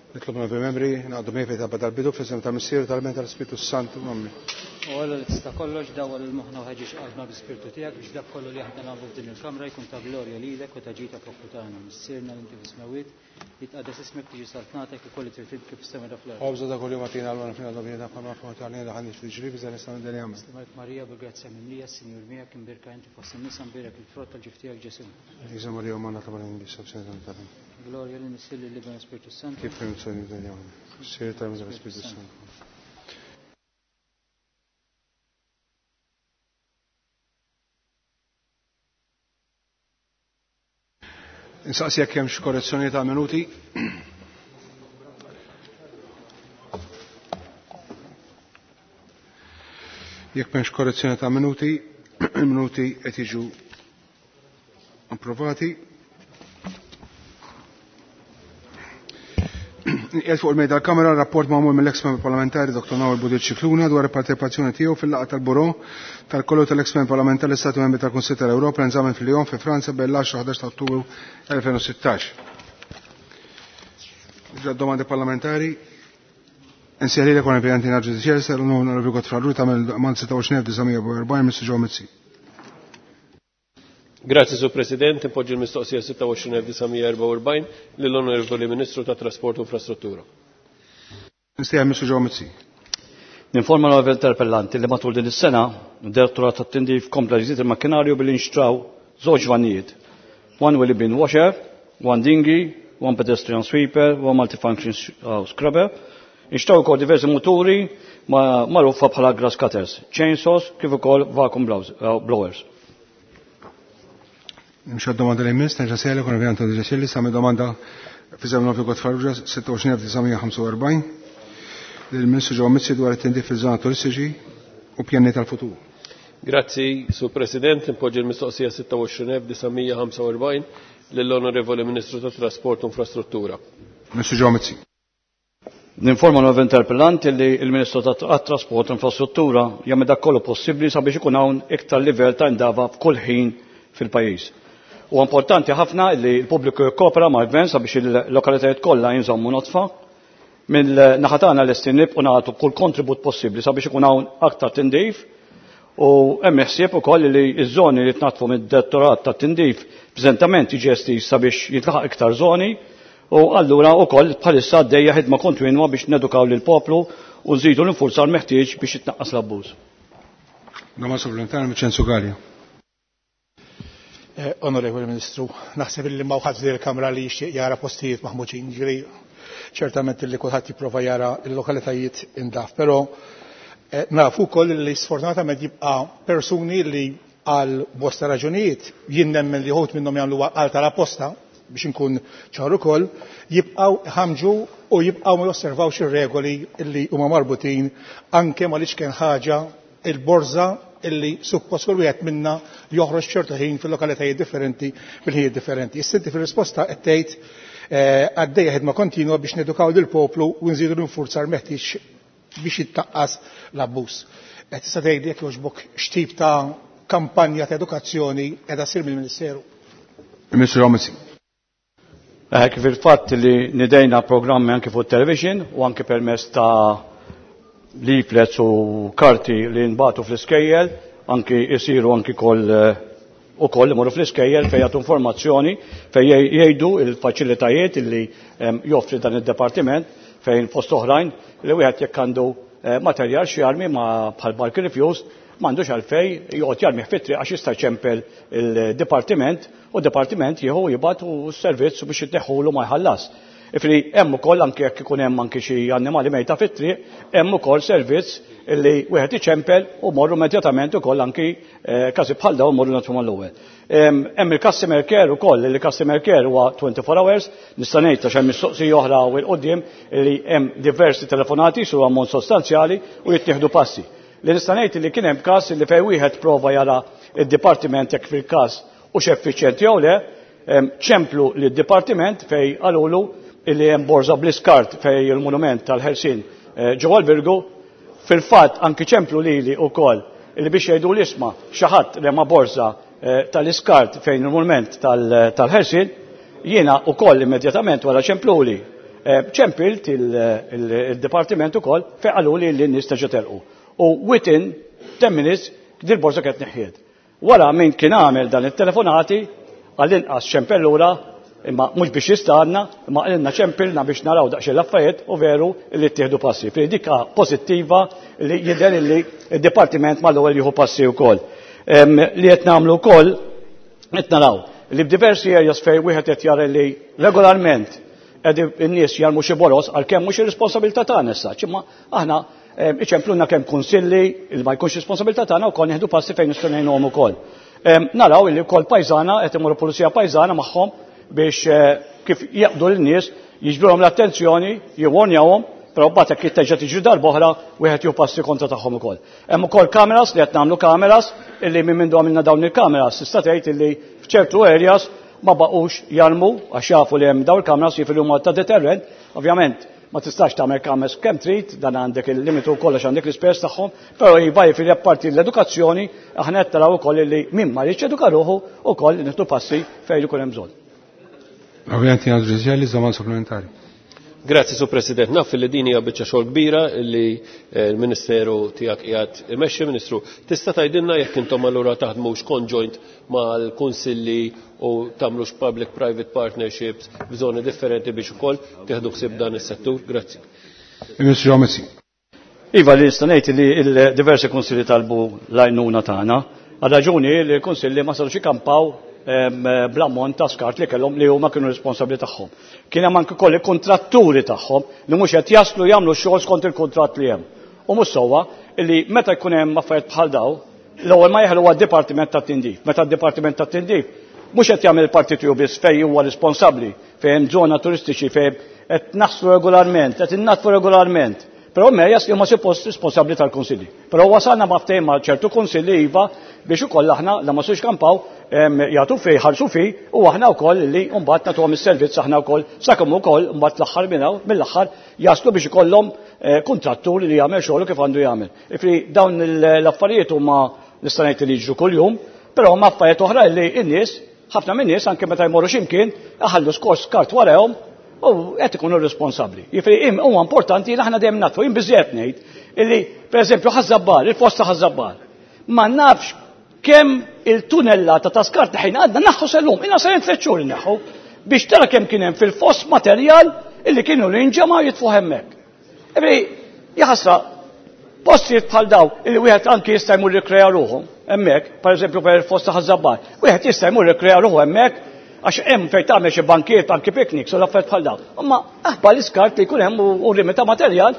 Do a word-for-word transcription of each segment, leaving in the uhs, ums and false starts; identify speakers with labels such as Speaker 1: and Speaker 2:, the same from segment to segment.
Speaker 1: Nitlob novi membri, naqdu mejfi ta' badal bidu fl-isem ta' Missier tal-Men tal-Spiritu Santu. Amen.
Speaker 2: U Alla li tista' kollox dawwal il-moħħna u ħeġġeġ qalbna bi-Spirtu tiegħek biex dak kollu li aħna nagħmlu f'din il-kamra jkun ta' glorja lilek u ta' ġid poplu tagħna. Missierna li inti fis-smewwiet, jitqaddes ismek, tiġi saltnatek u kolli trid kif is-sema da fl-art.
Speaker 1: Ħobża ta' kuljum agħtina llum fina dobjena bħalma fuq tagħna ħalli fil-ġrib iżda nistgħu ndeljamu.
Speaker 2: Marek Marija bil-grazzja mimlija, Sinjur miegħek, imbierka inti fost in-nisa, mbierek il-frott tal-ġuf tiegħek Ġesù.
Speaker 1: Iżda Marija Umana ta' Marija Bisab Sena tal.
Speaker 2: Glorja lil Missier lil Ibn Spiritu Santu.
Speaker 1: Kif kien sejn ndeljamu. Missier tal-Spiritu Santu. Insaqsi jekk hemmx korrezzjoni ta' minuti. Jekk m'hemmx korrezzjoni ta' minuti, il-minuti qed jiġu approvati. Qiegħed fuq il-mejda tal-Kamera rapport magħmul mill-ex membru parlamentari Dottor Nawel Budil Scicluna dwar il-parteċipazzjoni tiegħu fil-laqgħa tal-Bureau tal-Kollu tal-ex membru parlamentari Stati Membri tal-Kunsill tal-Ewropa li nżammet fil-Lyon fi Franza bejn l-għaxra u ħdax ta' Ottubru elfejn u sittax. Nibda domandi parlamentari. Insejħilek kon il-Presidenti Naġġu Ċelsa l-Onorevoli Godfrey Farrugia tagħmel domanda sitta u għoxrin elf disa' mija u erbgħin Mister Joe Mizzi.
Speaker 3: Grazie, Sur President. Impoġġi l-mistoqsija sitta u għoxrin elf disa' mija u erbgħin lill-Onorevoli Ministru tat Trasport u Infrastruttura.
Speaker 1: Nistieħ Mister Joe Mizzi.
Speaker 4: Ninforma l-Onorevoli Interpellanti li matul din is-sena d-Direttorat tat-Tindif kompla jżid il-makkinarju billi nxtraw żewġ vanijiet. One wheelie bin washer, one dinghy, one pedestrian sweeper, one multifunction scrubber. Nxtraw ukoll diversi muturi magħrufa bħala grass cutters, chainsaws kif ukoll vacuum blowers.
Speaker 1: Nimxu għad-domanda li jmiss, nerġa' sejla kon ovvjament għandu ġesilli, sa domanda fi żemmen Nofri Godfrey Farrugia sitta u għoxrin elf disa' mija u ħamsa u erbgħin lill-Ministru Joe Mizzi dwar it-tindif fil-żona turistiċi u pjani tal-futur.
Speaker 3: Grazzi, Sur President. Impoġġi l-mistoqsija sitta u għoxrin elf disa' mija u ħamsa u erbgħin lill-Onorevoli Ministru tat Trasport u Infrastruttura.
Speaker 1: Ministru Joe Mizzi.
Speaker 4: Ninforma l-Onorevoli Interpellanti li l-Ministru tat-Trasport u Infrastruttura jagħmel dak kollu possibbli sabiex ikun hawn iktar livell ta' indava f'kull ħin fil-pajjiż. U importanti ħafna li l-pubbliku jikkopera mal-gvern sabiex il-lokalitajiet kollha jinżommu nodfa. Mill-naħa tagħna lesti nibqgħu nagħtu kull kontribut possibbli sabiex ikun hawn aktar tindif u hemm ħsieb ukoll li ż-żoni li tnatfu mid-direttorat tat-tindif preżentament jiġi estiż sabiex jintlaħaq iktar żoni u allura wkoll bħalissa għaddejja ħidma kontinwa biex nedukaw lill-poplu u nżidu l-infurzar meħtieġ biex jitnaqqas l-abbuż.
Speaker 1: Domanda supplementari Vincenzo Galea.
Speaker 5: Eh, Onorevoli Ministru, naħseb li ma wħadd f'din il-Kamra li jixtieq jara postijiet maħmuġin, ġifieri ċertament li kulħadd jipprova jara l-lokalitajiet indaf, però, eh, nafu wkoll li sfortunatament jibqa' persuni li għal bosta raġunijiet jien nemmen li ħut minnhom jagħmlu għal tal-apposta biex inkun ċar ukoll, jibqgħu ħamġu u jibqgħu ma josservawx ir-regoli li huma marbutin anke ma li kien ħaġa il-borża illi suppost kull wieħed minna joħroġ ċertu ħin fil-lokalitajiet differenti fil-ħinijiet differenti. Issa inti fir-risposta qed tgħid, eh, għaddejja ħidma kontinwa biex nedukaw lill-poplu u nżidu l-infurzar meħtieġ biex jittaqqas l-abbuż. Qed tista' tgħid jekk jogħġbok x'tip ta' kampanja ta' edukazzjoni qiegħda ssir mill-Ministeru.
Speaker 1: Ministru Mizzi.
Speaker 4: Eh, kif il-fatt li nidejna programmi anke fuq television u anke permezz ta' leaflets u karti li nbatu fl-iskejjel, anki jisiru anki koll, eh, u koll imorru fl-iskejjel fejn jagħtu informazzjoni fejn jgħidu il-faċilitajiet li, ehm, joffri dan id-departiment fejn fost oħrajn li wieħed jekk għandu, eh, materjal xi jarmi ma bħal bulk refuse m'għandux għalfej joqgħod jarmi fit-triq għax jista' jċempel il-dipartiment u d-dipartiment jieħu jibgħat u s-servizz biex jitneħħulu ma jħallas. Ifri hemm ukoll anke jekk ikun hemm anke xi annimali mejta fit-triq, hemm ukoll servizz li wieħed iċempel u morru immedjatament ukoll anki, eh, każi bħal dawn morru nagħtu mal-ewwel. Em, hemm il-customer care ukoll, li customer care huwa twenty-four hours, nista' ngħid għax hemm mistoqsija oħra u l-qudiem li hemm diversi telefonati su ammont sostanzjali u jittieħdu passi. Li nista' ngħid li kien hemm każ li fejn wieħed prova jara id-dipartiment jekk fil-każ u x'effiċjenti jew le, em, ċemplu lid-dipartiment fejn qalulu illi hemm borża bl-iskart fej il-monument tal-Ħelsien, eh, ġewwa l-Birgu, fil-fatt anki ċemplu lili wkoll illi biex jgħidu l-isma' xi ħadd rema borża, eh, tal-iskart fejn il-monument tal-, tal-Ħelsien, jiena wkoll immedjatament wara ċempluli Ċempilt il-dipartiment ukoll fejn qalu li n-nies terġa' telqu. U within ten minutes dil-borża kienet neħħiet. Wara min kien għamel dan it-telefonati għall-inqas ċempel lura, imma mhux biex jistanna, imma qalilna ċempilna biex naraw daqsxejn l-affarijiet u veru li ttieħdu passi. Fi dika pożittiva li jidher li d-dipartiment mal-ewwel jieħu passi wkoll. Li qed nagħmlu wkoll qed naraw li b'diversi areas fejn wieħed qed jara li regolarment qed in-nies jarmu xi boros għalkemm mhux ir-responsabilità tagħna issa, imma aħna iċempluna kemm kunsilli li ma jkunx responsabilità tagħna wkoll nieħdu passi fejn nistgħu ngħinuhom ukoll. Naraw li wkoll pajżana qed imorru pulizija pajżana magħhom biex kif jaqbdu lin-nies jiġbruhom l-attenzjoni, jiwarnjawhom, però mbagħad jekk jitteġġa' tiġri darb'oħra wieħed jieħu passi kontra tagħhom ukoll. Hemm ukoll kameras li qed nagħmlu kameras illi minn mindu għamilna dawn il-kameras tista' tgħid illi f'ċertu areas ma baqgħux jarmu għax jafu li hemm dawn il-kameras jifieri huma ta' deterrent, ovvjament ma tistax tagħmel kameras kemm trid, dan għandek il-limitu kollox għandek l-ispejjeż tagħhom, però iva jifieri apparti l-edukazzjoni aħna qed naraw ukoll li min ma jridx eduka ruħu ukoll nieħdu passi fejn ikun hemm bżonn.
Speaker 1: Ovvjament jien ġudizzjali żaman supplementari.
Speaker 3: Grazzi, Sur President. Naf li din hija biċċa xogħol kbira li l-Ministeru tiegħek qiegħed imexxi, Ministru. Tista' tgħidilna jekk intom allura taħdmux conjoint mal-kunsilli u tagħmlux public-private partnerships f'żoni differenti biex ukoll tieħdu ħsieb dan is-settur? Grazzi.
Speaker 1: Ministru Għomezzi.
Speaker 4: Iva, li nista' ngħid li l-diversi kunsilli talbu l-għajnuna tagħna għal raġuni li l-kunsilli ma sarux ikampaw bl-ammont ta' skart li kellhom li huma kienu responsabbli tagħhom. Kien hemm anke koll il-kontratturi tagħhom li mhux qed jaslu jagħmlu x-xogħol skont il-kuntratt li hemm. U mhux sewwa li meta jkun hemm affarijiet bħal daw, l-ewwel ma jeħlu għad-Dipartiment tat-Tindif. Meta d-Dipartiment tat-Tindif mhux qed jagħmel il-parti tiegħu biss fejn huwa responsabbli, fejn hemm żona turistiċi fejn qed naħslu regolarment, qed innatfu regolarment. Però mejjas li huma suppost responsabbli tal-kunsilli. Però wasalna ma' ftehim ma' ċertu kunsilli iva biex ukoll aħna la ma sux kampaw jagħtu fej, ħarsu fej u aħna wkoll li mbagħad nagħtuhom is-servizz aħna wkoll sakemm ukoll mbagħad l-aħħar minn hawn mill-aħħar jaslu biex ikollhom kuntrattur li jagħmel xogħol kif għandu jagħmel. Ifri dawn l-affarijiet huma nista' ngħid li jiġru kuljum, però huma affarijiet oħra li n-nies, ħafna min-nies anke meta jmorru x'imkien iħallu skors kart warahom u qed ikunu responsabbli. Jiġifieri huwa importanti li aħna dejjem nagħtu, jien biżżejjed ngħid illi pereżempju Ħaż-Żabbar, il-fosta Ħaż-Żabbar, ma nafx kemm il-tunellata ta' skart ħin għadna naħħu sellum, ilna sejrin tliet xhur inneħħu biex tara kemm kien hemm fil-foss materjal illi kienu li nġemgħu jitfuh hemmhekk. Ebri, jaħasra, postijiet bħal daw illi wieħed anki jista' jmur jikkrea ruħu hemmhekk, pereżempju per il-fosta Ħaż-Żabbar, wieħed jista' jmur jikkrea ruħu hemmhekk għax hemm fejn tagħmel xi bankiet anki picnics u l-affarijiet bħal dawn. Imma aħbar l-iskart li jkun hemm u rimi ta' materjal,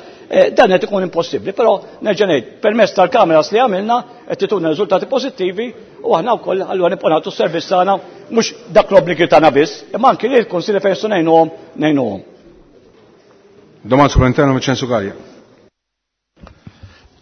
Speaker 4: dan qed ikun impossibbli, però nerġa' ngħid, permezz tal-kameras li għamilna qed tituna riżultati pożittivi u aħna wkoll allura nibqgħu nagħtu s-servizz tagħna mhux dak l-obbligi tagħna biss, imma anki li l-kunsilli fejn nistgħu ngħinuhom ngħinuhom.
Speaker 1: Domanda supplementari Vincenzo Gallia.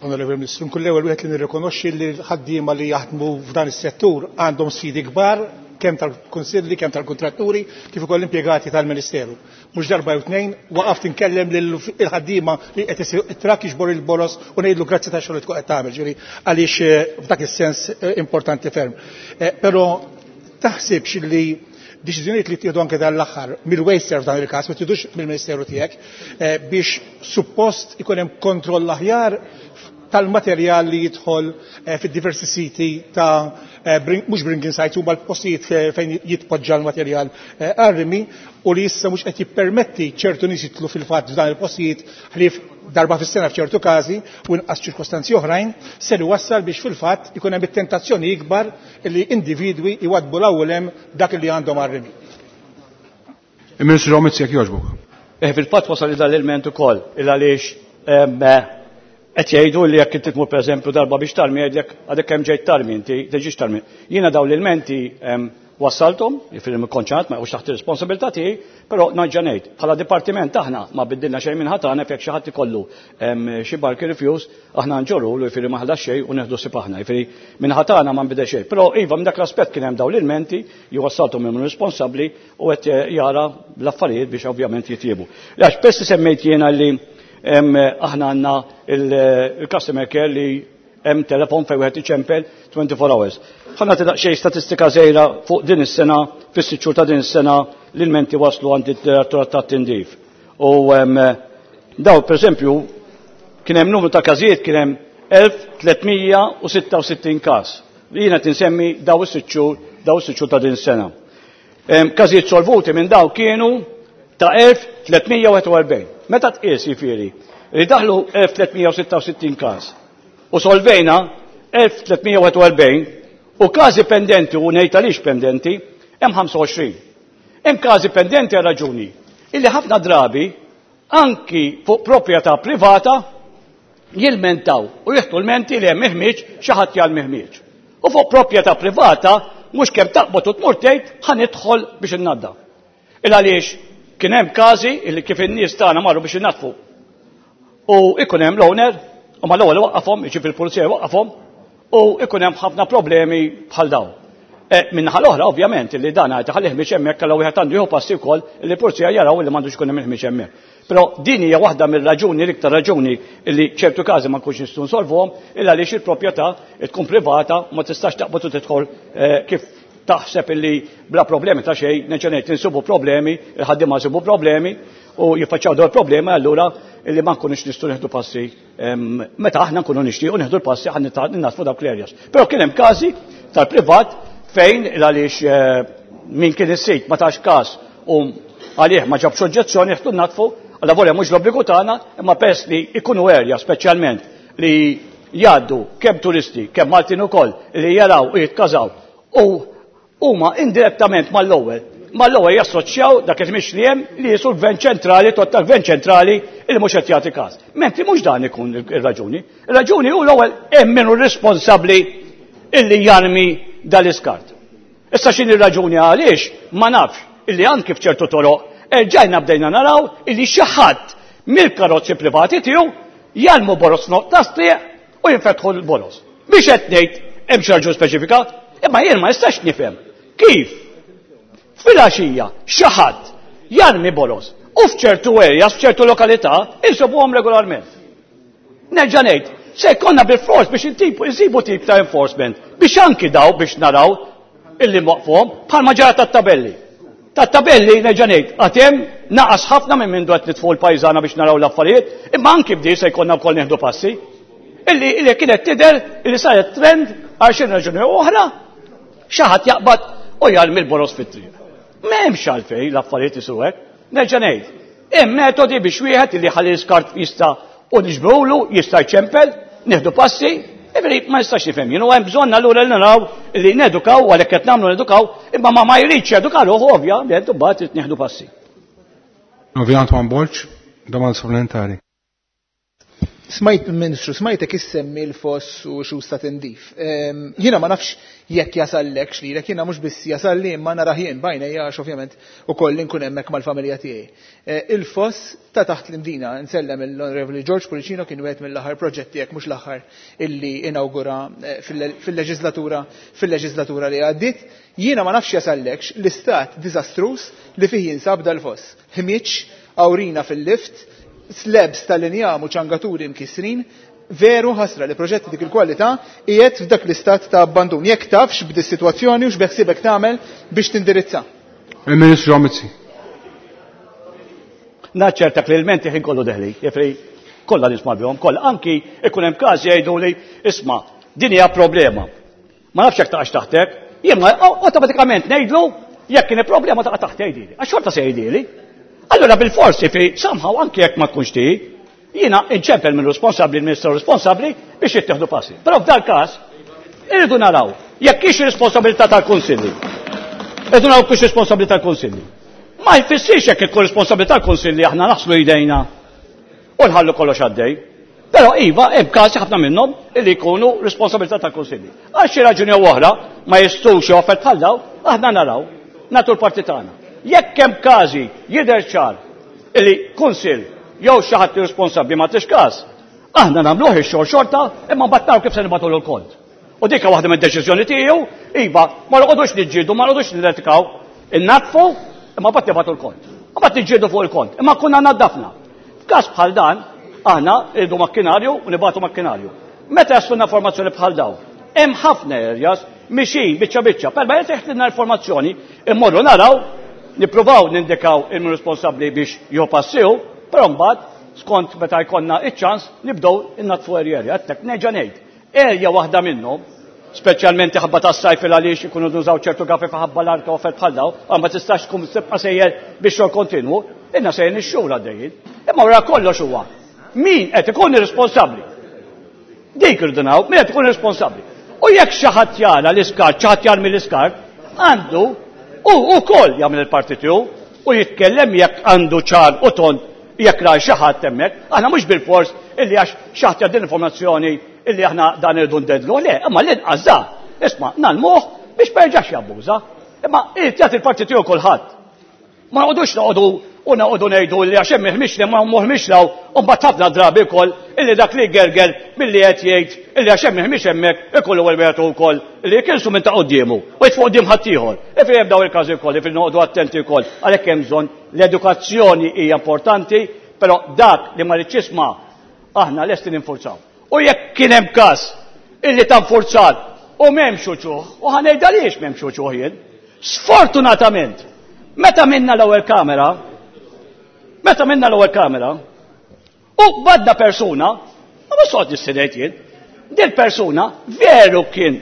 Speaker 5: Onorevoli Ministru, nkun l-ewwel wieħed li nirrikonoxxi li l-ħaddiema li jaħdmu f'dan is-settur għandhom sfidi kbar kemm tal-kunsilli, kemm tal-kontratturi, kif ukoll l-impjegati tal-Ministeru. Mhux darba jew tnejn waqaft inkellem lil ħaddiema li qed it-trakk jiġbor il-boros u ngħidlu grazzi ta' xogħol li tkun qed tagħmel, ġifieri għaliex f'dak is-sens importanti ferm. Però taħsibx li deċiżjonijiet li ttieħdu anke dan l-aħħar mill-Wasteserv f'dan il-każ, ma tiħdux mill-Ministeru tiegħek, biex suppost ikun hemm kontroll aħjar tal-materjal li jidħol fid-diversi siti ta' mhux bringing sites huma l-postijiet fejn jitpoġġa l-materjal għar-rimi u li issa mhux qed jippermetti ċertu nies jidħlu fil-fatt f'dan il-postijiet ħlief darba fis-sena f'ċertu każi u inqas ċirkostanzi oħrajn, ser iwassal biex fil-fatt ikun hemm it-tentazzjoni ikbar li individwi jwadbu l-ewwel hemm dak li għandhom għar-rimi.
Speaker 1: Il-Ministru Għomezzi, jekk jogħġbok.
Speaker 4: Eh, fil-fatt wasal dan l-ilment ukoll il għaliex qed jgħidu li jekk inti tmur pereżempju darba biex tarmi jgħidlek għadek kemm ġejt tarmi inti tiġix tarmi. Jiena dawn l-ilmenti wassalthom, jiġifieri mikkonċat ma jqgħux taħt ir-responsabilità tiegħi, però nerġa' ngħid, bħala dipartiment aħna ma biddilna xejn minn ħadd aħna jekk xi ħadd ikollu xi barki refuse, aħna nġorru jiġifieri ma ħadas xejn u neħdu sib aħna, jiġifieri minn ħadd aħna ma nbidel xejn. Però iva minn dak l-aspett kien hemm dawn l-ilmenti, jwassalthom minn responsabbli u qed jara l-affarijiet biex ovvjament jitjiebu. Għax pesti semmejt jiena li aħna għandna il-customer care li hemm telefon fejn wieħed iċempel twenty-four hours. Ħa nagħti daqsxejn statistika żgħira fuq din is-sena, fis-sitt xhur ta' din is-sena l-ilmenti waslu għand id-direttorat tat-tindif. U daw, per esempio, kien hemm numru ta' każijiet, kien hemm elf tliet mija u sitta u sittin każ. Li jiena tinsemmi daw is-sitt xhur daw is-sitt xhur ta' din sena. Każijiet solvuti minn daw kienu ta' elf tliet mija u wieħed u erbgħin. Meta tqies jifieri li daħlu elf tliet mija u sitta u sittin każ u solvejna elf tliet mija u wieħed u erbgħin u każi pendenti, u ngħid għaliex pendenti, hemm ħamsa u għoxrin. Hemm każi pendenti għal raġuni illi ħafna drabi anki fuq proprjetà privata jilmentaw u jieħdu l-menti li hemm ħmieġ, xi ħadd jarmi ħmieġ. U fuq proprjetà privata mhux kemm taqbad u tmur tgħid ħa nidħol biex innadda. Il għaliex kien hemm każi illi kif in-nies tagħna marru biex innadfu. U ikun hemm l-owner u mal-ewwel waqqafhom, jiġi fil-pulizija waqqafhom u ikun hemm ħafna problemi bħal dawn. E, Min-naħa l-oħra, ovvjament, li dan għajta ħalli ħmieġ hemmhekk, kellha wieħed għandu jieħu passi wkoll li l-pulizija jaraw li m'għandux ikun hemm il-ħmieġ hemmhekk. Però din hija waħda mir-raġuni, l-iktar raġuni li ċertu każi ma nkunx nistgħu nsolvuhom, illa għaliex il-proprjetà tkun privata u ma tistax taqbad u tidħol eh, kif taħseb illi bla problemi ta' xejn. Nerġa' ngħid, insibu problemi, il-ħaddiema jsibu problemi u jiffaċċjaw dawn il-problemi, allura illi ma nkunux nistgħu nieħdu passi meta aħna nkunu nixtiequ nieħdu l-passi ħa nnaddfu dawk l-areas. Però kien hemm każi tal-privat fejn għaliex eh, min kien is-sit ma tax każ u għalih ma ġabx oġġezzjoni jieħdu naddfu, għalla volja mhux l-obbligu tagħna, imma pers li ikunu area speċjalment li jgħaddu kemm turisti, kemm Maltin ukoll li jaraw u jitkażaw u huma indirettament mal-ewwel mal-ewwel jassoċjaw dak il-ħmieġ li hemm li jisu l-gvern ċentrali, tot tal-gvern ċentrali li mhux qed jagħti każ. Mentri mhux dan ikun ir-raġuni. Ir-raġuni hu l-ewwel hemm min hu responsabbli illi jarmi dal-iskart. Issa x'inhi r-raġuni għaliex ma nafx, illi anki f'ċertu toroq erġajna bdejna naraw illi xi ħadd mill-karozzi privati tiegħu jarmu boroż tat-triq u jinfetħu l-boroż. Biex qed ngħid hemm xi raġuni speċifika, imma jien ma nistax nifhem kif filgħaxija xi ħadd jarmi boroż u f'ċertu areas, f'ċertu lokalità, insibuhom regolarment. Nerġa' ngħid, se jkollna bil-fors biex intipu insibu tip ta' enforcement biex anki daw biex naraw illi waqfuhom, bħalma ġara tat-tabelli. Tat-tabelli, nerġa' ngħid, għad hemm naqas ħafna minn minn qed nitfu l-pajżana biex naraw l-affarijiet, imma anki bdi se jkollna wkoll nieħdu passi. Illi illi kienet tidher illi saret trend għal xi raġuni oħra, xi ħadd jaqbad u jarmi l-boroż fit-triq. M'hemmx għalfejn l-affarijiet isiru hekk. Nerġa' ngħid, hemm metodi biex wieħed illi ħalli l-iskart jista' u niġbru jista' jċempel, nieħdu passi, Ġifieri ma nistax nifhem jien, u hemm bżonn allura li naraw li nedukaw, għalhekk qed nagħmlu nedukaw, imma ma ma jridx jeduka ruħu, ovvjament imbagħad nieħdu passi.
Speaker 1: Ovvjament Antoine Borg, domanda supplementari.
Speaker 6: Smajt, Ministru, smajtek issemmi l-foss u xu sta tindif. Jiena ma nafx jekk jasallek xlilek, jiena mhux biss jasalli imma narah jien b'għajnejja għax ovvjament ukoll inkun hemmhekk mal-familja tiegħi. Il-foss ta' taħt l-Imdina, nsellem l-Onorevoli George Pullicino, kien wieħed mill-aħħar proġetti, jekk mhux l-aħħar, illi inaugura fil-leġislatura fil-leġislatura li għaddiet. Jiena ma nafx jasallekx l-istat diżastruż li fih jinsab dal-foss. Ħmieġ, awrina fil-lift, slabs tal-injam u ċangaturi mkisrin, veru ħasra li proġetti dik il-kwalità qiegħed f'dak l-istat ta' abbandun. Jekk tafx b'di situazzjoni u x'beħsiebek tagħmel biex tindirizza.
Speaker 1: Il-Ministru Mizzi.
Speaker 4: Naċċertak li l-menti ħin kollu deħli, jefri kollha nisma' bihom, kollha anki ikun hemm każi jgħidu li isma' din hija problema. Ma nafx jekk taqax taħtek, jien awtomatikament ngħidlu jekk kien problema taqa' taħt jgħidili. Għax xorta se jgħidili. Allora bil-forsi fi somehow anki jekk ma tkunx tiegħi, jiena inċempel minn responsabbli, il-Ministru responsabbli biex jittieħdu passi. Però f'dal każ irridu naraw jekk hix responsabilità tal-Kunsilli. Irridu naraw kux responsabilità tal-Kunsilli. Ma jfissirx jekk ikun responsabilità tal-Kunsilli aħna naħslu jdejna u nħallu kollox għaddej. Però iva, hemm każi, ħafna minnhom, illi jkunu responsabilità tal-Kunsilli. Għal xi raġuni jew oħra ma jistgħux joffert bħal daw, aħna naraw, nagħtu l-parti tagħna. Jekk hemm każi jidher ċar illi kunsill jew xi ħadd responsabbli ma tix każ, aħna nagħmluh ix-xogħol xorta, imma mbagħad naraw kif se nibgħatu l-kont. U dik waħda mid-deċiżjoni tiegħu, iva, ma noqogħdux niġġieldu, ma noqogħdux nilletikaw, innaddfu, imma mbagħad nibgħatu l-kont. Mbagħad niġġieldu fuq il-kont, imma kunna naddafna. F'każ bħal dan, aħna irridu makkinarju u nibgħatu makkinarju. Meta jasluna informazzjoni bħal daw, hemm ħafna areas mixin biċċa biċċa, per ma jteħtlilna informazzjoni, immorru naraw, nippruvaw nindikaw il-min responsabbli biex jopassiju. Però mbagħad skont meta jkollna iċ-ċans nibdew innatfu erja. Għedtek neġa' ngħid. Erja waħda minnhom, speċjalment ħabba tas-sajf il għaliex ikunu nużaw ċertu gafi ħabba l-arka u bħal daw, ma tistax tkun tibqa' sejjer biex xogħol kontinwu, inna sejjer ix-xhur għaddejjin. Imma wara kollox huwa min qed ikun irresponsabbli. Dik irridu naraw, min qed ikun irresponsabbli. U jekk xi ħadd jara l-iskart, xi ħadd jarmi l-iskart, għandu u wkoll jagħmel il-parti tiegħu u jitkellem jekk għandu ċar u tond jekk ra xi ħadd hemmhekk. Aħna mhux bil-fors illi għax xi ħadd jgħaddi informazzjoni illi aħna dan irridu ndedlu, le, imma l-inqas da. Isma' nagħlmuh biex ma jerġax jabbuża. Imma irid jagħti l-parti tiegħu kulħadd. Ma noqogħdux noqogħdu u noqogħdu ngħidu li għax hemm il-ħmix li ma moħmix law u mbagħad ħafna drabi wkoll illi dak li gergel milli qed jgħid illi għax hemm il-ħmix hemmhekk ikollu ewwel wieħed ukoll illi jkilsu minn ta' quddiemu u jitfu quddiem ħaddieħor. Ifri hemm dawn il-każi wkoll, ifri noqogħdu attenti wkoll għalhekk hemm bżonn l-edukazzjoni hija importanti, però dak li ma rridx jisma' aħna lesti ninfurzaw. U jekk kien hemm każ illi ta' nfurzar u m'hemmx uċuħ, u ħa ngħid għaliex m'hemmx uċuħ jien. Sfortunatament, meta minna l-ewwel kamera, meta minna l-ewwel kamera, u badda persuna, u ma sod nissidejt jien, dil persuna veru kien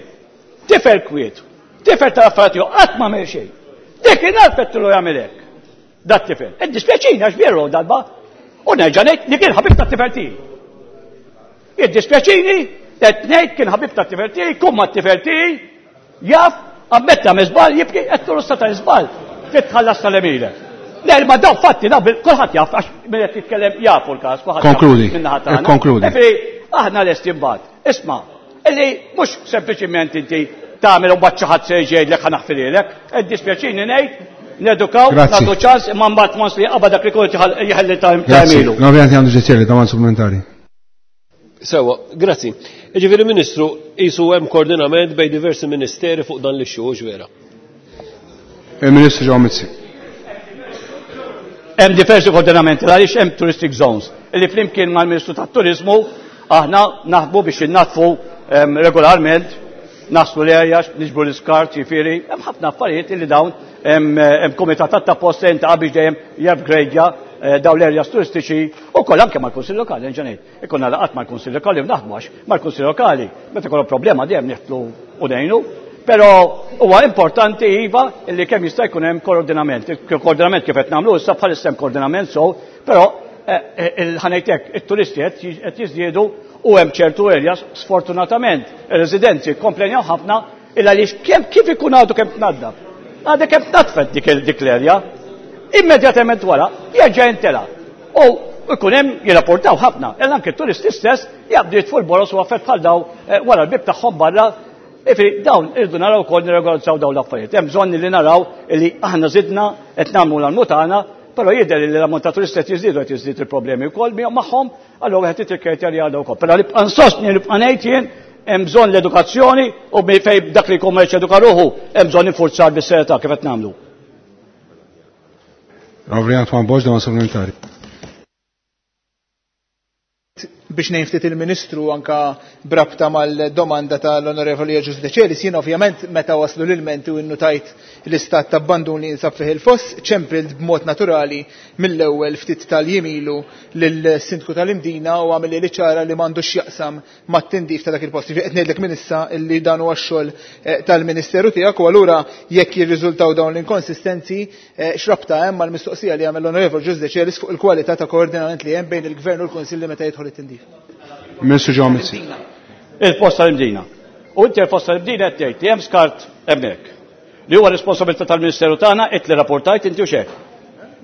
Speaker 4: tifel kwiet, tifel tal-affarijiet qatt ma għamel xejn. Dik kien għalfettilu jagħmel hekk. Dat tifel. Iddispjaċini għax veru darba u nerġa' ngħid li kien ħabib tat-tifel tiegħi. Iddispjaċini qed ngħid kien ħabib tat-tifel tiegħi, kum mat-tifel tiegħi, jaf, ammetta żball jibki qed turu ta' żball. Titħallas tal-emilek. Le, ma daw fatti, daw kulħadd jaf, għax min qed jitkellem jafu l-każ, kulħadd.
Speaker 1: Konkludi. Konkludi.
Speaker 4: Aħna lesti mbagħad. Isma', illi mhux sempliċiment inti tagħmel u mbagħad xi ħadd se jgħidlek ħa naħfililek, iddispjaċini ngħid, nedukaw, nagħtu ċans, imma mbagħad once li qabad dak li kull jħalli ta' emilu.
Speaker 1: Ovvjament għandu ġezzjeli, domanda supplementari.
Speaker 3: Sewa, grazzi. Jiġifieri Ministru, qisu hemm koordinament bejn diversi ministeri fuq dan l-issue, hux vera?
Speaker 1: Il-Ministru Joe Mizzi.
Speaker 4: Hemm diversi koordinamenti għaliex hemm touristic zones illi flimkien mal-Ministru tat-Turizmu aħna naħdmu biex innatfu regolarment, naslu l-erja, niġbru l-iskart, jiġifieri, hemm ħafna affarijiet illi dawn hemm kumitat ta' post ta' biex dejjem jupgradeja dawn l-erjas turistiċi u koll anke mal-Kunsill Lokali, ġenejt. Ikonna laqat mal-Kunsill Lokali u naħdmu għax mal-Kunsill Lokali, meta jkollhom problema dejjem nieħdlu u ngħinu. Però huwa importanti iva illi kemm jista' jkun hemm koordinament. Koordinament kif qed nagħmlu issa bħalissa hemm koordinament so, però ħanejtek it-turisti qed jiżdiedu u hemm ċertu areas sfortunatament ir-residenzi komplenjaw ħafna illa għaliex kemm kif ikun għadu kemm tnaddaf. Għadha kemm tnadfet dik dik l-area, immedjatament wara jerġa' jintela. U ikun hemm jirrapportaw ħafna, illa anke t-turisti stess jaqbdu jitfu l-boros u affett bħal daw wara l-bib tagħhom barra. Ifri, dawn irridu naraw ukoll nirregolizzaw dawn l-affarijiet. Hemm bżonn li naraw li aħna żidna qed nagħmlu l-almu tagħna, però jidher li l-ammont ta' turisti qed jiżdiedu qed jiżdied il-problemi wkoll magħhom, allura wieħed irid li għadha wkoll. Però nibqa' nsostni nibqa' ngħid jien hemm bżonn l-edukazzjoni u fejn dak li jkun ma eduka ruħu hemm bżonn infurzar bis-serjetà kif qed nagħmlu.
Speaker 1: Onorevoli Antoine Borg, domanda supplementari.
Speaker 6: Biex ngħin ftit il-Ministru anka brabta mal-domanda tal-Onorevoli Ġus Decelis, jien ovvjament meta waslu l-ilmenti u innutajt l-istat ta' abbandun li jinsab fih il-foss, ċempilt b'mod naturali mill-ewwel ftit tal-jimilu lill-Sindku tal-Imdina u għamil li ċara li m'għandux jaqsam mat-tindif ta' dak il-post. Qed ngħidlek minn issa li dan huwa x-xogħol tal-Ministeru tiegħek u allura jekk jirriżultaw dawn l-inkonsistenzi x'rabta hemm mal-mistoqsija li għamel l-Onorevoli Ġus Decelis fuq il-kwalità ta' koordinament li hemm bejn il-Gvern u l-Kunsilli meta jidħol it-tindif.
Speaker 1: Ministru Joe Mizzi.
Speaker 4: Il-post tal-Imdina. U inti il-post tal-Imdina qed tgħid li hemm skart hemmhekk. Li huwa responsabilità tal-Ministeru tagħna qed li rapportajt inti u xek.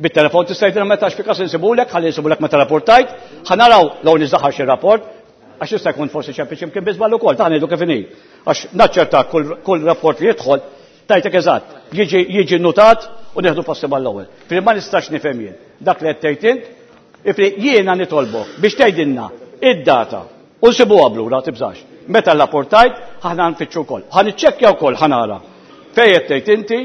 Speaker 4: Bit-telefon tista' jgħidilna meta x'fi każ insibulek, ħalli insibulek meta rapportajt, ħa naraw law niżaħar xi rapport, għax jista' jkun forsi ċempi x'imkien biżball ukoll, ta' ngħidu kif inhi. Għax naċċerta kull, kull rapport li jidħol tajtek eżatt, jiġi jiġi notat u nieħdu passi mal-ewwel. Fil ma nistax nifhem jien. Dak li qed tgħid int, ifri jiena nitolbok biex tgħidilna id-data u nsibuha blura tibżax. Meta l-rapportajt, aħna nfittxu wkoll. Ħa niċċekkja wkoll ħa nara. Fejn qed tgħid inti,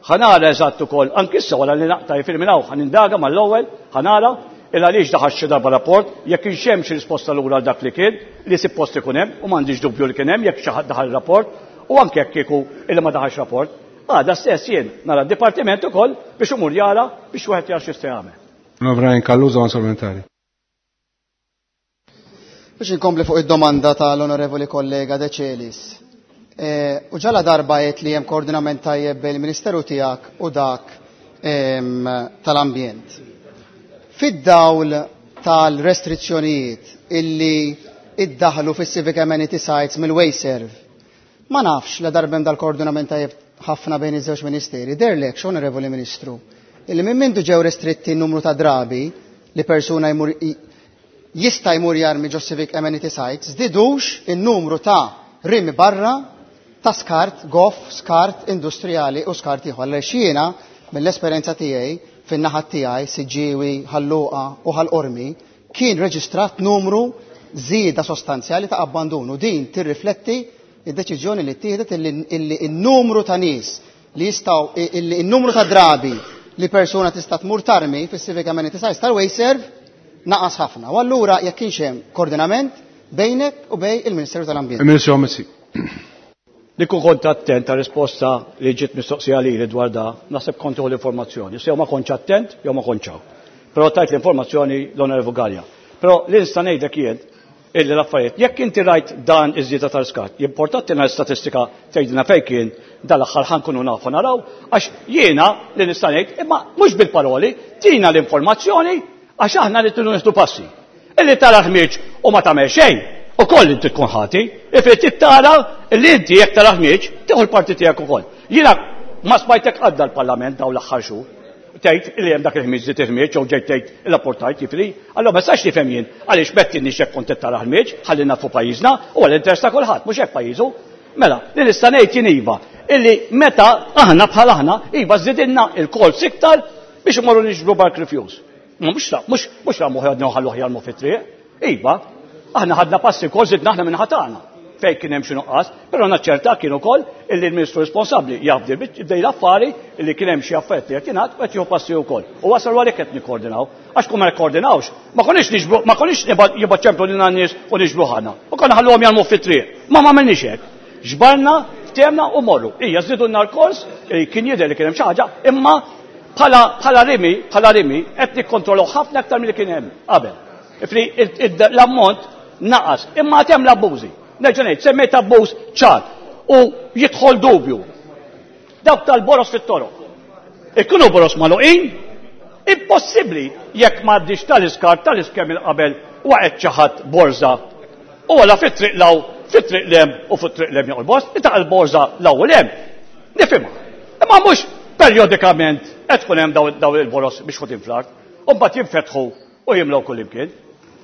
Speaker 4: ħa nara eżatt ukoll, anki issa wara li naqta' jifir minn hawn ħa nindaga mal-ewwel, ħa nara il għaliex daħal xi darba rapport, jekk kienx hemm xi risposta lura għal dak li kien, li suppost ikun hemm, u m'għandix dubju li kien hemm jekk xi ħadd daħal rapport, u anke jekk kieku illi ma daħalx rapport. Għada stess jien nara d-dipartiment ukoll biex imur jara biex wieħed jara x'jista' jagħmel.
Speaker 1: Brian Calluso, supplementari.
Speaker 7: Biex inkompli fuq id-domanda tal-onorevoli kollega De Celis. U ġala darba għedt li hemm koordinament tajjeb bejn il-Ministeru tiegħek u dak tal-ambjent. Fid-dawl tal-restrizzjonijiet illi iddaħlu fis-civic amenity sites mill-WasteServ, ma nafx la darbem dal-koordinament tajjeb ħafna bejn iż-żewġ ministeri. Derlek, onorevoli Ministru, illi minn mindu ġew restritti n-numru ta' drabi li persuna jmur jista' jmur jarmi ġo civic amenity sites, żdidux in-numru ta' rimi barra ta' skart, goff, skart industrijali u skart ieħor. Għaliex jiena mill-esperjenza tiegħi fin-naħa tiegħi Siġġiewi, Ħal-Luqa u Ħal-Qormi kien reġistrat numru żieda sostanzjali ta' abbandonu. Din tirrifletti id-deċiżjoni li ttieħdet illi n-numru ta' nies li jistgħu illi n-numru ta' drabi li persuna tista' tmur tarmi fis-civic amenity sites tal-WasteServ naqas ħafna. U allura jekk kienx hemm koordinament bejnek u bejn il-Ministeru tal-Ambjent.
Speaker 1: Il-Ministru Mizzi.
Speaker 4: Li kont attent ta' risposta li ġiet mistoqsija lili dwar da, naħseb kont l-informazzjoni. Se jew ma kontx attent, jew ma kontx hawn. Però tajt l-informazzjoni l-Onorevu Galea. Però li nista' ngħidlek jien illi l-affarijiet, jekk inti rajt dan iż-żieda tal-skart, jimportati statistika tgħidilna fejn kien dal-aħħar ħa nkunu nafu naraw, għax jiena li nista' ngħid, imma mhux bil-paroli, tina l-informazzjoni għax aħna li tridu nieħdu passi. Illi tara ħmieġ u ma tagħmel xejn, ukoll inti tkun ħati, ifri tara li inti jekk tara ħmieġ, tieħu l-parti tiegħek ukoll. Jiena ma smajtek għadda l-Parlament daw l-aħħar xhur. Tgħid li hemm dak il-ħmieġ li ħmieġ jew ġejt tgħid il-apportajt jifri, allora ma sax nifhem jien għaliex mettinni xek kont tara ħmieġ, ħalli nafu pajjiżna u għall-interess ta' kulħadd, mhux hekk pajjiżu. Mela, li nista' ngħid jien iva, illi meta aħna bħal aħna iva żidilna il-calls iktar biex imorru niġbru bulk refuse. Mhux mhux mhux ramu ħadna ħallu jarmu fit-triq. Iva, aħna ħadna passi wkoll żidna aħna minn ħatana fejn kien hemm xi nuqqas, però naċċerta kien ukoll illi l-Ministru responsabbli jaf bdej l-affari illi kien hemm xi affarijiet li qed jingħad u qed jieħu passi wkoll. U wasal għalhekk qed nikkoordinaw. Għax kun ma nikkoordinawx, ma konniex niġbru, ma konniex jibgħat ċemplu lil nies u niġbru ħana. U konna ħalluhom jarmu fit-triq. Ma ma għamilniex hekk. Ġbarna, ftehmna u morru. Ija żidulna l-kors, kien jidher li kien hemm xi ħaġa, imma bħala bħala rimi, bħala rimi qed nikkontrollaw ħafna aktar milli kien hemm qabel. Ifri l-ammont naqas, imma għad hemm l-abbużi. Nerġa' ngħid, semmejt abbuż ċar u jidħol dubju. Dawk tal-boros fit-toroq. Ikunu boros magħluqin, impossibbli jekk m'għaddix tal-iskart tal-iskem il-qabel waqgħet xi ħadd borża. U għala fit-triq law, fit-triq lem u fit-triq lem joqgħod bost, li ta' l-borża law u lem. Nifhimha. Imma mhux periodikament qed tkun hemm daw il-boros biex ħutin fl-art, u mbagħad jinfetħu u jimlew kull imkien.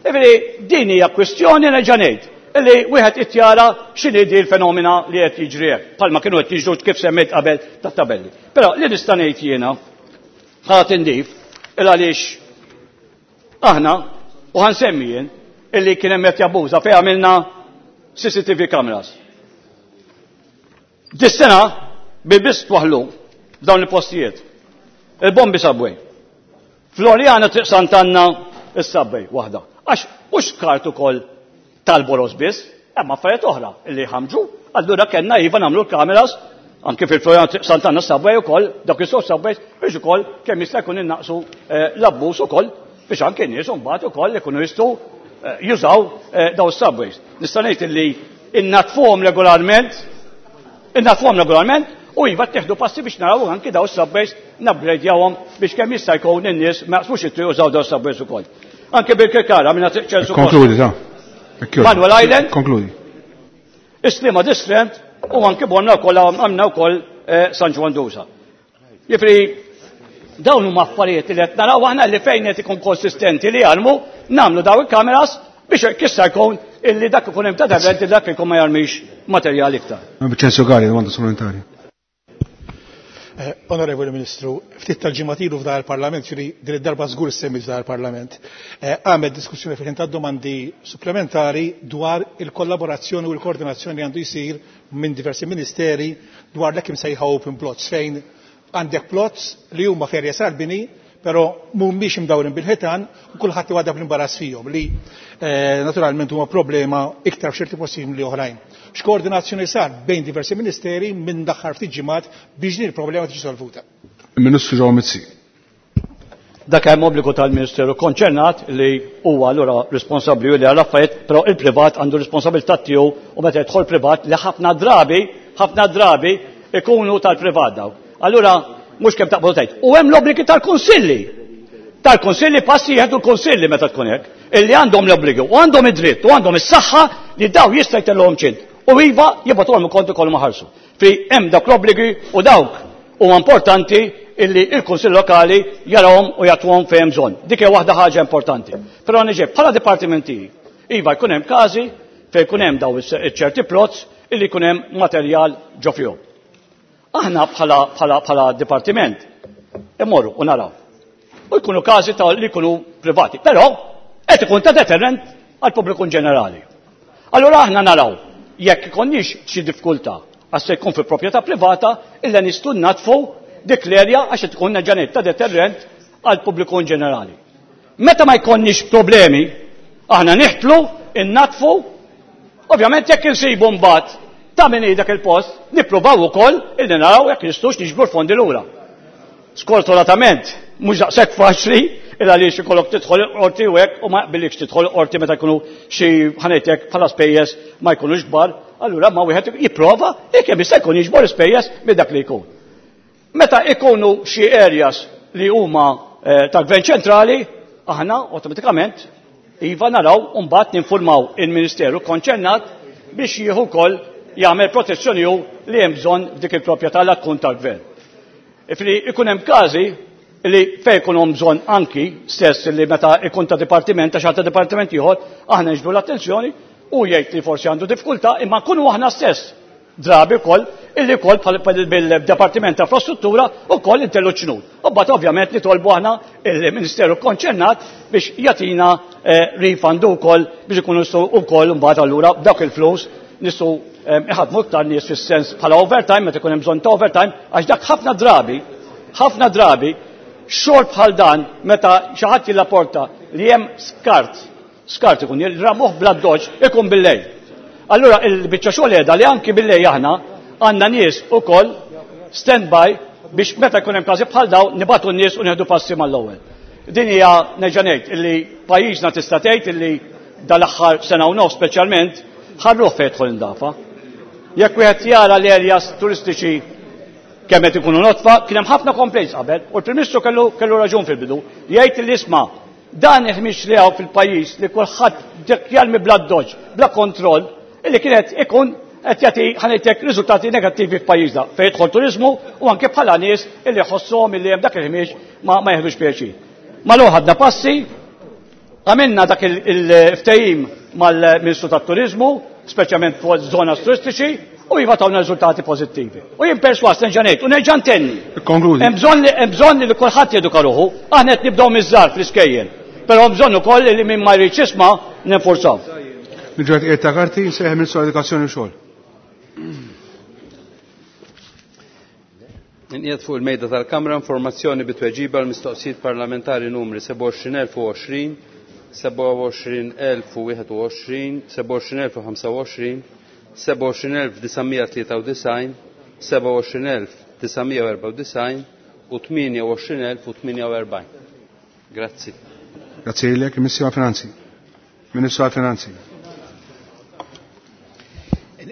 Speaker 4: Ġifieri din hija kwistjoni nerġa' ngħid illi wieħed ittjara x'inhi di l-fenomena li qed jiġri hekk, bħalma kienu qed jiġru kif semmejt qabel tat-tabelli. Però li nista' ngħid jiena ħa tindif il għaliex aħna u ħansemmi jien illi kien hemm qed jabbuża fejn għamilna C C T V cameras. Dis-sena bil-biss twaħlu f'dawn il-postijiet. Il-bombi subway. Floriana, Triq Sant'Anna, is-subway waħda. Għax mhux skart ukoll tal-boros biss, hemm affarijiet oħra illi ħamġu, allura kellna iva nagħmlu l-kameras anke fil-Floriana, Triq Sant'Anna subway ukoll, dak is-sod subways biex ukoll kemm jista' jkun innaqsu l-abbuż ukoll biex anke n-nies imbagħad ukoll ikunu jistgħu jużaw daw is-subways. Nista' ngħid illi innatfuhom regolarment, innatfuhom regolarment u iva tieħdu passi biex naraw anke daw is-subways nupgradejawhom biex kemm jista' jkun in-nies ma jaqsmux it-triq jużaw daw is-subways ukoll. Anke bil-Kirkara minna Triq Ċensu.
Speaker 1: Konkludi, ta'
Speaker 4: Manuel Island.
Speaker 1: Konkludi.
Speaker 4: Is-Sliema District u anke bonna wkoll għamna wkoll San Ġwann Dusa. Jifri dawn huma affarijiet li qed naraw aħna li fejn qed ikun konsistenti li jarmu nagħmlu daw il-kameras biex kissa jkun illi dak ikun hemm ta' eventi dak ikun ma jarmix materjal iktar.
Speaker 1: Vincenzo Galea, domanda supplementari.
Speaker 5: Onorevoli Ministru, ftit tal-ġimgħat ilu f'dan il-Parlament, ġifieri din id-darba żgur semmi f'dan il-Parlament, għamel diskussjoni fejn ta' domandi supplementari dwar il-kollaborazzjoni u l-koordinazzjoni li għandu jsir minn diversi ministeri dwar l-hekk imsejħa open plots, fejn għandek plots li huma ferja sal-bini, però mhumiex imdawrin bil-ħitan u kulħadd iwadab l-imbarazz fihom li naturalment huma problema iktar f'ċerti postijiet li oħrajn. X'koordinazzjoni sar bejn diversi ministeri minn daħħar ftit ġimgħat biex din il-problema tiġi solvuta?
Speaker 1: Il-Ministru Joe Mizzi.
Speaker 4: Dak hemm obbligu tal-Ministeru konċernat li huwa allura responsabbli u li għal affarijiet, però il-privat għandu responsabilità tiegħu u meta jidħol privat li ħafna drabi, ħafna drabi ikunu tal-privat daw. Allura mhux kemm taqbdu tgħid. U hemm l-obbligi tal-kunsilli. Tal-kunsilli passi jieħdu l-kunsilli meta tkun hekk, illi għandhom l-obbligi u għandhom id-dritt u għandhom is-saħħa li daw jista' jtellhom ċint. U iva jibgħatuhom ukoll ikollhom ħarsu. Fi hemm dawk l-obbligi u dawk huwa importanti illi il-Kunsill Lokali jarawhom u jagħtuhom fejn bżonn. Dik hija waħda ħaġa importanti. Però niġi bħala dipartimenti, iva jkun hemm każi fejn jkun hemm daw iċ-ċerti plots illi jkun hemm materjal ġo fihom. Aħna bħala bħala bħala dipartiment immorru u naraw. U jkunu każi ta' li jkunu privati, però qed ikun ta' deterrent għall pubbliku ġenerali. Allura aħna naraw jekk ikonniex xi diffikultà għax se jkun fi proprjetà privata illa nistgħu natfu dik l-erja għax tkun ġanet ta' deterrent għal pubbliku ġenerali. Meta ma jkollniex problemi, aħna niħtlu, innatfu, ovvjament jekk insibu mbagħad ta' min dak il-post, nippruvaw ukoll illi naraw jekk nistgħux niġbru l-fondi lura. Sfortunatament, mhux daqshekk faċli il għaliex ikollok tidħol qorti u hekk u ma jaqbillikx tidħol qorti meta jkunu xi ħanejtek bħala spejjeż ma jkunux kbar, allura ma wieħed jipprova jekk hemm jista' jkun jiġbor ispejjeż minn dak li jkun. Meta ikunu xi areas li huma eh, tal-Gvern ċentrali, aħna awtomatikament iva naraw u mbagħad ninformaw il-Ministeru konċernat biex jieħu wkoll jagħmel protezzjoni hu li hemm bżonn f'dik il-proprjetà la tkun tal-gvern. Ifri ikun hemm każi li fejn ikun hemm bżonn anki stess li meta ikun ta' dipartiment ta' xi dipartiment ieħor aħna niġbdu l-attenzjoni u jgħid li forsi għandu diffikultà imma nkunu aħna stess drabi wkoll illi wkoll bil-Dipartiment ta' Infrastruttura wkoll intellu ċnud. U mbagħad ovvjament nitolbu aħna il-Ministeru konċernat biex jagħtina refund ukoll biex ikunu nistgħu wkoll mbagħad allura b'dawk il-flus nistgħu iħadmu iktar nies fis-sens bħala overtime meta ikun hemm bżonn ta' overtime għax dak ħafna drabi, ħafna drabi xogħol bħal dan meta xi ħadd jirrapporta li hemm skart, skart ikun jirramuh bla doġ ikun bil-lejl. Allura il-biċċa xogħol qiegħda li anki bil-lejl aħna għandna nies ukoll stand-by biex meta jkun hemm każi bħal dawn nibatu n-nies u nieħdu passi mal-ewwel. Din hija nerġa' ngħid illi pajjiżna tista' tgħid illi dal-aħħar sena u nofs speċjalment ħarruh fejn jidħol indafa. Jekk wieħed jara l-areas turistiċi kemm qed ikunu notfa, kien hemm ħafna complaints qabel u l-Prim Ministru kellu kellu raġun fil-bidu jgħid li isma' dan il-ħmiex li hawn fil-pajjiż li kulħadd dik jarmi bla doġ, bla kontroll, illi kienet ikun qed jagħti ħanejtek riżultati negattivi f'pajjiżna fejn jidħol turiżmu u anke bħala nies illi jħossuhom illi hemm dak il-ħmiex ma, ma jeħdux pjaċir. Malu ħadna passi, għamilna dak il-ftehim mal-Ministru tat-Turiżmu, speċjalment fuq żona turistiċi, u iva tawna riżultati pożittivi. U jien perswas nerġa' ngħid u nerġa' ntenni.
Speaker 1: Konkludi.
Speaker 4: Hemm bżonn li hemm bżonn li kulħadd jeduka ruħu, aħna qed nibdew miż-żgħar fl-iskejjel. Però hemm bżonn ukoll li min ma jridx jisma' ninforzaw.
Speaker 1: Niġu għed ta' karti, nsejħ Ministru Edukazzjoni u Xogħol.
Speaker 8: Inqiegħed fuq il-mejda tal-Kamra informazzjoni bitweġiba għal mistoqsijiet parlamentari numri sebgħa u għoxrin elf u għoxrin, sebgħa u għoxrin elf u wieħed u għoxrin, sebgħa u għoxrin elf u ħamsa u għoxrin, sebgħa u għoxrin elf disa' tlieta u disgħin, sebgħa u għoxrin elf disa' erbgħa u disgħin u tmienja u għoxrin elf u tmienja u erbgħin. Grazzi.
Speaker 1: Grazzi lilek, Ministru għall-Finanzi. Ministru għall-Finanzi.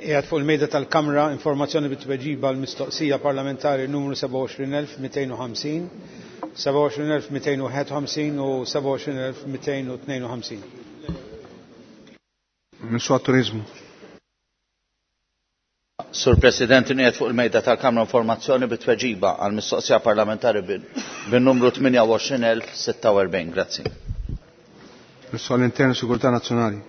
Speaker 9: Qiegħed fuq il-mejda tal-Kamra informazzjoni bit-tweġiba għal mistoqsija parlamentari numru sebgħa u għoxrin elf mitejn u ħamsin, sebgħa u għoxrin elf mitejn u wieħed u ħamsin u sebgħa u għoxrin elf mitejn u tnejn u ħamsin.
Speaker 1: Ministru għat-Turizmu.
Speaker 10: Sur President, inqiegħed fuq il-mejda tal-Kamra informazzjoni bit-tweġiba għal mistoqsija parlamentari bin-numru tmienja u għoxrin elf sitta u erbgħin. Grazzi.
Speaker 1: Ministru għall-Intern u Sigurtà Nazzjonali.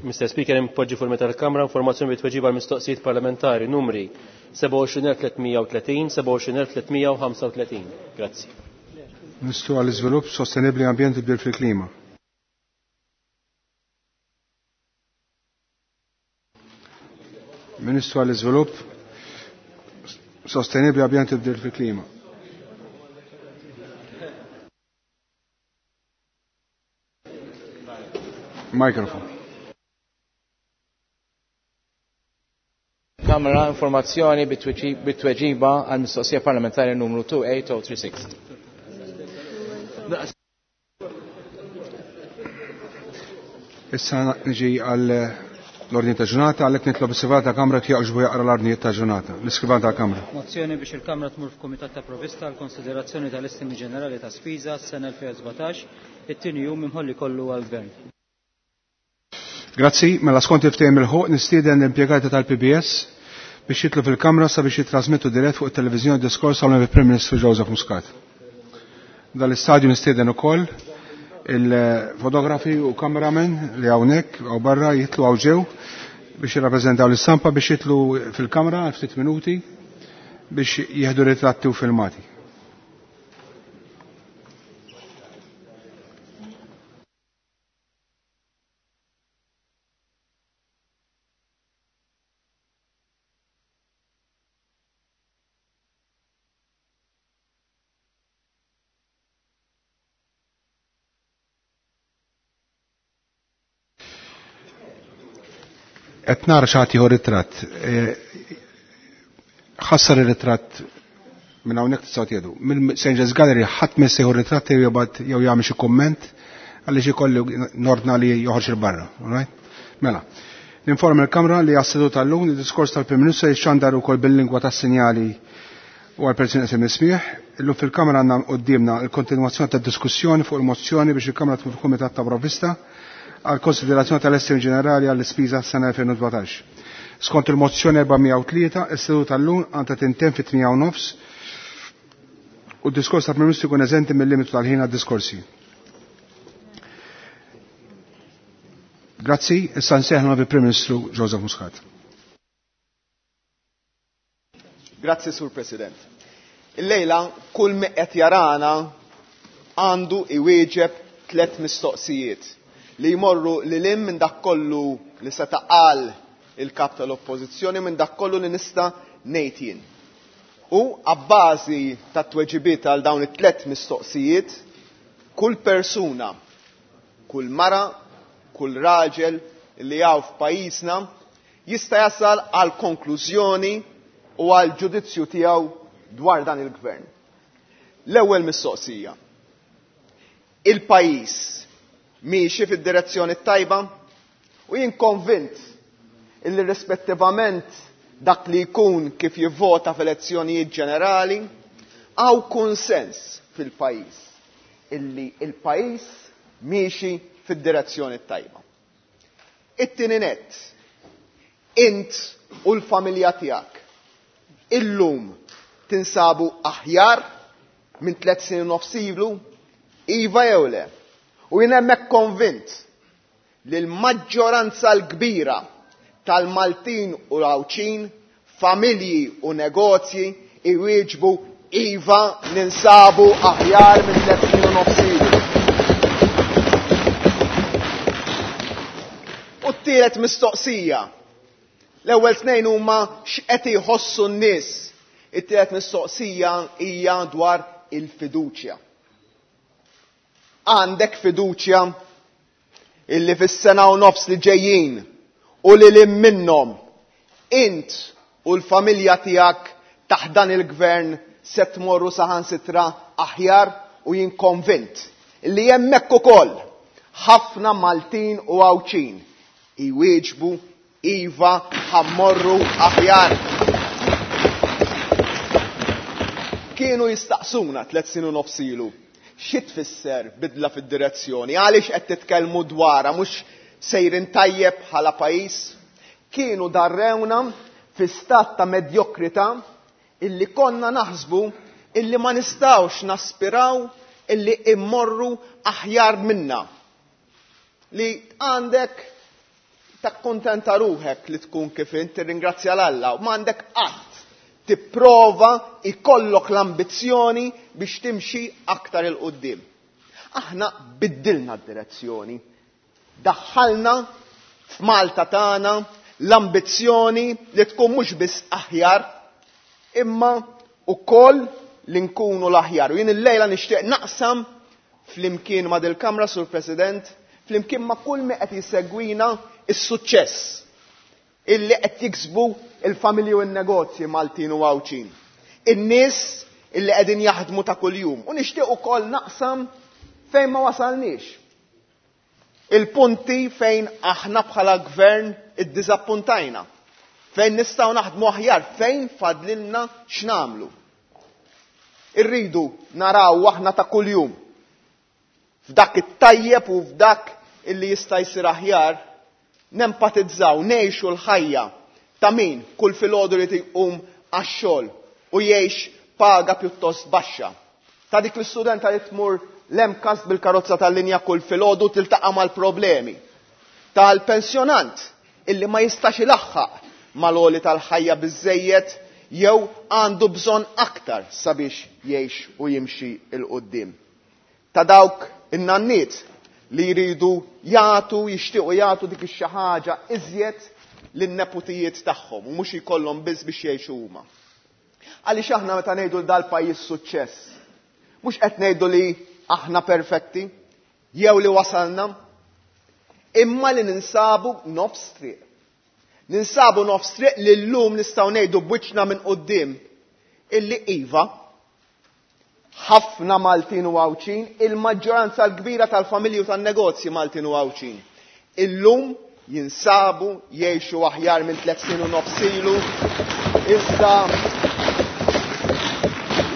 Speaker 3: Mister Speaker, impoġġi fuq il-mejda tal-Kamra informazzjoni bit-tweġiba għal mistoqsijiet parlamentari numri sebgħa u għoxrin elf tliet u tletin, sebgħa u għoxrin elf tliet u ħamsa u tletin. Grazzi.
Speaker 1: Ministru għall-Iżvilupp Sostenibbli Ambjent u Tibdil fil-Klima. Ministru għall-Iżvilupp Sostenibbli Ambjent u Tibdil fil-Klima. Mikrofon.
Speaker 11: il-Kamra informazzjoni bit-tweġiba għal mistoqsija parlamentari numru two eight oh three six.
Speaker 1: Issa niġi għal l-ordni ta' ġurnata, għalhekk nitlob is-Segretarju tal-Kamra jaqġbu jaqra l-ordnijiet ta' ġurnata. L-Iskrivan tal-Kamra.
Speaker 2: Mozzjoni biex il-Kamra tmur f'Kumitat ta' Provvista għal konsiderazzjoni tal-Estimi Ġenerali ta' Spiża s-sena elfejn u sbatax, it-tieni jum imħolli kollu għall-Gvern.
Speaker 1: Grazzi, mela skont il-ftehim il-ħuq nistieden l-impjegati tal-P B S biex jitlu fil-Kamra sabiex jitrasmettu dirett fuq it-televiżjoni diskors għal Prim Ministru Joseph Muscat. Dal-istadju nistieden ukoll il-fotografi u kameramen li hawnhekk hawn barra jitlu hawn ġew biex jirrappreżentaw l-istampa biex jitlu fil-kamra għal ftit minuti biex jieħdu ritratti u filmati. Qed nara xi ħadd jieħu ritratt. Ħassar ir-ritratt minn hawnhekk tistgħu tieħdu. Minn Saint James Gallery ħadd ma jista' jieħu ritratt jew jibgħat jew jagħmel xi kumment għaliex ikollu nordna li joħroġ il barra. All right? Mela. Ninforma l-Kamra li għas-seduta tal-lum id-diskors tal-Prim Ministru jixxandar ukoll bil-lingwa tas-sinjali u għal persuni qed nismieħ. Illum fil-Kamra għandna quddiemna l-kontinwazzjoni tad-diskussjoni fuq il-mozzjoni biex il-Kamra tmur fil-Kumitat ta' Provvista għal konsiderazzjoni tal-Estimi Ġenerali għall-ispiża s-sena elfejn u sbatax. Skont il-mozzjoni erba' u tlieta, is-seduta tal-lum għandha tintemm fit-tmija u nofs u d-diskors tal-Prim Ministru jkun eżenti mill-limitu tal-ħin għad-diskorsi. Grazzi, issa nsejħna bil-Prim Ministru Joseph Muscat.
Speaker 12: Grazzi, Sur President. Illejla kull min qed jarana għandu iwieġeb tliet mistoqsijiet li jmorru lil hinn minn dak kollu li seta' qal il-kap tal-Oppożizzjoni, minn dak kollu li nista' ngħid jien. U abbażi tat-tweġibiet għal dawn it-tliet mistoqsijiet, kull persuna, kull mara, kull raġel li hawn f'pajjiżna jista' jasal għal konklużjoni u għal ġudizzju tiegħu dwar dan il-gvern. L-ewwel mistoqsija. Il-pajjiż miexi fid-direzzjoni tajba u jien konvint illi rispettivament dak li jkun kif jivvota f'elezzjonijiet ġenerali, hawn konsens fil-pajjiż illi il-pajjiż miexi fid-direzzjoni tajba. It-tieni nett, int u l-familja tiegħek illum tinsabu aħjar minn tliet snin u nofs ilu, iva jew le? U jien hemmhekk konvint li l-maġġoranza l-kbira tal-Maltin u l-Għawdxin, familji u negozji iwieġbu iva ninsabu aħjar minn tliet snin u nofs ilu. U t-tielet mistoqsija. L-ewwel tnejn huma x'qed jħossu n-nies. It-tielet mistoqsija hija dwar il-fiduċja. Għandek fiduċja illi fis-sena u nofs li ġejjin u li lil minnhom int u l-familja tiegħek taħt dan il-gvern se tmorru saħansitra aħjar, u jien konvint illi hemmhekk ukoll ħafna Maltin u Għawdxin iwieġbu iva ħammorru aħjar. Kienu jistaqsuna tliet snin u nofs ilu xi tfisser bidla fid-direzzjoni, għaliex qed titkellmu dwarha mhux sejrin tajjeb bħala pajjiż. Kienu darrewna fi stat ta' medjokrità illi konna naħsbu illi ma nistgħux naspiraw illi immorru aħjar minna. Li għandek takkontenta ruħek li tkun kif int, tirringrazzja l-Alla, u m'għandek qatt tipprova ikollok l-ambizzjoni biex timxi aktar il quddiem. Aħna biddilna d-direzzjoni. Daħħalna f'Malta tagħna l-ambizzjoni li tkun mhux biss aħjar, imma ukoll li nkunu l-aħjar. U jien illejla nixtieq naqsam flimkien ma' dil-Kamra, Sur President, flimkien ma' kull min qed jisegwina is-suċċess Illi qed jiksbu il-familji u n-negozji Maltin u Għawdxin. In-nies illi qegħdin jaħdmu ta' kuljum. U nixtieq ukoll naqsam fejn ma wasalniex. Il-punti fejn aħna bħala gvern iddiżappuntajna. Fejn nistgħu naħdmu aħjar, fejn fadlilna x'nagħmlu. Irridu naraw aħna ta' kuljum f'dak it-tajjeb u f'dak illi jista' jsir aħjar, nempatizzaw, ngħixu l-ħajja ta' min kull filgħodu li jqum għax-xogħol u jgħix paga pjuttost baxxa. Ta' dik l-istudenta li tmur l-MCAST bil-karozza tal-linja kull filgħodu tiltaqa' mal-problemi. Tal-pensjonant illi ma jistax ilaħħaq mal-għoli tal-ħajja biżejjed jew għandu bżonn aktar sabiex jgħix u jimxi 'l quddiem. Ta' dawk in-nanniet li jridu jagħtu, jixtiequ jagħtu dik ix-xi ħaġa iżjed lin-neputijiet tagħhom u mhux jkollhom biss biex jgħixu huma. Għaliex aħna meta ngħidu l dal-pajjiż suċċess, mhux qed ngħidu li aħna perfetti jew li wasalna, imma li ninsabu nofs triq. Ninsabu nofs triq li llum nistgħu ngħidu b'wiċċna minn quddiem illi iva ħafna Maltin u Għawdxin, il-maġġoranza l-kbira tal-familji u tan-negozji Maltin u Għawdxin. Illum jinsabu jgħixu aħjar minn tliet snin u nofs ilu. Iżda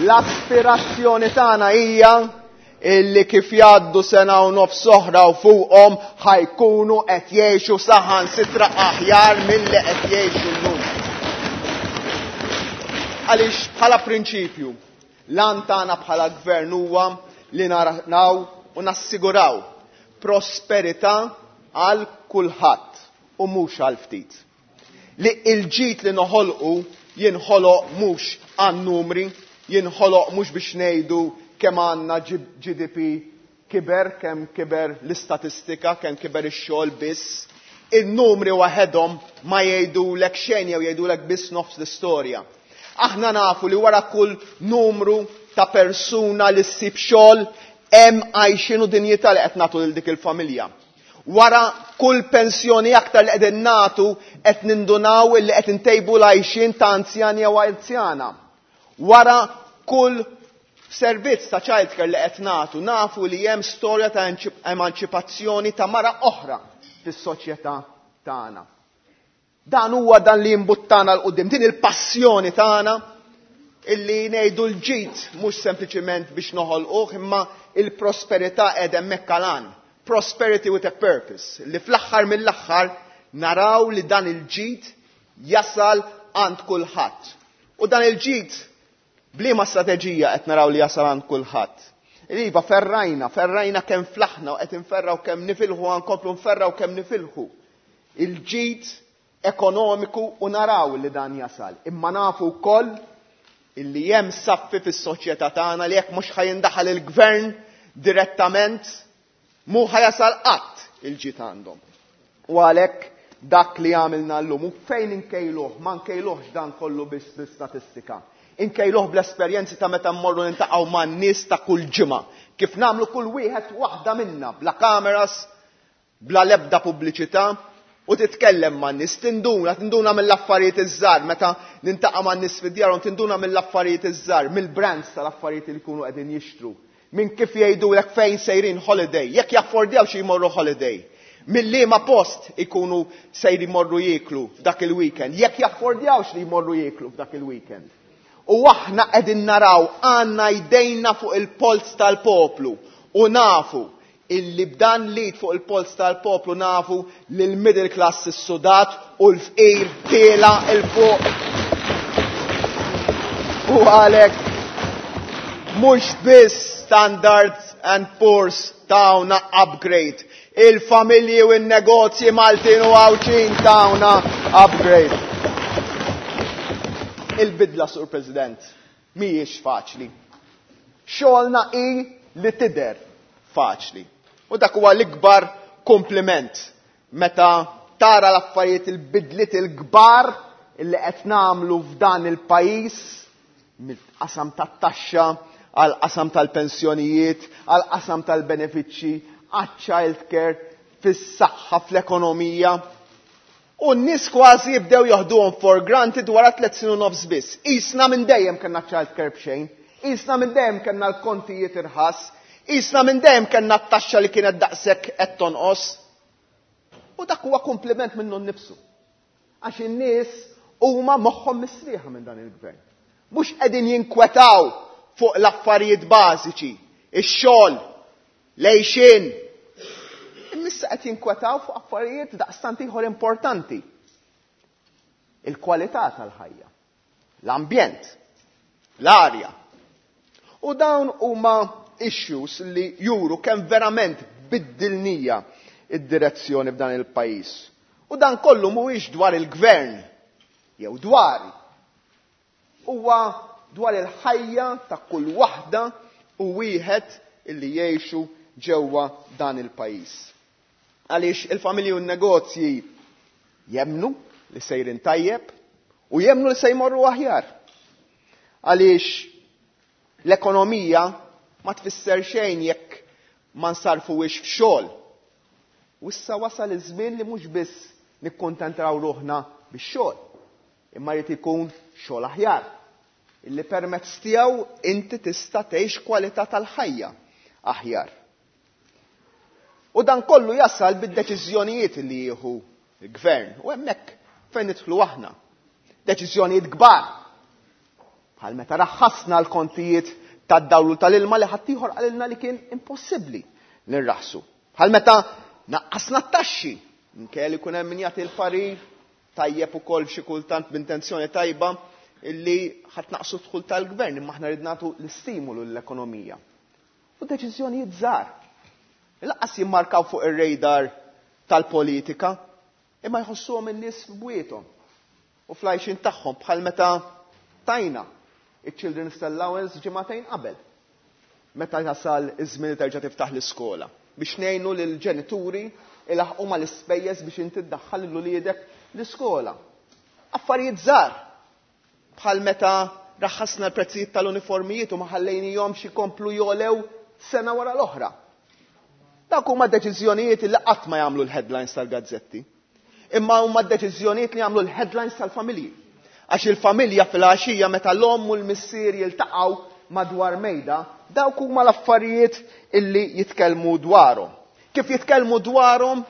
Speaker 12: l-aspirazzjoni tagħna hija illi kif jgħaddu sena u nofs oħra u fuqhom ħa jkunu qed jgħixu saħansitra aħjar milli qed jgħixu llum. Għaliex bħala prinċipju, l-għan tagħna bħala gvern huwa li naraw u nassiguraw prosperità għal kulħadd u mhux għal ftit. Li il-ġid li noħolqu jinħoloq mhux għan-numri, jinħoloq mhux biex ngħidu kemm għandna G D P kiber, kemm kiber l-istatistika, kemm kiber ix-xogħol biss. Il-numri waħedhom ma jgħidulek xejn jew jgħidulek biss nofs l-istorja. Aħna nafu li wara kull numru ta' persuna li ssib xogħol hemm għajxin u dinjità li qed nagħtu lil dik il-familja. Wara kull pensjoni aktar li qegħdin nagħtu qed nindunaw li qed intejbu l-għajxin ta' anzjani jew anzjana. Wara kull servizz ta' childcare li qed nagħtu nafu li hemm storja ta' emanċipazzjoni ta' mara oħra fis-soċjetà tagħna. Dan huwa dan li jimbuttana 'l quddiem, din il-passjoni tagħna illi ngħidu l-ġid mhux sempliċiment biex noħolquh imma il-prosperità qiegħda hemmhekk għal. Prosperity with a purpose, li fl-aħħar mill-aħħar naraw li dan il-ġid jasal għand kulħadd. U dan il-ġid b'liema strateġija qed naraw li jasal għand kulħadd. Iva, ferrajna, ferrajna kemm flaħna u qed inferraw kemm nifilħu, nkomplu nferraw kemm nifilħu. Il-ġid ekonomiku u naraw li dan jasal. Imma nafu wkoll illi hemm saffi fis-soċjetà tagħna li jekk mhux ħajindaħal il-gvern direttament mhu ħajasal qatt il-ġid għandhom. U għalhekk dak li għamilna llum u fejn inkejluh, ma nkejluhx dan kollu biss bl-istatistika. Inkejluh bl-esperjenzi ta' meta mmorru niltaqgħu man-nies ta' kull ġimgħa. Kif nagħmlu kull wieħed waħda minna bla kameras, bla lebda pubbliċità, u titkellem man-nies, tinduna, tinduna mill-affarijiet iż-żgħar, meta nintaqa' man-nies fid-djar, tinduna mill-affarijiet iż-żgħar, mill-brands tal-affarijiet li jkunu qegħdin jixtru. Minn kif jgħidulek fejn sejrin holiday, jekk jaffordjaw xi jmorru holiday. Mill-liema post ikunu sejrin jmorru jieklu f'dak il-weekend, jekk jaffordjawx li jmorru jieklu f'dak il-weekend. U aħna qegħdin naraw għandna jdejna fuq il-polz tal-poplu u nafu illi b'dan lid fuq il-polz tal-poplu nafu li l-middle class is-sudat u l-fqir tiela il fuq. U għalhekk mhux biss Standard and Poor's tawna upgrade. Il-familji u n-negozji Maltin u Għawdxin tawna upgrade. Il-bidla, Sur President, mhijiex faċli. Xogħolna hi li tidher faċli. U dak huwa l-ikbar kompliment meta tara l-affarijiet il-bidliet il-kbar illi qed nagħmlu f'dan il-pajjiż mill-qasam tat-taxxa għal qasam tal-pensjonijiet, għal qasam tal-benefiċċji, għaċ-child care, fis-saħħa, fl-ekonomija. U n-nies kważi jibdew joħduhom for granted wara tliet snin u nofs biss. Isna minn dejjem kellna child care b'xejn, isna minn dejjem kellna l-kontijiet irħas, isna minn dejjem kellna t-taxxa li kienet daqshekk qed tonqos. U dak huwa kompliment minnu nnifsu. Għax in-nies huma moħħhom mistrieħa minn dan il-gvern. Mhux qegħdin jinkwetaw fuq l-affarijiet bażiċi, ix-xogħol, l-għixien. Issa qed jinkwetaw fuq affarijiet daqstant ieħor importanti. Il-kwalità tal-ħajja, l-ambjent, l-arja. U dawn huma issues li juru kemm verament biddilnija id-direzzjoni f'dan il-pajjiż. U dan kollu mhuwiex dwar il-gvern jew dwari. Huwa dwar il-ħajja ta' kull waħda u wieħed illi jgħixu ġewwa dan il-pajjiż. Għaliex il-familji u n-negozji jemnu li sejrin tajjeb u jemnu li se jmorru aħjar. Għaliex l-ekonomija ma tfisser xejn jekk ma nsarfuhiex f'xogħol. U issa wasal iż-żmien li mhux biss nikkontentraw ruħna bix-xogħol, imma jrid ikun xogħol aħjar, illi permezz tiegħu inti tista' tgħix kwalità tal-ħajja aħjar. U dan kollu jasal bid-deċiżjonijiet li jieħu l-gvern. U hemmhekk fejn nidħlu aħna. Deċiżjonijiet kbar. Bħal meta raħħasna l-kontijiet tad-dawlu tal-ilma li ħaddieħor qalilna li kien impossibbli li nraħsu. Bħal meta naqqasna t-taxxi, minkejja li jkun hemm min jagħti l-parir tajjeb ukoll xi kultant b'intenzjoni tajba illi ħadd naqsu dħul tal-gvern, imma aħna rid nagħtu l-istimulu l-ekonomija. U deċiżjonijiet żgħar. Lanqas jimmarkaw fuq ir-radar tal-politika, imma jħossuhom in-nies f'bwiethom u fl-għajxin tagħhom, bħal meta tajna iċ-Children's Allowance ġimagħtejn qabel. Meta jasal iż-żmien li terġa' tiftaħ l-iskola biex ngħinu lill-ġenituri ilaħqu mal-ispejjeż biex inti ddaħħal lil uliedek l-iskola. Affarijiet żgħar bħal meta raħħasna l-prezzijiet tal-uniformijiet u ma ħallejnihomx ikomplu jolew sena wara l-oħra. Dawk huma deċiżjonijiet li qatt ma jagħmlu l-headlines tal-gazzetti. Imma huma deċiżjonijiet li jagħmlu l-headlines tal-familji. Għax il-familja fil-għaxija meta l-omm u l-missier jiltaqgħu madwar mejda, dawk huma l-affarijiet illi jitkellmu dwarhom. Kif jitkellmu dwarhom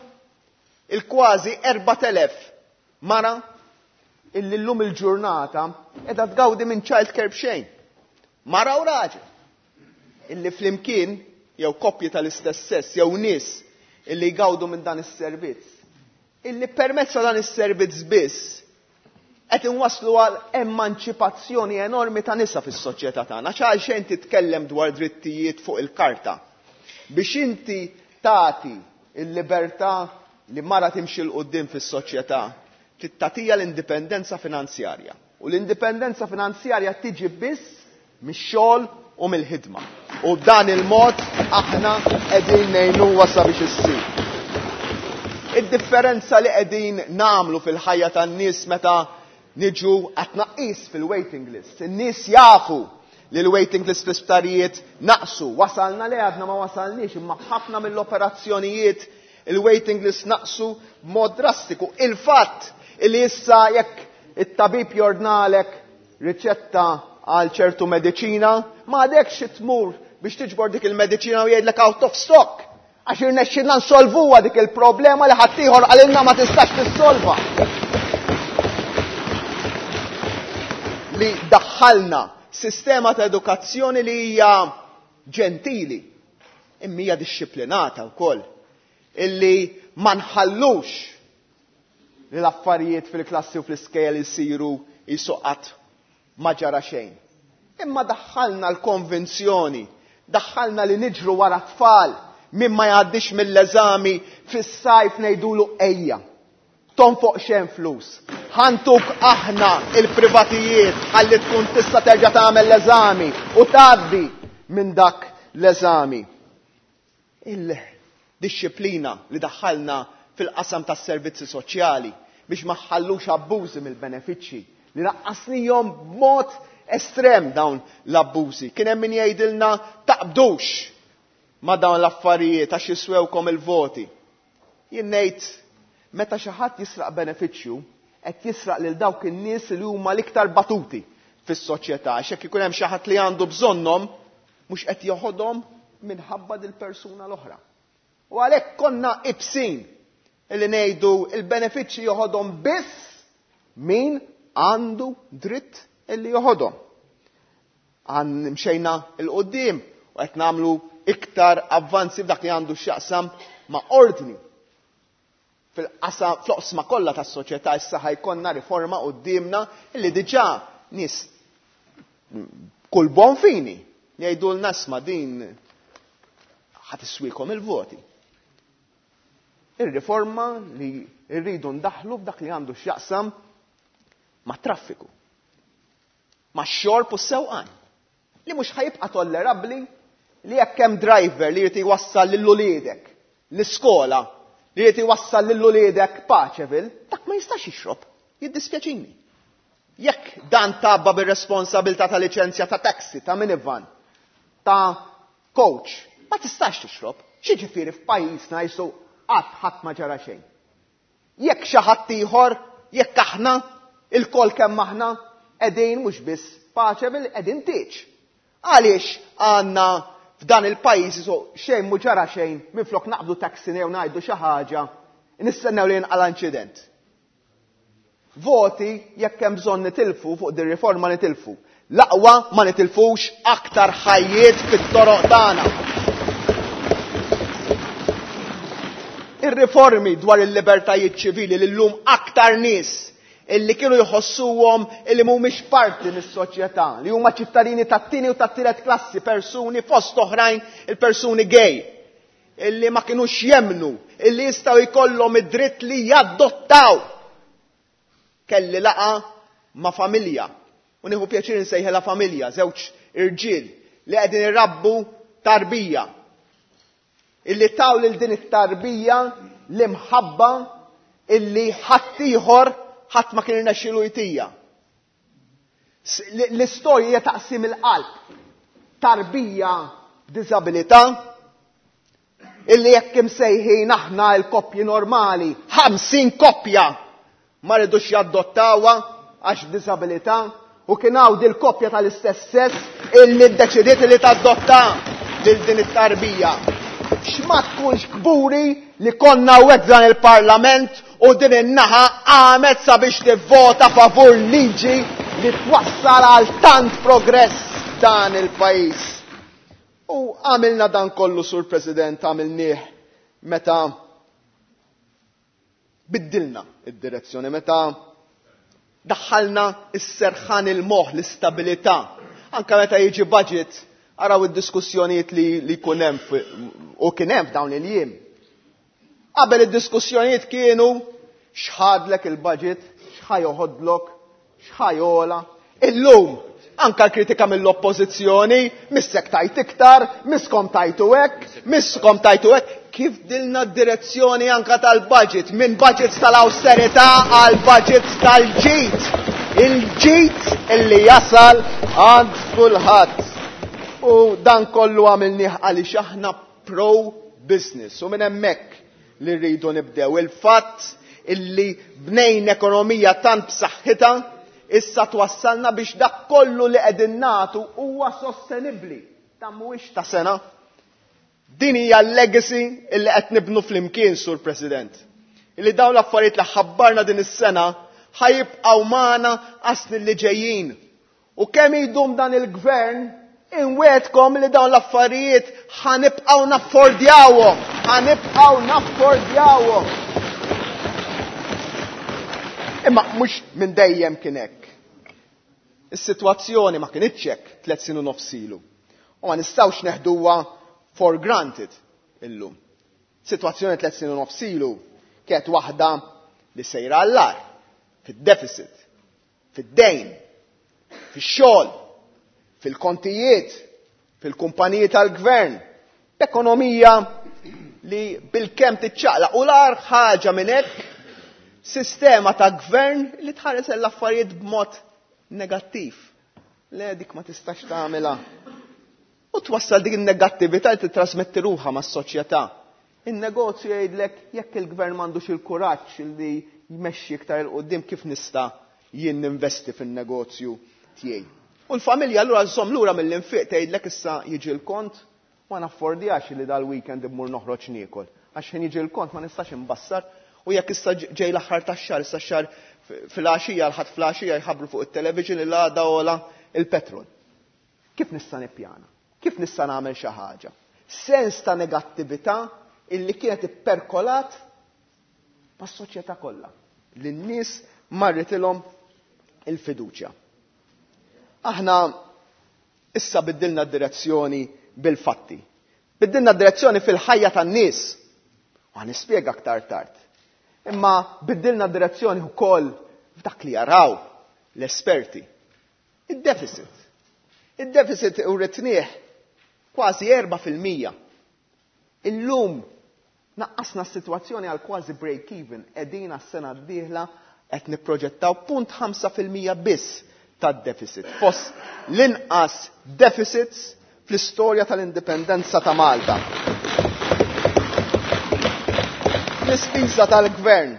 Speaker 12: il-kważi erbat elef mara illi llum il-ġurnata qiegħda tgawdi minn child care b'xejn. Mara u raġel illi flimkien jew koppji tal-istess sess jew nies illi jgawdu minn dan is-servizz. Illi permezz ta' dan is-servizz biss qed inwasslu għal emanċipazzjoni enormi ta' nisa fis-soċjetà tagħna. Għax xejn titkellem dwar drittijiet fuq il-karta. Biex inti tagħti l-libertà li mara timxi 'l quddiem fis-soċjetà, tagħtiha l-indipendenza finanzjarja. U l-indipendenza finanzjarja tiġi biss mix-xogħol u mill-ħidma. U b'dan il-mod aħna qegħdin ngħinuha sabiex issir. Id-differenza li qegħdin nagħmlu fil-ħajja tan-nies meta niġu għat-tnaqqis fil-waiting list. In-nies jafu li l-waiting list fl-isptarijiet naqsu. Wasalna le għadna ma wasalniex, imma ħafna mill-operazzjonijiet il-waiting list naqsu b'mod drastiku. Il-fatt li issa jekk it-tabib jordnalek riċetta għal ċertu mediċina, ma għadekx tmur biex tiġbor dik il-mediċina u jgħidlek out of stock. Għax irnexxilna nsolvuha dik il-problema li ħaddieħor qalilna ma tistax tissolva. Li daħħalna sistema ta' edukazzjoni li hija ġentili, imma hija dixxiplinata wkoll, illi ma nħallux li l-affarijiet fil-klassi u fl-iskejjel isiru jisuqat ma ġara xejn. Imma daħħalna l-konvenzjoni, daħħalna li niġru wara tfal min ma jgħaddix mill-eżami fis-sajf ngħidulu ejja. Tonfoq xejn flus. Ħantuk aħna il-privatijiet ħalli tkun tista' terġa' tagħmel l-eżami u tgħaddi minn dak l-eżami. Il-dixxiplina li daħħalna fil-qasam tas-servizzi soċjali biex ma ħallux abbużi mill-benefiċċji li naqqasnihom b'mod estrem dawn l-abbużi. Kien hemm min jgħidilna taqbdux ma dawn l-affarijiet għax jiswewkom il-voti. Jien ngħid Meta xi ħadd jisraq benefiċċju, qed jisraq lil dawk in-nies li huma l-iktar batuti fis-soċjetà, għax jekk ikun hemm xi ħadd li għandu bżonnhom, mhux qed joħodhom minħabba dil-persuna l-oħra. U għalhekk konna ibsin illi ngħidu il-benefiċċji joħodhom biss min għandu dritt illi joħodhom. Għan mxejna il-qoddim u qed nagħmlu iktar avvanzi f'dak li għandu x'jaqsam ma' ordni. Fil-qasam, fl-oqsma kollha tas-soċjetà issa ħajkonna riforma quddiemna illi diġà nies kull bon fini jgħidulna isma' din ħa tiswikom il-voti. Ir-riforma li rridu ndaħlu f'dak li għandu x'jaqsam ma' traffiku, ma' xorb u sewqan, li mhux ħajibqa' tollerabbli li jekk hemm driver li jrid iwassal lil uliedek l-iskola, li jrid iwassal lil uliedek Paċeville, dak ma jistax jixrob, jiddispjaċini. Jekk dan tabba bir-responsabilità ta' liċenzja ta' taxi, ta' minivan, ta' coach, ma tistax tixrob. X'jiġifieri f'pajjiżna jisu qatt ħadd ma ġara xejn. Jekk xi ħadd ieħor, jekk aħna il-kol kemm aħna qegħdin mhux biss Paċeville, qegħdin tieġ. Għaliex għandna f'dan il-pajjiż jisu xejn mhu ġara xejn, minflok naqbdu taxi jew ngħidu xi ħaġa, nistennew li jinqala' inċident. Voti jekk hemm bżonn nitilfu fuq din riforma nitilfu. L-aqwa ma nitilfux aktar ħajjiet fit-toroq tagħna. Ir-riformi dwar il-libertajiet ċivili li llum aktar nies illi kienu jħossuhom illi mhumiex parti mis-soċjetà, li huma ċittadini tat-tieni u tat-tielet klassi, persuni fost oħrajn il-persuni gay, illi ma kinux jemnu, illi jistgħu jkollhom id-dritt li jadottaw. Kelli laqa ma' familja, u nieħu pjaċir insejħilha familja, żewġ irġiel li qegħdin irabbu tarbija, illi taw lil din it-tarbija l-imħabba illi ħaddieħor ħadd ma kien irnexxielu jtija. L-istorja hija taqsim il-qalb. Tarbija b'diżabilità illi jekk imsejħin aħna l-koppji normali, ħamsin koppja ma rridux jaddottawha għax b'diżabilità, u kien hawn dil-koppja tal-istess sess illi ddeċidiet li tadotta lil din it-tarbija. X'ma tkunx kburi li konna hawnhekk dan il-Parlament u din in-naħa għamet sabiex tivvota favur liġi li twassal għal tant progress dan il-pajjiż. U għamilna dan kollu, Sur President, għamilnieh meta biddilna id-direzzjoni, meta daħħalna s-serħan il-moħħ, l-istabilità. Anka meta jiġi budget, araw id-diskussjonijiet li, li jkun hemm fi-, u kien hemm f'dawn il-jiem. Qabel id-diskussjonijiet kienu x'ħadlek il-budget, x'ħajoħodlok, x'ħajola. Illum anka l-kritika mill-oppożizzjoni, missek tajt iktar, miskom tajtu hekk, miskom tajtu hekk. Kif dilna d-direzzjoni anka tal-budget, minn budgets tal-austerità għal budgets tal-ġid. Il-ġid illi jasal għand kulħadd. U dan kollu għamilnieh għaliex aħna pro-business. U minn hemmhekk li rridu nibdew. Il-fatt illi bnejn ekonomija tant b'saħħitha issa twassalna biex dak kollu li qegħdin nagħtu huwa sostenibbli. Dan mhuwiex ta' sena. Din hija l-legacy illi qed nibnu flimkien, Sur President. Illi dawn l-affarijiet li ħabbarna din is-sena ħajibqgħu magħna għas-snin li ġejjin. U kemm idum dan il-gvern, inwedkom li dawn l-affarijiet ħanibqgħu naffordjawhom, ħanibqgħu naffordjawhom. Imma mhux minn dejjem kien hekk. Is-sitwazzjoni ma kinitx hekk tliet snin u nofs ilu. U ma nistgħux neħduha for granted illum. Sitwazzjoni tliet snin u nofs ilu kienet waħda li sejra għall-agħar, fid-deficit, fid-dejn, fix-xogħol, fil-kontijiet, fil-kumpaniji tal-gvern, b'ekonomija li bil-kemm tiċċaqlaq. U l-agħar ħaġa minn hekk, sistema ta' gvern li tħares l-affarijiet b'mod negattiv. Le, dik ma tistax tagħmilha. U twassal dik in-negattività li titrasmetti ruħha mas-soċjetà. In-negozju jgħidlek jekk il-gvern m'għandux il-kuraġġ li jmexxi iktar 'il quddiem kif nista' jien ninvesti fin-negozju tiegħi. U l-familja allura żżomm lura mill-infiq, tgħidlek issa jiġi l-kont ma naffordjax li dal-weekend immur noħroġ niekol. Għax ħin jiġi l-kont ma nistax imbassar u jekk issa ġej l-aħħar tax-xahar, issa x-xahar fil-għaxija, l-Ħadd fil-għaxija jħabbru fuq it-television li għada għola il-petrol. Kif nista' nippjana? Kif nista' nagħmel xi ħaġa? Sens ta' negattività illi kienet ipperkolat mas-soċjetà kollha. Li n-nies marritilhom il-fiduċja. Aħna issa biddilna d-direzzjoni bil-fatti. Biddilna d-direzzjoni fil-ħajja tan-nies. U nispjega aktar tard. Imma biddilna d-direzzjoni wkoll f'dak li jaraw l-esperti. Id-deficit. Id-deficit uritnieh kważi erba' fil-mija. Illum naqqasna s-sitwazzjoni għal kważi break-even, qegħdin għas-sena d-dieħla qed nipproġettaw punt ħamsa fil-mija biss tad-deficit. Fost l-inqas deficits fl-istorja tal-indipendenza ta' Malta. L-ispiża tal-gvern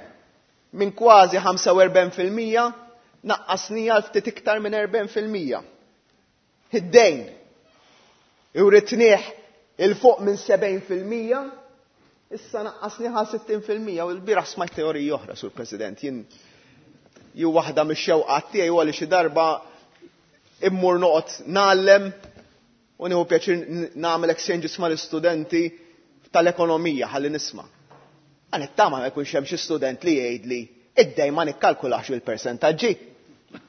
Speaker 12: minn kważi ħamsa u erbgħin fil-mija naqqasnija għal ftit iktar minn erbgħin fil-mija. Id-dejn iwritnieh il fuq minn sebgħin fil-mija, issa naqqasnieh għal sittin fil-mija. U l-bieraħ smajt teorija oħra, Sur President, jien ju waħda mix-xewqat tiegħi huwa li xi darba immur noqgħod ngħallem u nieħu pjaċir nagħmel exchanges mal-istudenti tal-ekonomija ħalli nisma'. Għan it-tama ma jkunx hemm xi student li jgħidli id-dejn ma nikkalkulax il-persentaġġi.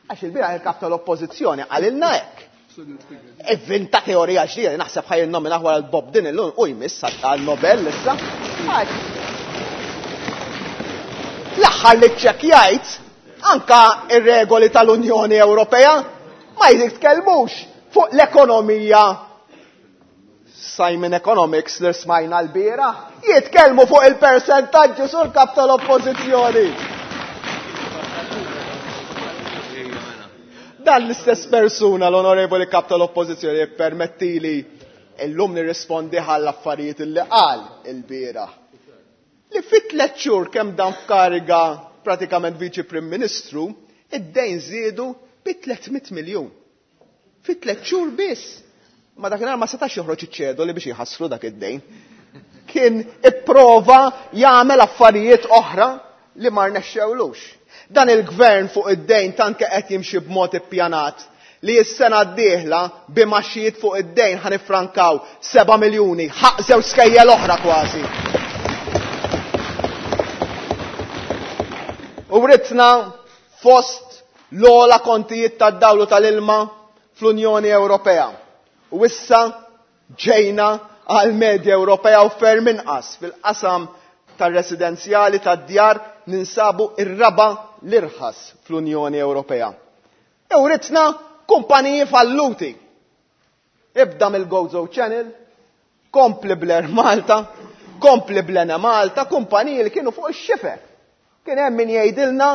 Speaker 12: Għax il-bieraħ il-kap tal-oppożizzjoni qalilna hekk. Ivvinta teorija ġdida li naħseb ħaj innomina wara l-Bob din illum u jmiss għal-Nobel issa. L-aħħar li ċċekkjajt anka ir-regoli tal-Unjoni Ewropea ma jitkellmux fuq l-ekonomija Simon Economics li smajna l-bieraħ, jitkellmu fuq il-persentaġġi sur kap tal-oppożizzjoni. Dan l-istess persuna, l-onorevoli kap tal-oppożizzjoni, jippermettili illum nirrispondi għall-affarijiet li qal il-bieraħ. Li fit tliet xhur kemm dan f'kariga pratikament viċi Prim Ministru, id-dejn żiedu bi tliet mitt miljun. Fi tliet xhur biss. Ma dakinhar ma setax joħroġ iċ-ċedoli biex jħassru dak id-dejn. Kien ipprova jagħmel affarijiet oħra li ma rnexxewlux. Dan il-gvern fuq id-dejn tant qed jimxi b'mod ippjanat li s-sena d-dieħla bimaxijiet fuq id-dejn ħanifrankaw seba' miljuni, ħaq żewġ skejjel oħra kważi. U writna fost l-ogħla kontijiet tad-dawlu tal-ilma fl-Unjoni Ewropea. U issa ġejna għal medja Ewropea u ferm inqas fil-qasam tar-residenzjali tad-djar ninsabu ir-raba' l-irħas fl-Unjoni Ewropea. U writna kumpaniji falluti. Ibda mill-Gozo Channel, kompli bl-Air Malta, kompli bl-Enemalta, kumpaniji li kienu fuq ix-xifer. Kien hemm min jgħidilna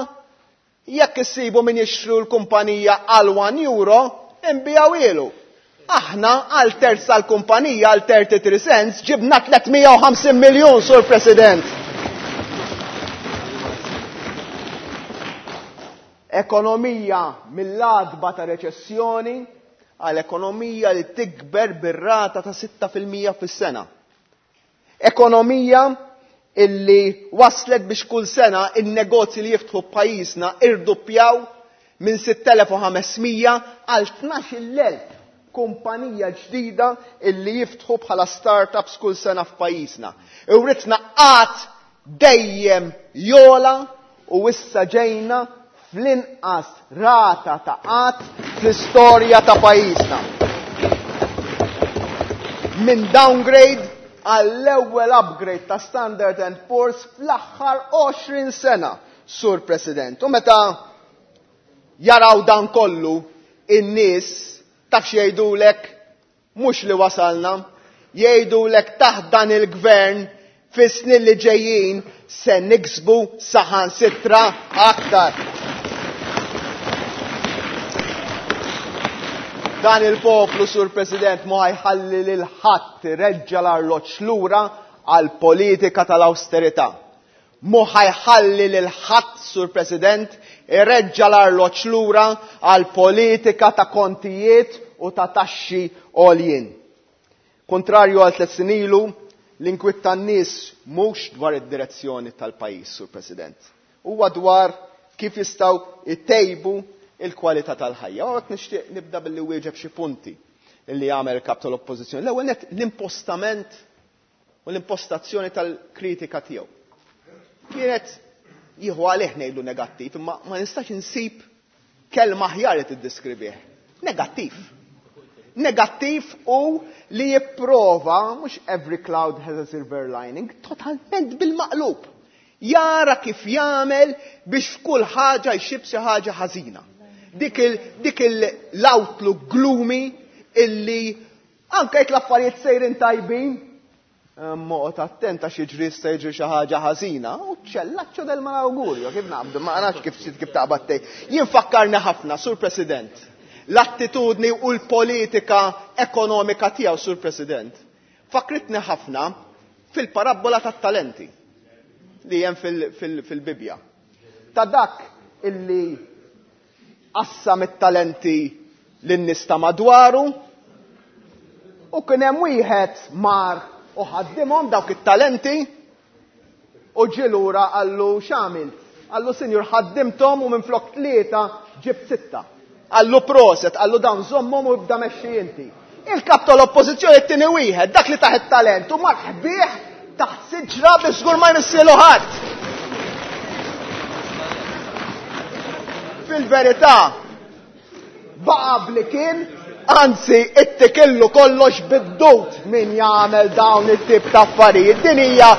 Speaker 12: jekk issibu min jixtru l-kumpanija għal one euro, inbijaw ilu. Aħna għal terz tal-kumpanija għal thirty-three cents ġibna tliet mija u ħamsin miljun, Sur President. Ekonomija mill-adba ta' reċessjoni għal ekonomija li tikber bir-rata ta' sitta fil-mija fis-sena. Ekonomija illi waslet biex kull sena in-negozji li jiftħu pajjiżna irduppjaw minn sitt elef u ħames mija għal tnax-il elf kumpanija ġdida illi jiftħu bħala startups kull sena f'pajjiżna. Iwritna qatt dejjem jola u issa ġejna fl-inqas rata ta' qatt fl-istorja ta' pajjiżna. Minn downgrade għall-ewwel upgrade ta' Standard and Poor's fl-aħħar għoxrin sena, Sur President. U meta jaraw dan kollu, in-nies taf x'jgħidulek mhux li wasalna, jgħidulek taħt dan il-gvern fis-snin li ġejjin se niksbu saħansitra aktar. Dan il-poplu, Sur President, ma jħalli lil ħadd ireġġa' l-arloġġ lura għal politika tal-austerità. Mhu ħa jħalli lil ħadd, Sur President, ireġġa l-arloġġ lura għal politika ta' kontijiet u ta' taxxi għoljien. Kontrarju għal tliet snin ilu, l-inkwiet tan-nies mhux dwar id-direzzjoni tal-pajjiż, Sur President. Huwa dwar kif jistgħu jtejbu il-kwalità tal-ħajja. U hekk nixtieq nibda billi wieġeb xi punti li jagħmel il-kap tal-Oppożizzjoni. L-ewwel nett l-impostament u l-impostazzjoni tal-kritika tiegħu. Kienet jieħu għalih ngħidu negattiv, imma ma nistax insib kelma aħjar li tiddeskrivih. Negattiv. Negattiv u li jipprova, mhux every cloud has a silver lining, totalment bil-maqlub. Jara kif jagħmel biex f'kull ħaġa jxib xi ħaġa ħażina. Dik il, dik l-outlook gloomy illi anke jekk l-affarijiet sejrin tajbin, Moqgħod attent għax jiġri jista' jiġri xi ħaġa ħażina, u ċellaċċo del malaugurio, kif naqbdu, ma nafx kif kif taqbad tgħid. Jien fakkarni ħafna, Sur President, l-attitudni u l-politika ekonomika tiegħu, Sur President, fakritni ħafna fil-parabbola tat-talenti li hemm fil-Bibbja. Ta' dak illi qassam it-talenti lin-nies ta' madwaru u kien hemm wieħed mar u ħaddimhom dawk it-talenti u ġie lura qallu x'għamilt? Qallu sinjur ħaddimthom u minflok tlieta ġibt sitta. Qallu proset, qallu dawn żommhom u ibda mexxi inti. Il-kap tal-Oppożizzjoni t-tieni wieħed, dak li taħ it-talent u mar ħbih taħt siġra biex żgur ma jmissielu ħadd. Fil-verità, baqa' bli kien, anzi, ittikillu kollox bid-dut min jagħmel dawn it-tip ta' affarijiet. Din hija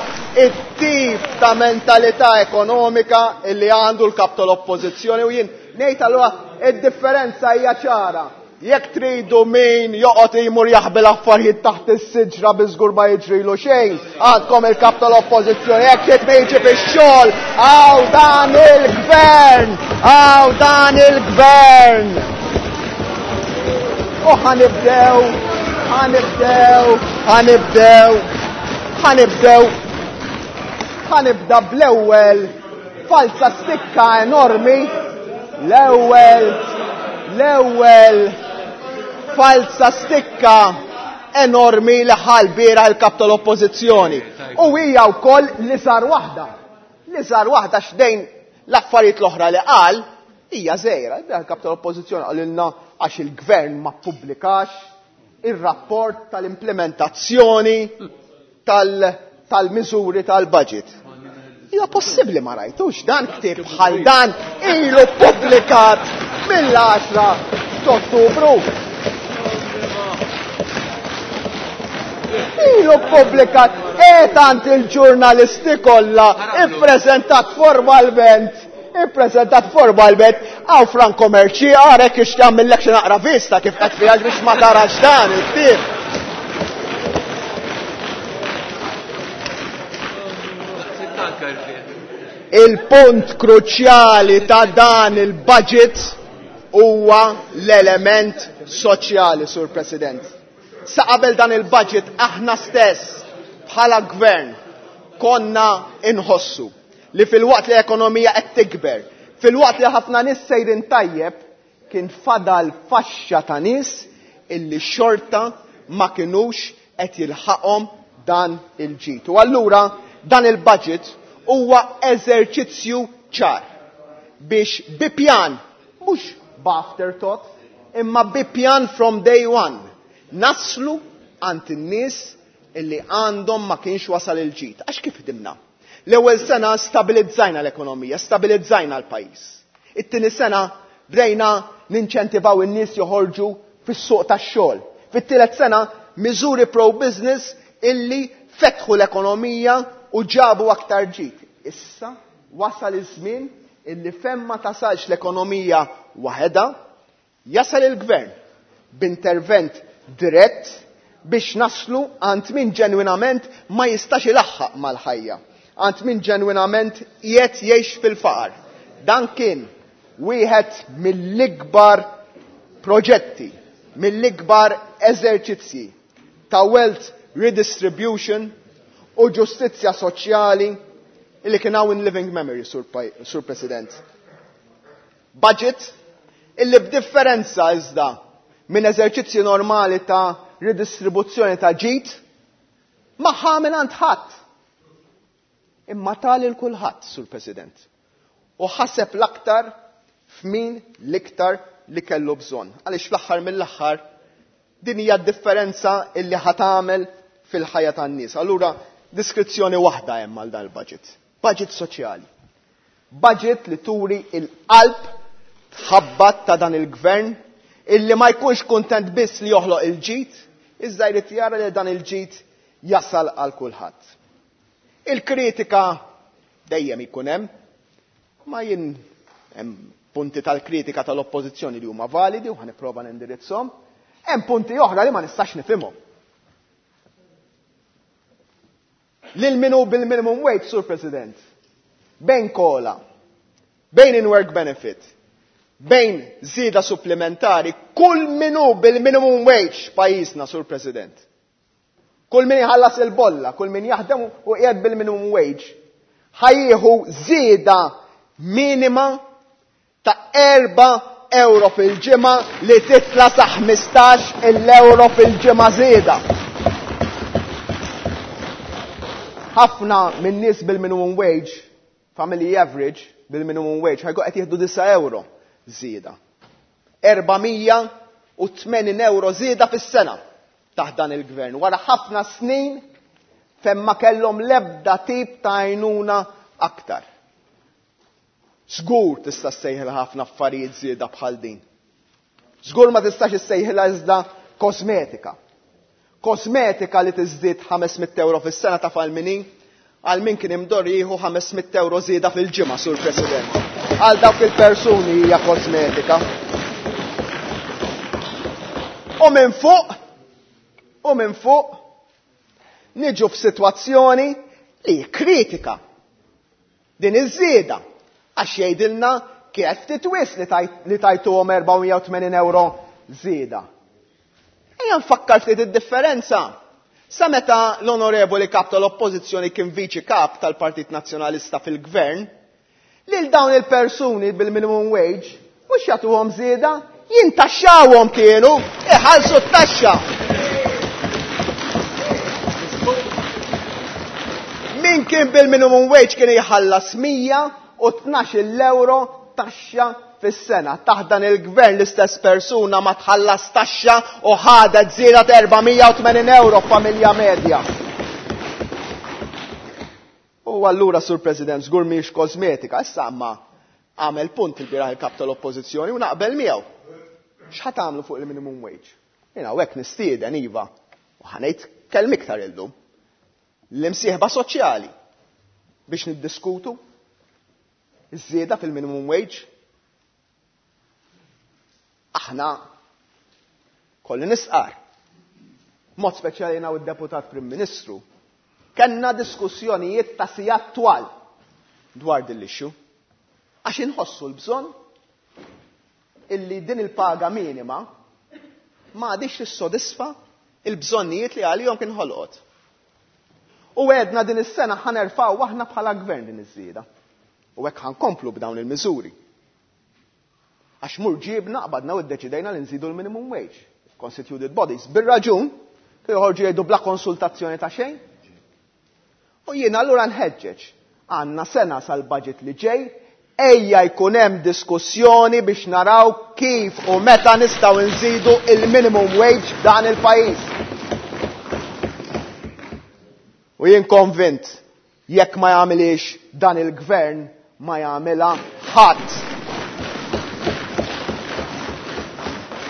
Speaker 12: it-tip ta' mentalità ekonomika illi għandu l-kap tal-Oppożizzjoni u jien ngħid allura id-differenza hija ċara. Jekk tridu min joqgħod imur jaħbi l-affarijiet taħt is-siġra bi żgur ma jiġrilu xejn, għandkom il-kap tal-Oppożizzjoni. Jekk trid min jiġi fix-xogħol, hawn dan il-gvern, hawn dan il-gvern. U ħanibdew, ħanibdew, ħanibdew, ħanibdew, ħanibda bl-ewwel falsa stikka enormi, l-ewwel, l-ewwel falsa stikka enormi li ħal bieraħ il-kap tal-Oppożizzjoni. U hija wkoll li sar waħda. Li sar waħda x'dejn l-affarijiet l-oħra li qal hija żgħira. Il-kap tal-Oppożizzjoni qalilna għax il-gvern ma ppubblikax ir-rapport tal-implementazzjoni tal-miżuri tal-budget. Hija possibbli ma rajtux dan ktieb bħal dan ilu ppubblikat mill-għaxra t'Ottubru. Ilu ppubblikat e tant il-ġurnalisti kollha ippreżentat formalment, ippreżentat formalment għaw Franco Mercieca, għarek ix jagħmillek xi naqra vista kif qed fiha biex ma tarax dan il-ktieb. Il-punt kruċjali ta' dan il-budget huwa l-element soċjali, Sur President. Sa qabel dan il-budget aħna stess bħala gvern konna inħossu li fil-waqt li l-ekonomija qed tikber, fil-waqt li ħafna nies sejrin tajjeb, kien fadal faxxa ta' nies illi xorta ma kinux qed jilħaqhom dan il-ġid. U allura dan il-budget huwa eżerċizzju ċar biex bi pjan, mhux b'afterthought, imma bi pjan from day one, naslu għand in-nies illi għandhom ma kienx wasal il-ġid. Għax kif ħdimna? L-ewwel sena stabilizzajna l-ekonomija, stabilizzajna l-pajjiż. It-tieni sena bdejna ninċentivaw in-nies joħorġu fis-suq tax-xogħol. Fit-tielet sena miżuri pro-business illi fetħu l-ekonomija u ġabu aktar ġid. Issa wasal iż-żmien illi fejn ma tasalx l-ekonomija waħedha, jasal il-gvern b'intervent dirett biex naslu għand min ġenwinament ma jistax ilaħħaq mal-ħajja, għand min ġenwinament qiegħed jgħix fil-faqar. Dan kien wieħed mill-ikbar proġetti, mill-ikbar eżerċizzji ta' wealth redistribution u ġustizzja soċjali illi kien hawn in living memory, Sur, Sur President. Budget illi b'differenza iżda minn eżerċizzji normali ta' ridistribuzzjoni ta' ġid ma ħa mingħand ħadd. Imma ta lil kulħadd, Sur President. U ħaseb l-aktar f'min l-iktar li kellu bżonn. Għaliex fl-aħħar mill-aħħar din hija d-differenza illi ħa tagħmel fil-ħajja tan-nies. Allura diskrizzjoni waħda hemm għal dal-budget. Budget soċjali. Budget li turi il-qalb tħabbat ta' dan il-gvern illi ma jkunx kuntent biss li joħloq il-ġid, iżda jrid jara li dan il-ġid jasal għal kulħadd. Il-kritika dejjem ikun hemm, ma jien hemm punti tal-kritika tal-oppożizzjoni li huma validi u ħa nipprova nindirizzhom, hemm punti oħra li ma nistax nifhimhom. Lil min hu bil-minimum wage, Sur President, bejn COLA, bejn in-work benefit, bejn żieda supplementari, kull min hu bil-minimum wage pajjiżna, Sur President. Kull min jħallas il-bolla, kull min jaħdem u qiegħed bil-minimum wage, ħa jieħu żieda minima ta' erba' euro fil-ġimgħa li titla' sa ħmistax il-euro fil-ġimgħa żieda. Ħafna minn nies bil-minimum wage, family average bil-minimum wage, ħajkun qed jieħdu disa' euro żieda. Erba' mija u tmenin euro żieda fis-sena taħt dan il-gvern. Wara ħafna snin fejn ma kellhom l-ebda tip ta' għajnuna aktar. Żgur tista' ssejħilha ħafna affarijiet żieda bħal din. Żgur ma tistax issejħilha iżda kosmetika. Kosmetika li tiżdied ħames mitt euro fis-sena ta' għal min hi, għal min kien imdorri jieħu ħames mitt euro żieda fil-ġimgħa, Sur President. Għal dawk il-persuni hija kosmetika. U minn fuq, u minn fuq, niġu f'sitwazzjoni li kritika din iż-żieda għax jgħidilna kif ftit wisq li tajt-, li tajtuhom erba' mija u tmenin euro żieda. Ejja nfakkar ftit id-differenza. Sa meta l-onorevoli kap tal-oppożizzjoni kien viċi kap tal-Partit Nazzjonalista fil-gvern, lil dawn il-persuni bil-minimum wage mhux jagħtuhom żieda, jintaxxawhom kienu, iħallsu t-taxxa. Min kien bil-minimum wage kien jħallas mija u tnax-il euro taxxa fis-sena. Taħt dan il-gvern l-istess persuna ma tħallas taxxa u ħadet żieda ta' erba' mija u tmenin euro f'familja medja. U allura, Sur President, żgur mhix kosmetika, issa ma għamel punt il-bieraħ il-kap tal-oppożizzjoni u naqbel miegħu. X'ħa tagħmlu fuq il-minimum wage? Jiena hawnhekk nistieden iva u ħanejt kelm iktar illum. L-imsieħba soċjali biex niddiskutu iż-żieda fil-minimum wage. Aħna kolli nisqar. Mod speċjali jiena u d-deputat Prim Ministru kellna diskussjonijiet ta' sigħat twal dwar din l-issue. Għax inħossu l-bżonn illi din il-paga minima ma għadix tissodisfa il-bżonnijiet li għalihom kien ħolqot. U għedna din is-sena ħanerfaw aħna bħala gvern din iż-żieda. U hekk ħankomplu b'dawn il-miżuri. Għax mur ġibna qbadna u ddeċidejna li nżidu l-minimum wage. Constituted bodies. Bir-raġun, kienu joħorġu jgħidu bla konsultazzjoni ta' xejn. U jiena allura nħeġġeġ. Għandna sena sal-budget li ġej, ejja jkun hemm diskussjoni biex naraw kif u meta nistgħu nżidu il-minimum wage f'dan il-pajjiż. U jien konvint, jekk ma jagħmilix dan il-gvern, ma jagħmilha ħadd.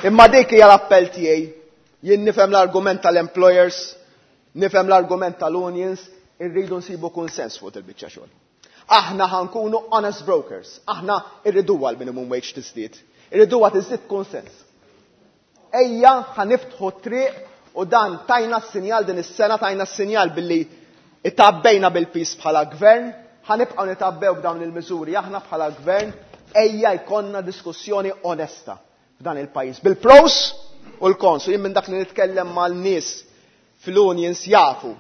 Speaker 12: Imma dik hija l-appell tiegħi. Jien nifhem l-argument tal-employers, nifhem l-argument tal-unions, irridu nsibu kunsens fuq il-biċċa xogħol. Aħna ħankunu honest brokers, aħna irriduha l-minimum wage tiżdied, irriduha tiżdied kunsens. Ejja ħaniftħu triq u dan tajna s-sinjal din is-sena, tajna s-sinjal billi itabbejna bil-pis bħala gvern, ħanibqgħu nitabbew b'dawn il-miżuri aħna bħala gvern, ejja jkollna diskussjoni onesta f'dan il-pajjiż. Bil-pros u l-kons, u jien minn dak li nitkellem mal-nies fil-unions jafu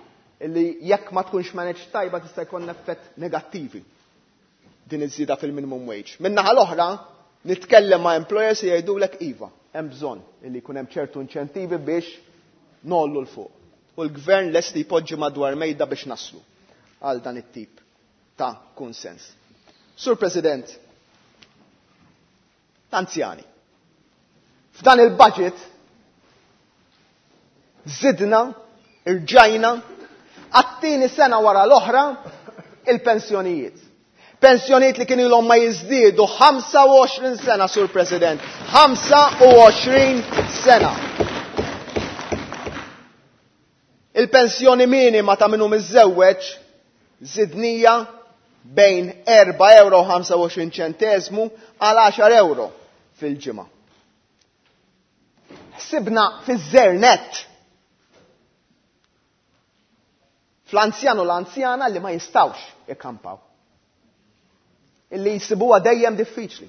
Speaker 12: Illi jekk ma tkunx managed tajba tista' jkollna effett negattivi din iż-żieda fil-minimum wage. Min-naħa l-oħra, nitkellem ma' employers li jgħidulek iva, hemm bżonn illi jkun hemm ċertu inċentivi biex ngħollu 'l fuq. U l-gvern lest li jpoġġi madwar mejda biex naslu għal dan it-tip ta' kunsens. Sur President, anzjani. F'dan il-budget zidna, irġajna, għat-tieni sena wara l-oħra il-pensjonijiet. Pensjonijiet li kienu ilhom ma jiżdiedu ħamsa u għoxrin sena, Sur President. ħamsa u għoxrin sena. Il-pensjoni minima ta' minnu miżżewweġ żidnija bejn erba' euro u ħamsa u għoxrin ċentesmu għal għaxar euro fil-ġimgħa. Ħsibna fiż-żernet fl-anzjan u l-anzjana li ma jistawx ikkampaw. Illi jisibuha dejjem diffiċli.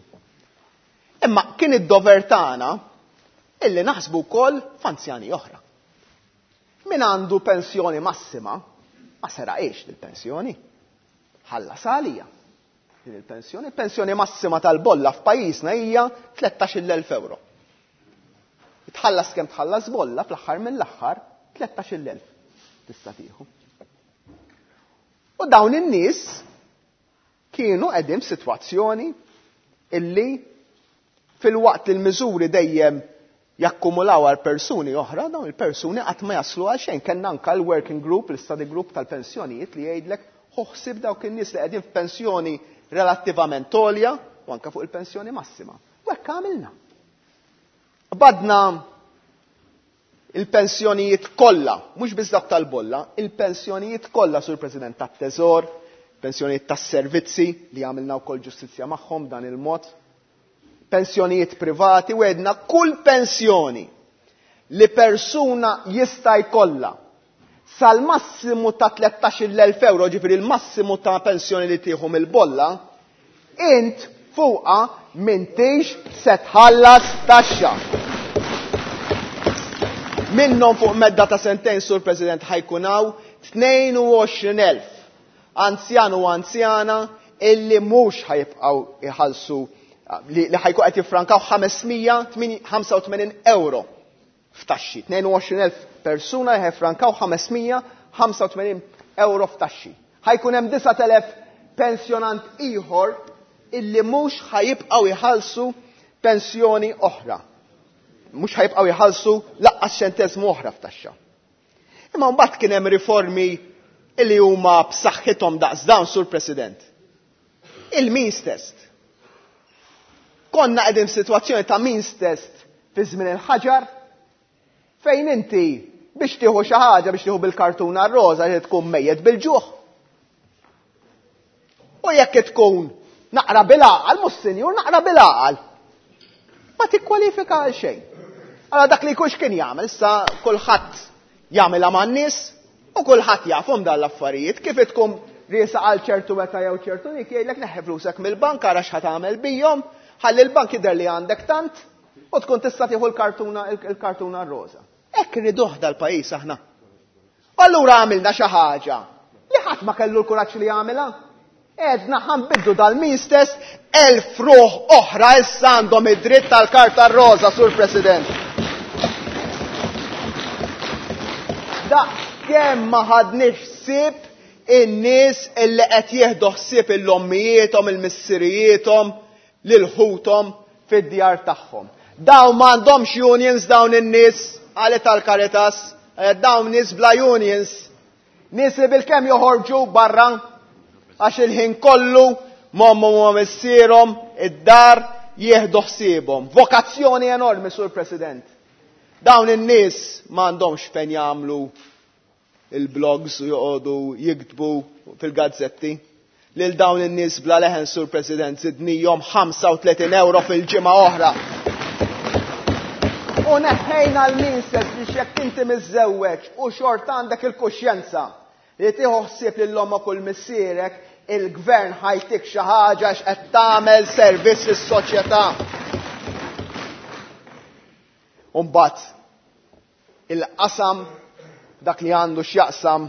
Speaker 12: Imma kien id-dover tagħna illi naħsbu wkoll f'anzjani oħra. Min għandu pensjoni massima, ma seraqx il-pensjoni. Ħallas għalija din il-pensjoni. Pensjoni massima tal-bolla f'pajjiżna hija tlettax-il elf euro. Tħallas kemm tħallas bolla fl-aħħar mill-aħħar tlettax-il elf tista' tieħu. U dawn in-nies kienu qegħdin f'sitwazzjoni illi fil-waqt li l-miżuri dejjem jakkumulaw għal persuni oħra, dawn il-persuni qatt ma jaslu għal xejn. Kellna anke l-working group, l-study group tal-pensjonijiet li jgħidlek ħoħsib dawk in-nies li qegħdin f'pensjoni relattivament għolja u anke fuq il-pensjoni massima. U hekk għamilna. Badna il-pensjonijiet kollha, mhux biss dak tal-bolla, il-pensjonijiet kollha, Sur President, tat-Teżor, pensjonijiet tas-servizzi li għamilna wkoll ġustizzja magħhom dan il-mod, pensjonijiet privati, u għedna kull pensjoni li persuna jista' jkollha sal-massimu ta' tlettax-il elf euro, ġifieri l-massimu ta' pensjoni li tieħu mill-bolla, int fuqha m'intix se tħallas taxxa. Minnhom fuq medda ta' sentejn, Sur President, ħajkunaw tnejn u għoxrin elf anzjan u anzjana illi mhux ħajibqgħu iħallsu, li, li ħajkun qed jiffrankaw ħamesmija ħamsa u tmenin euro f'taxxi. Tnejn u għoxrin elf persuna ħajfrankaw ħamesmija ħamsa u tmenin euro f'taxxi. Ħajkun hemm disat elef pensjonant ieħor illi mhux ħajibqgħu jħallsu pensjoni oħra. Mhux ħajibqgħu jħallsu laqqas ċentesmu oħra f'taxxa. Imma mbagħad kien hemm riformi illi huma b'saħħithom daqs dawn, Sur President. Il-means test. Konna qegħdin f'sitwazzjoni ta' means test fi żmien il-ħaġar fejn inti biex tieħu xi ħaġa, biex tieħu bil-kartuna roża li tkun mejjet bil-ġuħ. U jekk tkun naqra bil-għaqal, mhux sinjur, naqra bil-għaqal, ma tikkwalifika għal xejn. Allora dak li jkunx kien jagħmel, issa kulħadd jagħmilha man-nies u kulħadd jafhom dan l-affarijiet, kif tkun riesa għal ċertu meta jew ċertu nik jgħidlek neħħi flusek mill-bank ara x'ħa tagħmel bihom, ħalli l-bank jidher li għandek tant u tkun tista' tieħu l-kartuna, il-kartuna roża. Hekk irriduh dal-pajjiż aħna. U allura għamilna xi ħaġa li ħadd ma kellu l-kuraġġ li jagħmilha. Edna ħanbiddu dal-means test, elf ruħ oħra issa għandhom id-dritt tal-karta roża, Sur President. Da kemm ma ħadniex ħsieb in-nies illi qed jieħdu ħsieb il-ommijiethom, il-missirijiethom, lil ħuthom fid-djar tagħhom. Dawn m'għandhomx unions dawn in-nies, qalet tal-Caritas, eh, dawn nies bla unions, nies li bilkemm joħorġu barra għax il-ħin kollu m'ommhom u missierhom id-dar jieħdu ħsiebhom. Vokazzjoni enormi, Sur President. Dawn in-nies m'għandhomx fejn jagħmlu il-blogs u joqogħdu jiktbu fil-gazzetti. Lil dawn in-nies bla leħen, Sur President, zidnihom ħamsa u tletin euro fil-ġimgħa oħra. U neħħejna l-means test biex jekk inti miżżewweġ u xorta għandek il-kuxjenza li tieħu ħsieb lil ommok u l-missierek, il-gvern ħajtik xi ħaġa għax qed tagħmel servizz lis-soċjetà. U mbagħad il-qasam dak li għandu x'jaqsam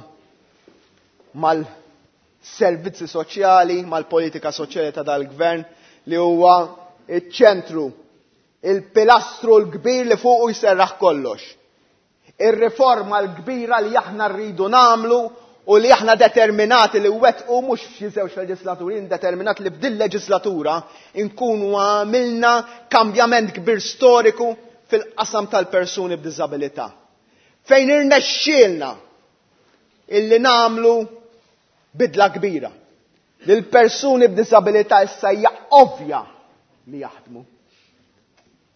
Speaker 12: mal-servizzi soċjali, mal-politika soċjali ta' dal-gvern li huwa iċ-ċentru, il-pilastru l-kbir li fuqu jserraħ kollox. Ir-riforma l-kbira li aħna rridu nagħmlu u li aħna determinati li wettqu mhux f'xi żewġ leġislaturi, determinati li f'din leġislatura nkunu għamilna kambjament kbir storiku fil-qasam tal-persuni b'diżabilità. Fejn irnexxielna illi nagħmlu bidla kbira. Li l-persuni b'diżabilità issa hija ovvja li jaħdmu.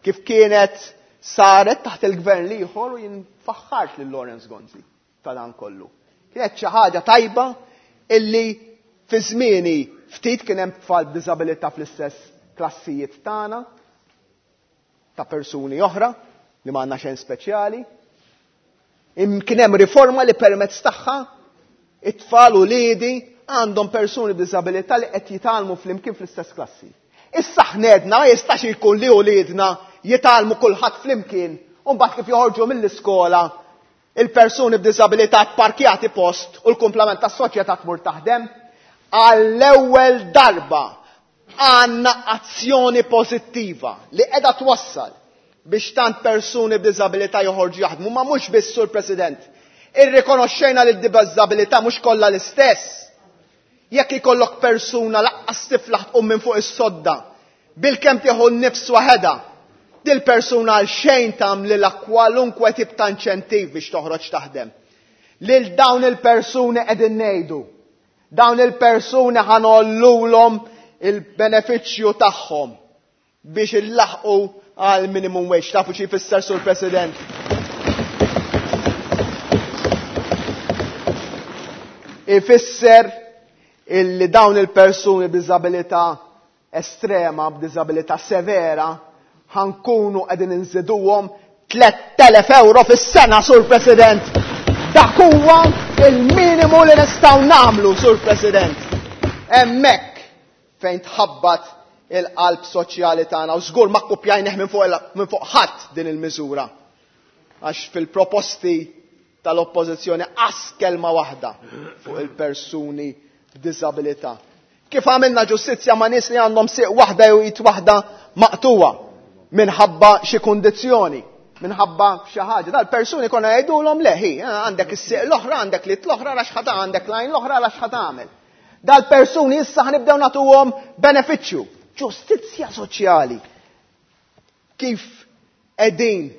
Speaker 12: Kif kienet saret taħt il-gvern l-ieħor u jien faħħart lil Lawrence Gonzi ta' dan kollu. Kienet xi ħaġa tajba illi fi żmieni ftit kien hemm tfal b'diżabilità fl-istess klassijiet tagħna ta' persuni oħra li ma għandna xejn speċjali. Kien hemm riforma li permezz tagħha it-tfal u liedi għandhom persuni b'diżabilità li qed jitgħallmu flimkien fl-istess klassi. Issa ħnedna ma jistax ikun li uliedna jitgħallmu kulħadd flimkien u mbagħad kif joħorġu mill-iskola il-persuni b'diżabilità pparkjati post u l-kumplament tas-soċjetà tmur taħdem. Għall-ewwel darba għandna azzjoni pożittiva li qiegħda twassal biex tant persuni b'diżabilità joħorġu jaħdmu, ma mhux biss, Sur President. Irrikonoxxejna li d-diżabilità mhux kollha l-istess. Jekk ikollok persuna laqqas tiflaħ tqum minn fuq is-sodda, bilkemm tieħu n-nifs waħedha, dil-persuna għal xejn tagħmlilha kwalunkwe tip ta' inċentiv biex toħroġ taħdem. Lil dawn il-persuni qegħdin ngħidu, dawn il-persuni ħanollulhom il-benefiċċju tagħhom biex illaħqu għal minimum wage. Tafu xi jfisser, Sur President? Ifisser illi dawn il-persuni b'diżabilità estrema, b'diżabilità severa, ħankunu qegħdin inżiduhom tliet elef euro fis-sena, Sur President. Dak huwa il-minimu li nistgħu nagħmlu, Sur President. Hemmhekk fejn tħabbat il-qalb soċjali tagħna u żgur ma kkupjajnih minn fuq minn fuq ħadd din il-miżura. Għax fil-proposti tal-oppożizzjoni qas kelma waħda fuq il-persuni b'diżabilità. Kif għamilna ġustizzja ma' nies li għandhom sieq waħda jew id waħda maqtuwa minħabba xi kundizzjoni, minħabba xi ħaġa. Dal-persuni konna jgħidulhom leħi, għandek is-sieq l-oħra, għandek l-id l-oħra, għax ħa għandek l-għajn l-oħra, għax ħa tagħmel. Dal-persuni issa ħanibdew nagħtuhom benefiċċju. Ġustizzja soċjali. Kif qegħdin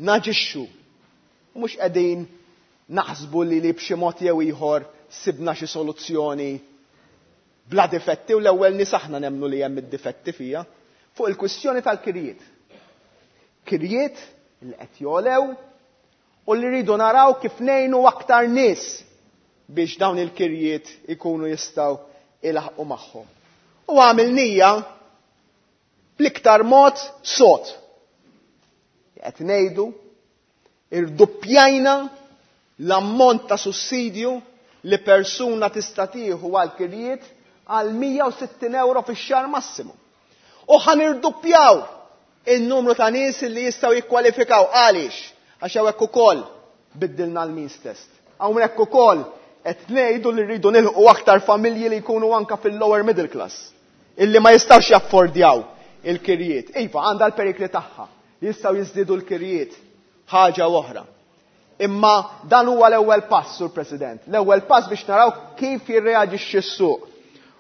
Speaker 12: naġixxu, mhux qegħdin naħsbu li li b'xi mod jew ieħor sibna xi soluzzjoni bla difetti u l-ewwel nies aħna nemmnu li hemm id-difetti fija fuq il-kwistjoni tal-kirjiet. Kirjiet li qed jolew u li rridu naraw kif ngħinu aktar nies biex dawn il-kirjiet ikunu jistgħu ilaħqu magħhom. U għamilnija bl-iktar mod sod. Qed ngħidu irduppjajna l-ammont ta' sussidju li persuna tista' tieħu għal kirjiet għal mija u sittin euro fix-xahar massimu. U ħa nirduppjaw in-numru ta' nies li jistgħu jikkwalifikaw. Għaliex? Għax hawnhekk ukoll biddilna l-means test. Hawnhekk ukoll qed ngħidu li rridu nilħqu aktar familji li jkunu anka fil-lower middle class, illi ma jistgħux jaffordjaw il-kirjiet. Iva, għandha l-perikli tagħha, jistgħu jiżdiedu l-kirjiet ħaġa oħra. Imma dan huwa l-ewwel pass, Sur President. L-ewwel pass biex naraw kif jirreaġixxi s-suq.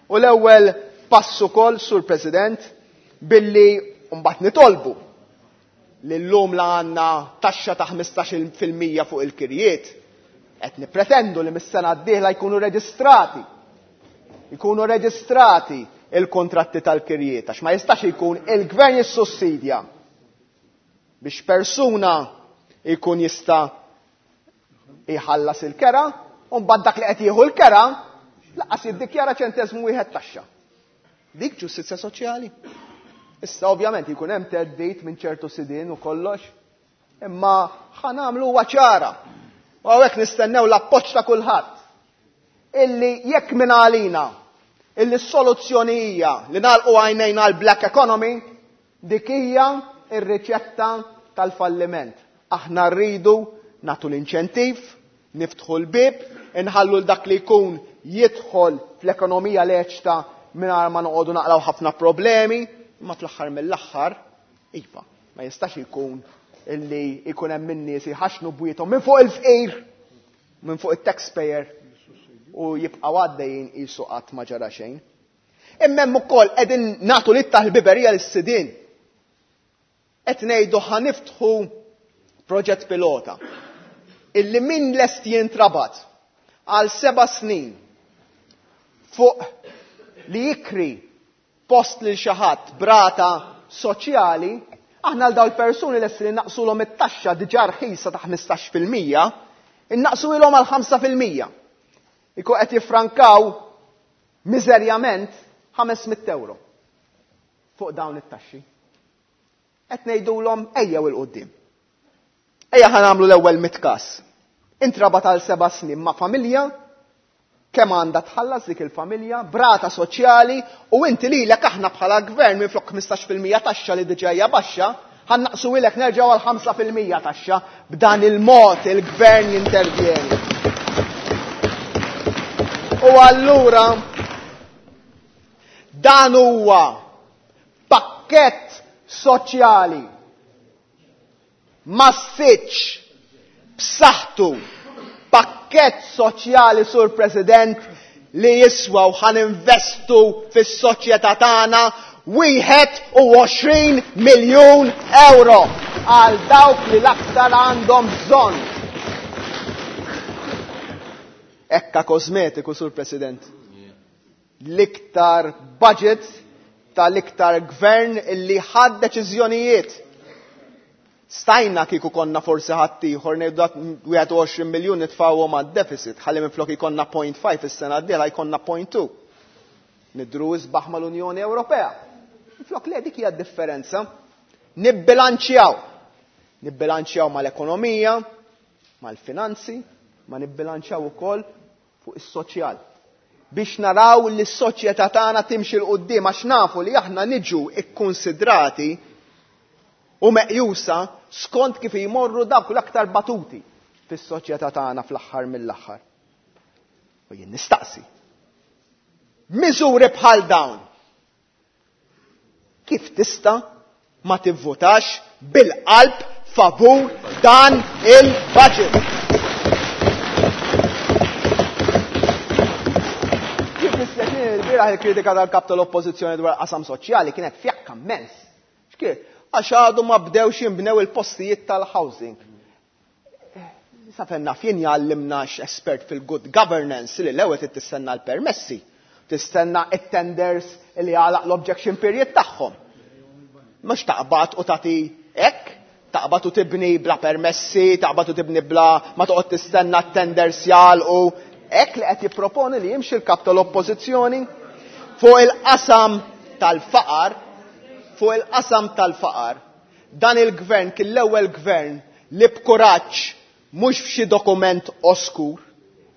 Speaker 12: U l-ewwel pass ukoll, Sur President, billi mbagħad nitolbu li llum la għandna taxxa ta' ħmistax fil-mija fuq il-kirjiet, qed nippretendu li mis-sena d-dieħla jkunu reġistrati. Jkunu reġistrati il-kontratti tal-kirjiet, għax ma jistax ikun il-gvern jissussidja biex persuna jkun jista' jħallas il-kera, u mbagħad dak li qed jieħu l-kera laqas jiddikjara ċenteżmu wieħed taxxa. Dik ġustizzja soċjali. Issa ovvjament jkun hemm theddid minn ċertu sidien u kollox, imma ħa nagħmlu huwa ċara. U hawnhekk nistennew l-appoġġ ta' kulħadd. Illi jekk minn għalina illi s-soluzzjoni hija li nagħlqu għajnejna għall black economy, dik hija r-riċetta tal-falliment. Aħna rridu nagħtu l-inċentiv, niftħu l-bib, inħallu l dak li jkun jidħol fl-ekonomija leċta mingħajr ma noqogħdu naqraw ħafna problemi, imma fl-aħħar mill-aħħar, iva, ma jistax ikun illi ikun hemm in-nies jħaxnu bwiethom minn fuq il-fqir, minn fuq it-taxpayer u jibqgħu għaddejjin qisu qatt ma ġara xejn. Imma hemm ukoll qegħdin nagħtu litta l-biberija lis-sidien. Qed ngħidu ħa niftħu proġett pilota illi min lest jintrabat għal seba' snin fuq li jikri post lil xi ħadd brata soċjali, aħna għal dawn il-persuni lesti li naqsulhom it-taxxa diġà rħisa ta' ħmistax fil-mija, innaqsuhom għal ħamsa fil-mija. Ikun qed jiffrankaw miżerjament ħames mitt euro fuq dawn it-taxxi. Qed ngħidulhom ejjew il quddiem. Ejja ħa nagħmlu l-ewwel mitt każ. Intrabat għal seba' snin ma' familja, kemm għandha tħallas dik il-familja, brata soċjali, u inti lilek aħna bħala gvern minn flok ħmistax fil-mija taxxa li diġà hija baxxa, ħannaqsu ilek nerġgħu għal ħamsa fil-mija taxxa. B'dan il-mod il-gvern jintervjeni. U allura dan huwa pakkett soċjali massiċ b'saħħtu, pakkett soċjali, Sur President, li jiswa u ħaninvestu fis-soċjetà tagħna wieħed u għoxrin miljun euro għal dawk li l-aktar għandhom bżonn. Ekka kosmetiku, Sur President. L-iktar budget tal-iktar gvern illi ħad deċiżjonijiet. Stajna kieku konna forsi ħaddieħor ngħidu dak wieħed u għoxrin miljun nitfgħuhom għad-deficit, ħalli minflok ikollna point five is-sena d-dieħla jkollna point two. Nidru isbaħ mal-Unjoni Ewropea. Minflok le, dik hija d-differenza. Nibbilanċjaw. Nibbilanċjaw mal-ekonomija, mal-finanzi, ma nibbilanċjaw ukoll fuq is-soċjal. Biex naraw li s-soċjetà tagħna timxi 'l quddiem, għax nafu li aħna niġu ikkonsidrati u meqjusa skont kif jmorru dawk l-aktar batuti fis-soċjetà tagħna fl-aħħar mill-aħħar. U jien nistaqsi. Miżuri bħal dawn. Kif tista' ma tivvutax bil-qalb favur dan il-budget? Kif nispjaċini l-bieraħ il-kritika tal-kap tal-oppożizzjoni dwar qasam soċjali kienet fjakka immens. X'kien? Għax għadu ma bdewx jinbnew il-postijiet tal-housing. Sa fejn naf jien jgħallimna x'espert fil-good governance li l-ewwel trid tistenna l-permessi, tistenna it-tenders li għalaq l-objection period tagħhom. Mhux taqbad u tagħti hekk, taqbad u tibni bla permessi, taqbad u tibni bla ma toqgħod tistenna t-tenders jagħlqu. Hekk li qed jipproponi li jimxi l-kap tal-oppożizzjoni fuq il-qasam tal-faqar, fuq il-qasam tal-faqar. Dan il-gvern kien l-ewwel gvern li b'kuraġġ mhux f'xi dokument oskur,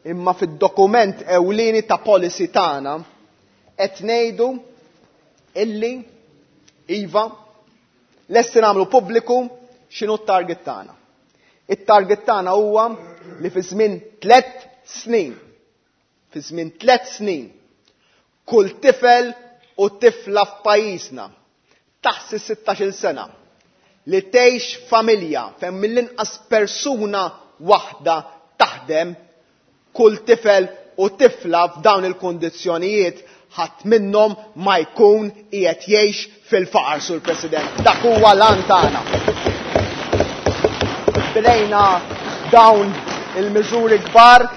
Speaker 12: imma fid-dokument ewlieni ta' policy tagħna qed ngħidu illi iva lesti nagħmlu pubbliku x'inhu t-target tagħna. It-target tagħna huwa li fi żmien tliet snin, fi żmien tliet snin, kull tifel u tifla f'pajjiżna taħt is-sittax-il sena li tgħix familja fejn mill-inqas persuna waħda taħdem, kull tifel u tifla f'dawn il-kondizzjonijiet ħadd minnhom ma jkun qiegħed jgħix fil-faqar, Sur President. Dak huwa l-għan tagħna. Bdejna dawn il-miżuri kbar,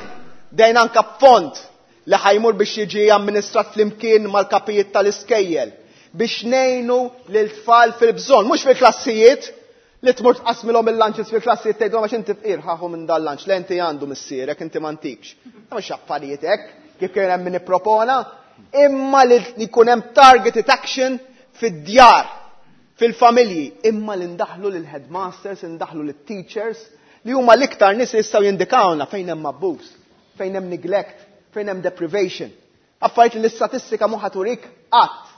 Speaker 12: bdejna anke fond li ħajmur biex jiġi amministrat flimkien mal-kapijiet tal-iskejjel biex ngħinu lil tfal fil-bżonn, mhux fil-klassijiet li tmur tqasmilhom il-lunches fil-klassijiet tgħidulhom għax inti fqir ħaħu minn dal-lunch, le inti għandu missierek, inti m'għandikx. Ma mhux affarijiet hekk, kif kien hemm min ippropona, imma li jkun hemm targeted action fid-djar, fil-familji, imma li ndaħlu lil headmasters, ndaħlu lil teachers, li huma l-iktar nies li jistgħu jindikawna fejn hemm abbuż, fejn hemm neglect, fejn hemm deprivation. Affarijiet li l-istatistika mhu ħaturik qatt.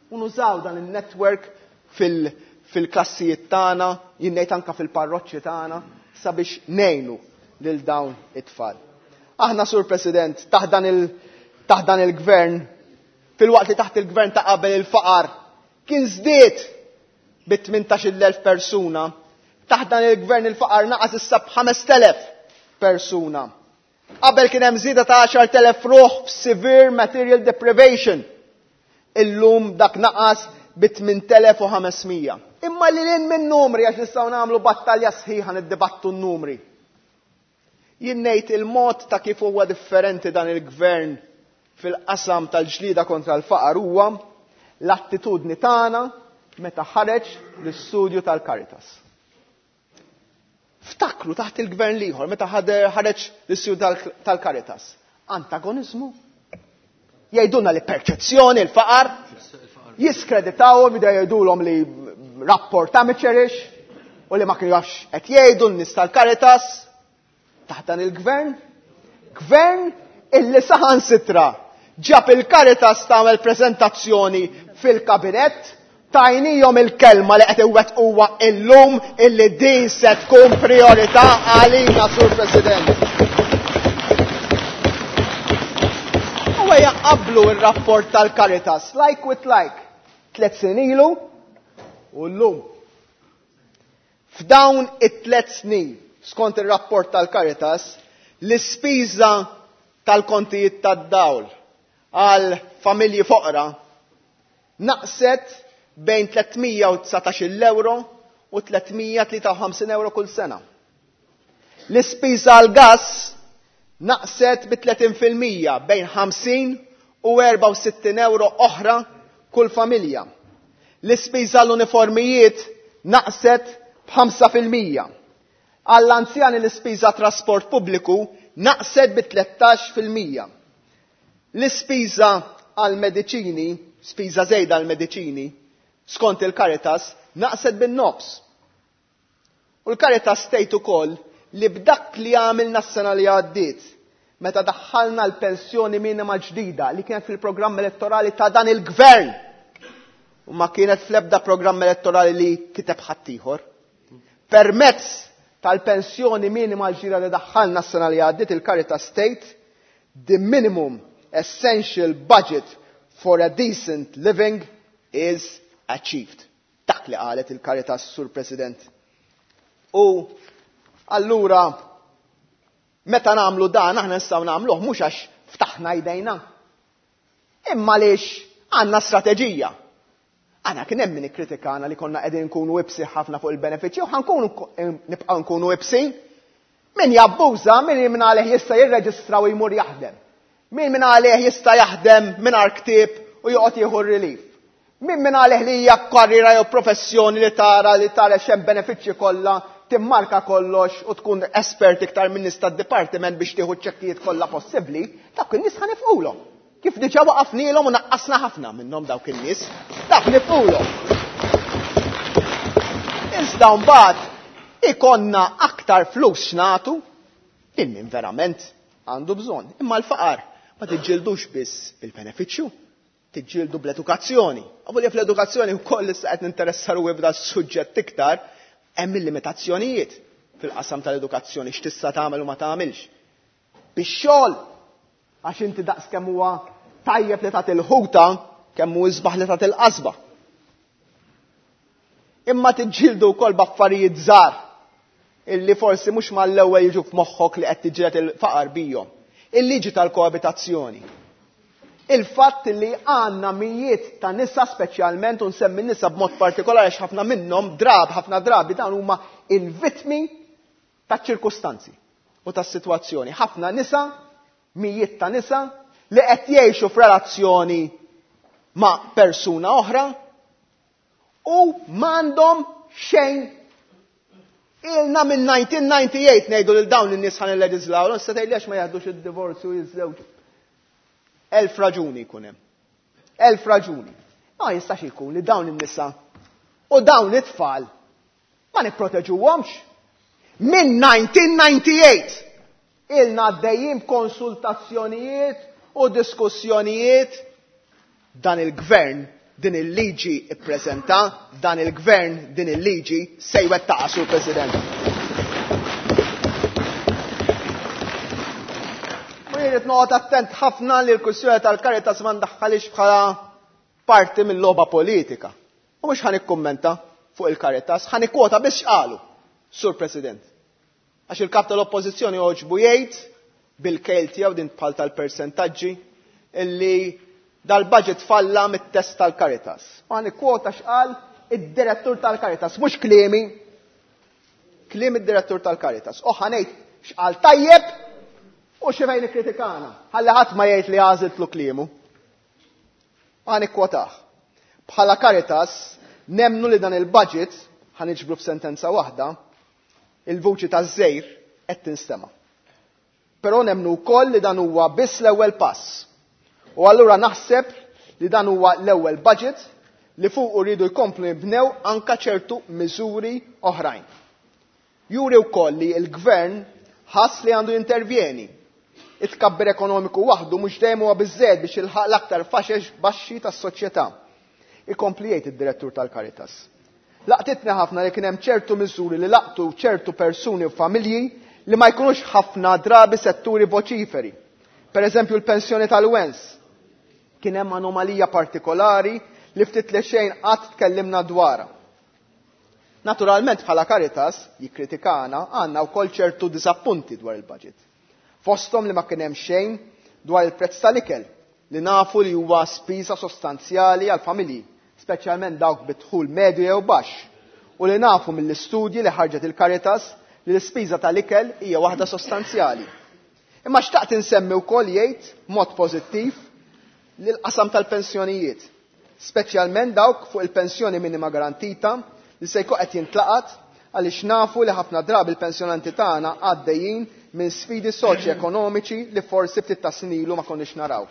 Speaker 12: U nużaw dan il-network fil-, fil-klassijiet tagħna, jien ngħid anke fil-parroċċi tagħna, sabiex ngħinu lil dawn it-tfal. Aħna, Sur President, taħt dan il- taħt dan il-gvern, filwaqt li taħt il-gvern ta' qabel il-faqar kien żdied bi tmintax-il elf persuna, taħt dan il-gvern il-faqar naqas issa b'ħamest elef persuna. Qabel kien hemm żieda ta' għaxart elef ruħ f'severe material deprivation. Illum dak naqas bi tmint elef u ħames mija. Imma li lin minn numri, għax nistgħu nagħmlu battalja sħiħa niddibattu n-numri. Jien ngħid il-mod ta' kif huwa differenti dan il-gvern fil-qasam tal-ġlida kontra l-faqar huwa l-attitudni tagħna meta ħareġ l-istudju tal-Caritas. Ftakru taħt il-gvern l-ieħor meta ħareġ l-istudju tal-Caritas. Antagonizmu. Jgħidulna li perċezzjoni l-faqar, jiskreditawhom, jibdew jgħidulhom li rapport amateurish u li ma kienu jafx qed jgħidu n-nies tal-Caritas. Taħt dan il-gvern, gvern illi saħansitra ġab il-Caritas tagħmel prezentazzjoni fil-kabinett, tajnijhom il-kelma li qed iwettquha illum illi din se tkun priorità għalina, Sur President. U ejja qablu r-rapport tal-Caritas, like with like, tliet snin ilu u llum. F'dawn it-tliet snin, skont ir-rapport tal-Caritas, l-ispiża tal-kontijiet tad-dawl għal familji foqra naqset bejn tliet mija u dsatax-il euro u tliet mija tlieta u ħamsin euro kull sena. L-ispiża għal gas naqset bi tletin fil-mija bejn ħamsin u erbgħa u sittin euro oħra kull familja. L-ispiża l-uniformijiet naqset b'ħamsa fil-mija. Għall-anzjani l-ispiża trasport pubbliku naqset bi tlettax fil-mija. L-ispiża għal-mediċini, spiża żejda għal-mediċini, skont il-Caritas, naqset bin-nofs. U l-Caritas tgħid ukoll li b'dak li għamilna s-sena li għaddiet, meta daħħalna l-pensjoni minima ġdida li kienet fil-programm elettorali ta' dan il-gvern, u ma kienet fl-ebda programm elettorali li kiteb ħaddieħor. Permezz tal-pensjoni minima ġdida li daħħalna s-sena li għaddiet, il-Caritas tgħid, the minimum essential budget for a decent living is achieved. Dak li qalet il-Caritas, Sur President. U allura, meta nagħmlu dan, aħna nistgħu nagħmluh mhux għax ftaħna jdejna, imma għaliex għandna strateġija. Aħna kien hemm min ikkritikana li konna qegħdin nkunu ibsin ħafna fuq il-benefiċċji u ħankunu nibqgħu nkunu ibsin. Min jabbuża, min minn għalih jista' jirreġistra u jmur jaħdem. Min minn għalih jista' jaħdem mingħajr ktieb u joqgħod jieħu r-relief. Min minn għalih li hija karriera jew professjoni li tara li tara x'hemm benefiċċji kollha, timmarka kollox u tkun espert iktar minn nies tad-dipartiment biex tieħu ċ-ċekkijiet kollha possibbli, dawk in-nies ħa nifqulhom. Kif diġà waqafnielhom u naqqasna ħafna minnhom dawk in-nies, dak nifqulhom. Iżda mbagħad ikonna aktar flus x'nagħtu lil min verament għandu bżonn. Imma l-faqar ma tiġġildux biss bil-benefiċċju, tiġġieldu bl-edukazzjoni. Avolja fl-edukazzjoni wkoll issa qed ninteressa ruħi b'da suġġett iktar, hemm il-limitazzjonijiet fil-qasam tal-edukazzjoni x'tista' tagħmel u ma tagħmilx. Bix-xogħol, għax inti daqs kemm huwa tajjeb li tagħti l-ħuta, kemm hu isbaħ li tagħti l-qasba. Imma tiġġieldu wkoll b'affarijiet żgħar illi forsi mhux mal-ewwel jiġu f'moħħok li qed tiġġieled il-faqar bihom. Il-liġi tal-koabitazzjoni. Il-fatt li għandna mijiet ta' nisa speċjalment, u nsemmi nisa b'mod partikolari għax ħafna minnhom drab, ħafna drabi dan huma il-vittmi taċ-ċirkustanzi u tas-sitwazzjoni. Ħafna nisa, mijiet ta' nisa li qed jgħixu f'relazzjoni ma' persuna oħra u m'għandhom xejn. Ilna minn nineteen ninety-eight ngħidu lil dawn in-nies ħa nilleġislaw, issa tgħidli għax ma jaħdux id-divorzju jiżżewġu. Elf raġuni jkun hemm. Elf raġuni. Ma jistax ikun li dawn in-nisa u dawn it-tfal ma nipproteġuhomx. Minn nineteen ninety-eight ilna għaddejjin konsultazzjonijiet u diskussjonijiet. Dan il-gvern din il-liġi ippreżenta, dan il-gvern din il-liġi se jwettaqha, Sur President. irrid noqgħod attent ħafna li l-kwistjoni tal-Caritas ma ndaħħalix bħala parti mill-logħba politika. U mhux ħa nikkummenta fuq il-Caritas, ħa nikkwota biss x'qalu, Sur President. Għax il-kap tal-Oppożizzjoni għoġbu jgħid bil-kejl tiegħu din bħal tal-persentaġġi illi dal-budget falla mit-test tal-Caritas. U ħa nikkwota x'qal id-direttur tal-Caritas, mhux kliemi, kliem id-direttur tal-Caritas. U ħa ngħid x'qal tajjeb u xi fejn ikkritikana. Ħalli ħadd ma jgħid li għażiltlu kliemu. Ħa nikkwotah. Bħala Caritas nemnu li dan il-budget, ħa niġbru f'sentenza waħda, il-vuċi taż-żejr qed tinstema'. Però nemnu wkoll li dan huwa biss l-ewwel pass. U allura naħseb li dan huwa l-ewwel budget li fuq rridu jkomplu jibnew anka ċertu miżuri oħrajn. Juri wkoll li l-gvern ħass li għandu jintervjeni. It-tkabbir ekonomiku waħdu mhux dejjem huwa biżżejjed biex jilħaq l-aktar faxex baxxi tas-soċjetà. Ikompli jgħid id-direttur tal-Caritas. Laqtitni ħafna li kien hemm ċertu miżuri li laqtu ċertu persuni u familji li ma jkunux ħafna drabi setturi voċiferi. Per eżempju l-pensjoni tal-wens. Kien hemm anomalija partikolari li ftit li xejn qatt tkellimna dwarha. Naturalment bħala Caritas jikkritikana għandna wkoll ċertu disappunti dwar il-budget. Fosthom li ma kien hemm xejn dwar il-prezz tal-ikel li nafu li huwa spiża sostanzjali għal familji, speċjalment dawk bi dħul medju jew baxx, u li nafu mill-istudji li ħarġet il-Caritas li l-ispiża tal-ikel hija waħda sostanzjali. Imma xtaqt insemmi wkoll jgħid mod pożittiv li l-qasam tal-pensjonijiet, speċjalment dawk fuq il-pensjoni minima garantita li se jkun qed jintlaqat għaliex nafu li ħafna drabi l-pensjonanti tagħna għaddejjin minn sfidi soċjoekonomiċi li forsi ftit ta' snin ilu ma konniex naraw.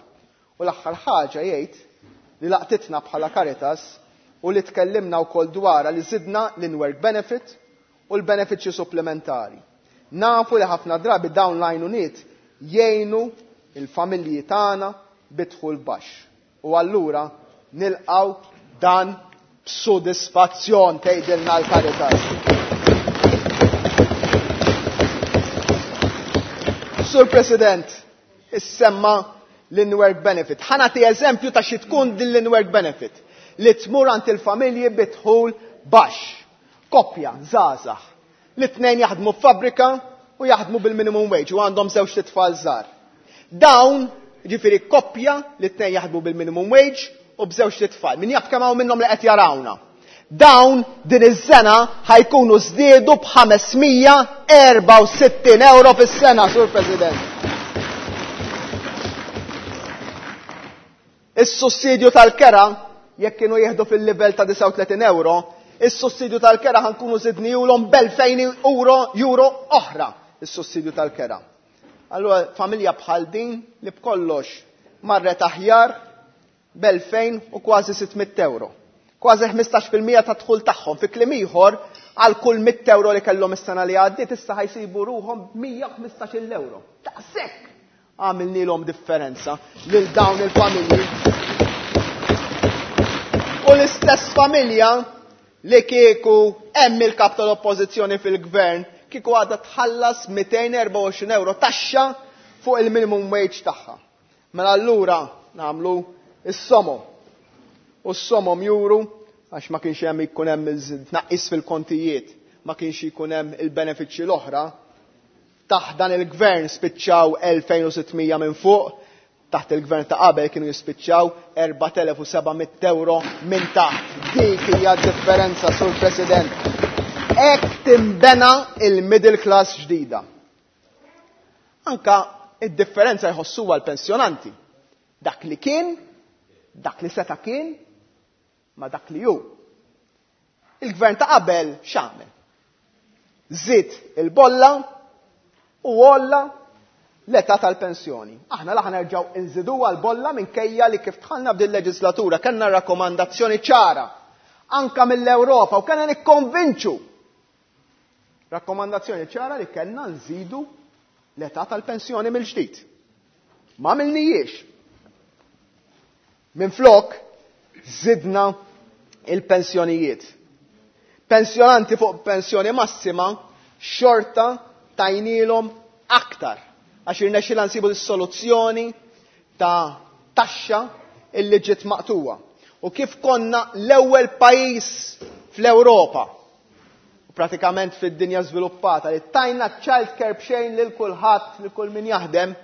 Speaker 12: U l-aħħar ħaġa jgħid li laqtitna bħala Caritas u li tkellimna wkoll dwarha li żidna l-in-work benefit u l-benefiċċji supplementari. Nafu li ħafna drabi dawn l-għajnuniet jgħinu il-familji tagħna bi dħul baxx. U allura nilqgħu dan b'sodisfazzjon tgħidilna l-Caritas. Sur President, issemma l-in-work benefit. Ħa nagħti eżempju ta' xi tkun din l-in-work benefit li tmur għand il-familji bi dħul baxx. Koppja, żgħażagħ, li tnejn jaħdmu f'fabbrika u jaħdmu bil-minimum wage u għandhom żewġ tfal żgħar. Dawn, ġifieri koppja li tnejn jaħdmu bil-minimum wage u b'żewġ tfal. Min jaf kemm hawn minnhom li qed jarawna. Dawn din iż-sena ħajkunu żdiedu b'ħamesmija erba' u sittin euro fis-sena, Sur President. Is-sussidju tal-kera, jekk kienu jieħdu fil-livell ta' disgħa u tletin euro, is-sussidju tal-kera ħankunu żidnihulhom b'elfejn euro, euro oħra, is-sussidju tal-kera. Allura familja bħal din li b'kollox marret aħjar b'elfejn u kważi sitt mitt euro. Kważi ħmistax fil-mija ta' dħul tagħhom. Fi kliem ieħor, għal kull mitt euro li kellhom is-sena li għaddiet issa ħajsibu ruhom b'mija u ħmistax-il euro. Daqshekk għamilnilhom differenza lil dawn il-familji. U l-istess familja li kieku hemm il-kap tal-Oppożizzjoni fil-gvern kieku għadha tħallas mitejn erba' u għoxrin euro taxxa fuq il-minimum wage tagħha. Mela allura nagħmlu is-somom. U s-somom juru għax ma kienx hemm ikun hemm tnaqqis fil-kontijiet, ma kienx ikun hemm il-benefiċċji l-oħra. Taħt dan il-gvern spiċċaw elfejn u sittmija minn fuq, taħt il-gvern ta' qabel kienu jispiċċaw erbat elef u seba' mitt euro minn taħt. Dik hija d-differenza, Sur President. Hekk timbena il-middle class ġdida. Anka id-differenza jħossuha l-pensjonanti. Dak li kien, dak li seta' kien, ma dak li hu. Il-gvern ta' qabel x'għamel? Żied il-bolla u għolla l-età tal-pensjoni. Aħna laħ nerġgħu nżiduha l-bolla minkejja li kif dħalna f'din leġislatura kellna rakkomandazzjoni ċara anka mill-Ewropa u kellna nikkonvinċu. Rakkomandazzjoni ċara li kellna nżidu l-età tal-pensjoni mill-ġdid. Ma għamilnijiex. Minflok żidna il-pensjonijiet. Pensjonanti fuq pensjoni massima xorta tajnilhom aktar. Għax irnexxielna nsibu s-soluzzjoni ta' taxxa illi ġiet maqtuwa. U kif konna l-ewwel pajjiż fl-Ewropa, u pratikament fid-dinja żviluppata, li tajna child care b'xejn lil kulħadd, lil kull min jaħdem,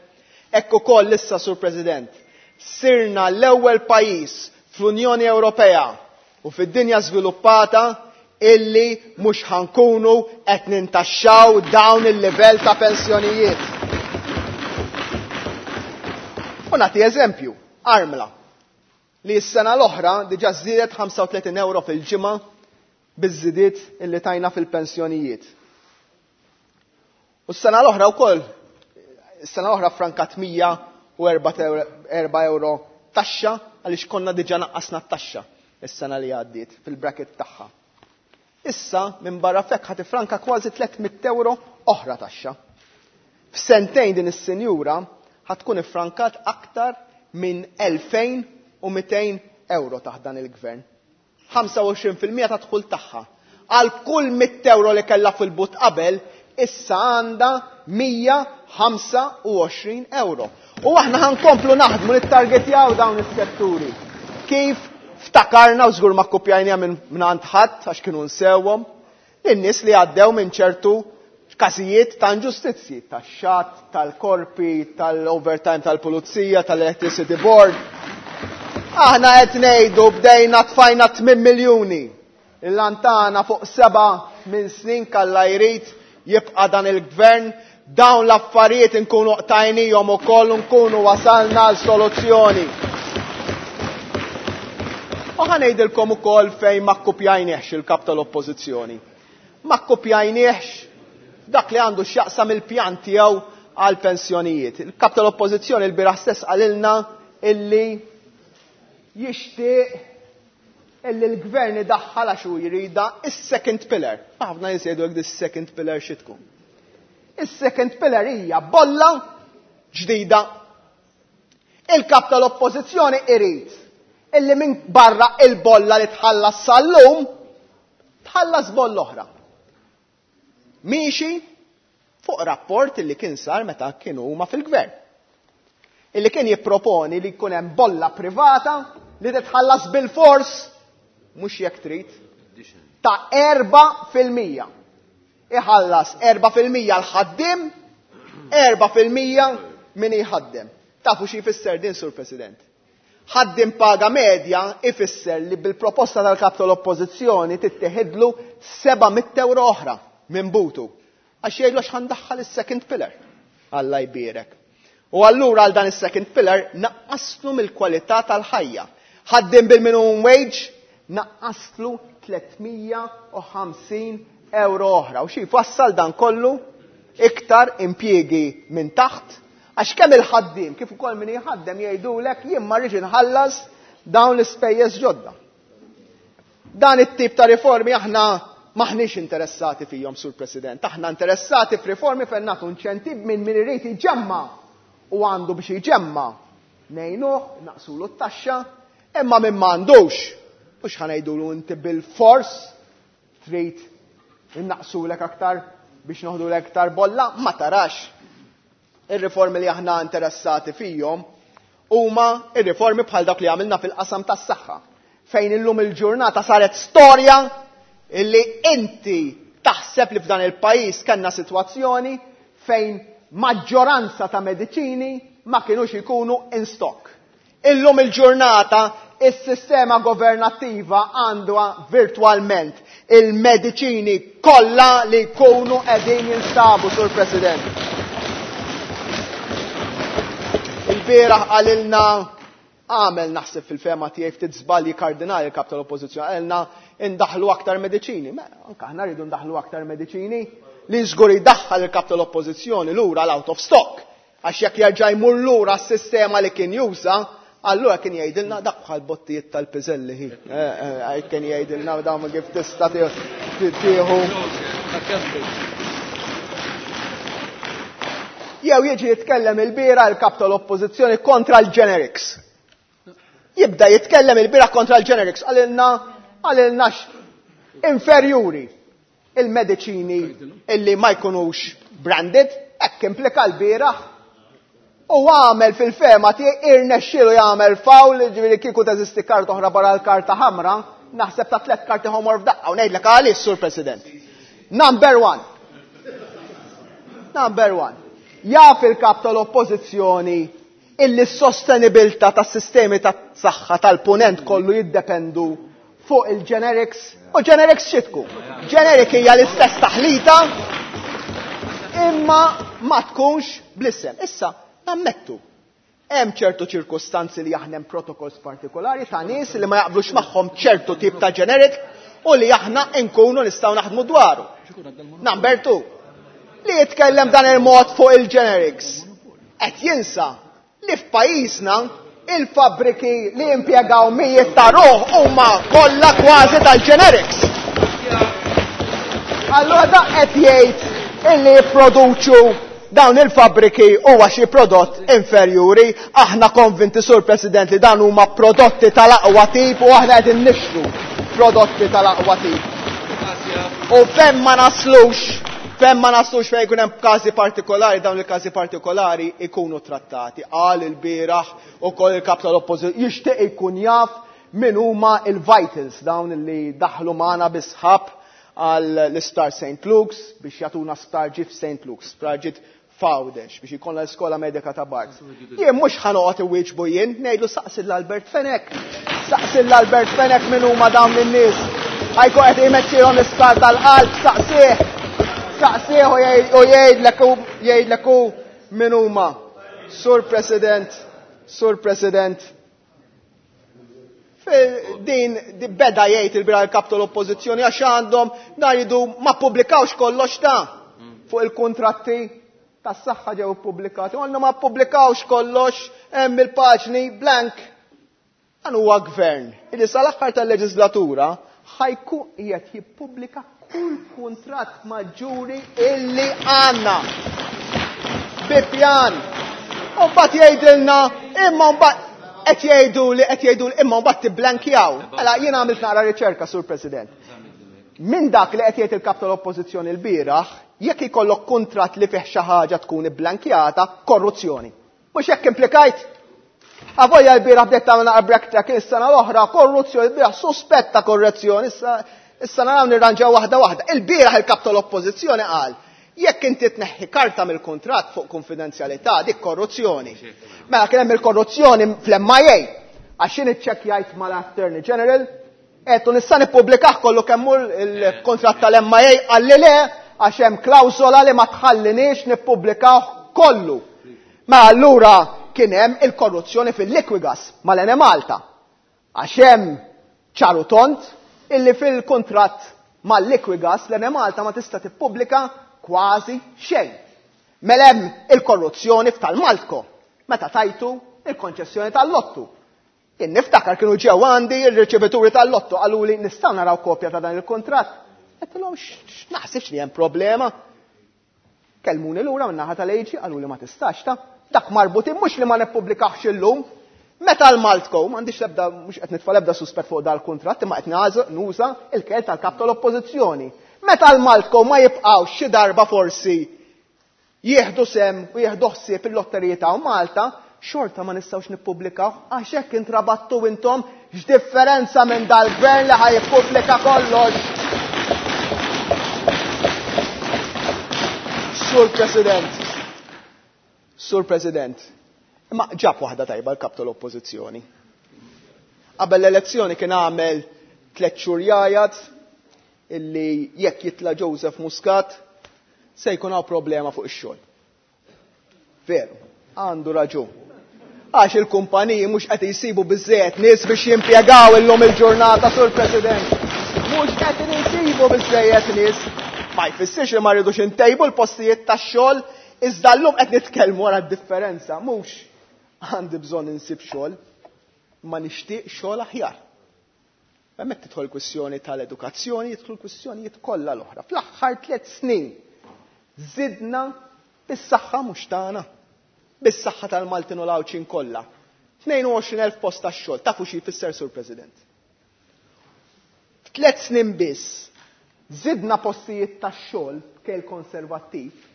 Speaker 12: hekk ukoll issa, Sur President, sirna l-ewwel pajjiż fl-Unjoni Ewropea u fid-dinja żviluppata illi mhux ħankunu qed nintaxxaw dawn il-livell ta' pensjonijiet. U nagħti eżempju, armla, li s-sena l-oħra diġà żdiedet ħamsa u tletin euro fil-ġimgħa biż-żidiet illi tajna fil-pensjonijiet. U s-sena l-oħra wkoll, s-sena l-oħra frankat mija u erba' euro taxxa għaliex konna diġà naqqasna t-taxxa s-sena li għaddiet fil-bracket tagħha. Issa minn barra fekk ħa tifranka kważi tliet mitt euro oħra taxxa. F'sentejn din is-sinjura ħa tkun iffrankat aktar minn elfejn u mitejn euro taħt dan il-gvern. ħamsa u għoxrin fil-mija ta' dħul tagħha. Għal kull mitt euro li kellha fil-but qabel, issa għandha mija ħamsa u għoxrin euro. U aħna ħankomplu naħdmu nittargetjaw dawn is-setturi. Kif ftakarna u żgur ma kkupjajniha minn, minn għand ħadd għax kienu nsewhom, lin-nies li għaddew minn ċertu każijiet ta' inġustizzji, tax-xatt, tal-korpi, tal-overtime tal-pulizija, tal-electricity board. Aħna qed ngħidu bdejna tfajna tmien miljuni. Il-lantana fuq seba' minn snin kalla jrid jibqa' dan il-gvern, dawn l-affarijiet inkunu qtajnihom ukoll u nkunu wasalna għal soluzzjoni. U ħa ngħidilkom ukoll fejn ma kkupjajniex il-kap tal-Oppożizzjoni. Ma kkupjajniex dak li għandu x'jaqsam il-pjan tiegħu għal pensjonijiet. Il-kap tal-Oppożizzjoni l-bieraħ stess qalilna illi jixtieq illi l-gvern idaħħal għax hu jrida is-second pillar. Ħafna nies jgħidu hekk dis-second pillar xi tkun. Is-second pillar hija bolla ġdida. Il-kap tal-Oppożizzjoni irid illi minn barra il-bolla li tħallas sal-lum tħallas bolla oħra. Miexi fuq rapport illi kien sar meta kienu huma fil-gvern. Illi kien jipproponi li jkun hemm bolla privata li titħallas bil-fors, mhux jekk trid, ta' erba' fil-mija. Iħallas erba' fil-mija l-ħaddiem, erba' fil-mija min jħaddem. Tafu xi jfisser din, Sur President? Ħaddiem paga medja ifisser li bil-proposta tal-kap tal-Oppożizzjoni tittieħidlu seba' mitt euro oħra minn butu. Għax jgħidlu għax ħandaħħal is-second pillar. Alla jbierek. U allura għal dan is-second pillar naqqaslu mill-kwalità tal-ħajja. Ħaddiem bil-minimum wage naqqaslu tliet mija u ħamsin euro oħra. U xi jfassal dan kollu? Iktar impjiegi minn taħt, għax kemm il-ħaddiem kif ukoll min jħaddem jgħidulek jien ma rridx inħallas dawn l-ispejjeż ġodda. Dan it-tip ta' riformi aħna maħniex interessati fihom, Sur President. Aħna interessati f'riformi fejn nagħtu inċentiv minn min irid iġemma u għandu biex iġemma. Ngħinuh, naqsulu t-taxxa, imma min m'għandux, mhux ħa ngħidulu inti bil-fors trid innaqsulek aktar biex noħdulek aktar bolla, ma tarax. Ir-riformi li aħna interessati fihom huma ir-riformi bħal dak li għamilna fil-qasam tas-saħħa, fejn illum il-ġurnata saret storja illi inti taħseb li f'dan il-pajjiż kellna sitwazzjoni fejn maġġoranza ta' mediċini ma kinux ikunu in stock. Illum il-ġurnata is-sistema governattiva għandha virtualment il-mediċini kollha li jkunu qegħdin jinstabu, Sur President. Il-bieraħ qalilna għamel naħseb fil-fema tiegħi ftit żbalji kardinali l-kap tal-Oppożizzjoni, qalilna indaħlu aktar mediċini. Ma anke aħna rridu ndaħlu aktar mediċini li żgur jdaħħal il-kap tal-Oppożizzjoni lura l-out of stock. Għax jekk jerġa' jmur lura s-sistema li kien juża, allura kien jgħidilna dak bħal bottijiet tal-piżelli hi. Eh, eh, eh, kien jgħidilna dawn kif tista' tieħu. Jew jiġi jitkellem il-bira il-kap tal-Oppożizzjoni kontra l-generics. Jibda jitkellem il-bira kontra l-generics, għalilna, għalilna inferjuri il-mediċini illi ma jkunux branded, hekk implika l-bieraħ. U għamel fil-fema tiegħi irnexxielu jagħmel fawl, ġifieri kieku teżisti karta oħra barra l-karta ħamra, naħseb ta' tliet karti ħomor f'daqqa u ngħidlek għaliex, Sur President. Number one. Number one. Jaf il-kap tal-oppożizzjoni illi s-sostenibilità tas-sistemi tas-saħħa tal-punent kollu jiddependu fuq il-generics. U generics xi tkun? Generic hija l-istess taħlita imma ma tkunx bl-isem. Issa, nammettu, hemm ċertu ċirkustanzi li aħna hemm protokolls partikolari ta' nies li ma jaqblux magħhom ċertu tip ta' generic u li aħna nkunu nistgħu naħdmu dwaru. Number two, li jitkellem dan il-mod fuq il-generics. Qed jinsa li f'pajjiżna il-fabbriki li impjegaw mijiet ta' ruħ huma kollha kważi tal-generics. Allura dak qed jgħid illi jipproduċu dawn il-fabbriki huwa xi prodott inferjuri. Aħna konvinti, Sur President, li dan huma prodotti tal-aqwa tip u aħna qegħdin nixtru prodotti tal-aqwa tip. U fejn ma naslux, fejn ma naslux fejn jkun hemm każi partikolari, dawn il-każi partikolari ikunu trattati. Qal il-bieraħ ukoll il-kap tal-oppożizzjoni jixtieq ikun jaf min huma il-vitals dawn li daħlu magħna bi sħab għal l-Isptar Saint Luke's biex jagħtuna sptar ġdid f'Saint Luke's, sptar ġdid f'Għawdex biex jkollna l-iskola medika ta' Barts. Jien mhux ħa noqgħod iwieġbu jien, ngħidlu saqsi l-Albert Fenech. Saqsi l-Albert Fenech min huma dawn in-nies. Ħajkun qed jmexxihom l-isptar tal-qalb, saqsih. Saqsih u jgħidlek u jgħidlek hu min huma. Sur President, Sur President, din beda jgħid il-bira l-kap tal-oppożizzjoni għax għandhom dan jridu ma ppubblikawx kollox ta' fuq il-kontratti tas-saħħa ġew ippubblikati. Għandna ma ppubblikawx kollox, hemm il-paġni blank. Dan huwa gvern illi sal-aħħar tal-leġislatura ħajkun qiegħed jippubblika kull kuntratt maġġuri illi għandna. Bi pjan. U mbagħad jgħidilna imma mbagħad qed jgħidu li qed jgħidu li imma mbagħad tibblankjaw. Mela jien għamilt naqra riċerka, Sur President. Minn dak li qed jgħid il-kap tal-oppożizzjoni l-bieraħ, jekk ikollok kuntratt li fih xi ħaġa tkun ibblankjata, korruzzjoni. Mhux hekk implikajt? Avolja l-bieraħ bdejt tagħmel naqra backtrack is-sena l-oħra, korruzzjoni, l-bieraħ suspetta korruzzjoni, issa issa naraw nirranġaw waħda waħda. Il-bieraħ il-kap tal-oppożizzjoni qal, jekk inti tneħħi karta mill-kuntratt fuq konfidenzjalità, dik korruzzjoni. Mela kien hemm il-korruzzjoni fl-M I A, għax jien iċċekkjajt mal-Attorney General, qed nista' nippubblikah kollu kemm hu l-kuntratt tal-M I A, qalli le, għax hemm klawsola li ma tħalliniex nippubblikah kollu. Mela allura kien hemm il-korruzzjoni fil-Liquigas mal-Enemalta. Għax hemm ċaru tont illi fil-kuntratt mal-Liquigas l-Enemalta ma tista' tippubblika kważi xejn. Mela hemm il-korruzzjoni f'tal-Maltco meta tajtu il-konċessjoni tal-lottu. Jien niftakar kienu ġew għandi il-riċevituri tal-lottu qalu li nistgħu naraw kopja ta' dan il-kuntratt. Għedtilhom x'naħsibx li hemm problema. Kellmuni lura min-naħa tal-A G qalu li ma tistax ta' dak marbutin mhux li ma nippubblikahx illum. Meta l-Maltco, m'għandix l-ebda, mhux qed nitfa' l-ebda suspett fuq dal-kuntratt, imma qed naż-, nuża il-kel tal-kap tal-oppożizzjoni. Meta l-Maltco ma jibqgħux xi darba forsi jieħdu sem u jieħdu ħsieb il-lotteriji ta' Malta, xorta ma nistgħux nippubblikaw għax hekk intrabattu intom x'differenza minn dal-gvern li ħaj jippubblika kollox. Sur President, Sur President, imma ġab waħda tajba l-kap tal-oppożizzjoni. Qabel l-elezzjoni kien għamel tliet xhur jgħajat illi jekk jitla' Joseph Muscat se jkun hawn problema fuq ix-xogħol. Veru, għandu raġun. Għax il-kumpaniji mhux qed jsibu biżżejjed nies biex jimpjegaw illum il-ġurnata, Sur President. Mhux qed jsibu biżżejjed nies. Ma jfissirx li ma rridux intejbu l-postijiet tax-xogħol, iżda llum qed nitkellmu wara d-differenza. Mhux għandi bżonn insib xogħol, ma nixtieq xogħol aħjar. Hemmhekk tidħol kwistjoni tal-edukazzjoni, jidħol kwistjonijiet kollha l-oħra. Fl-aħħar tliet snin żidna bis-saħħa mhux tagħna, bis-saħħa tal-Maltin u l-Għawdxin kollha. tnejn u għoxrin elf post tax-xogħol, tafu xi jfisser, Sur President? F'tliet snin biss żidna postijiet tax-xogħol b'kejl konservattiv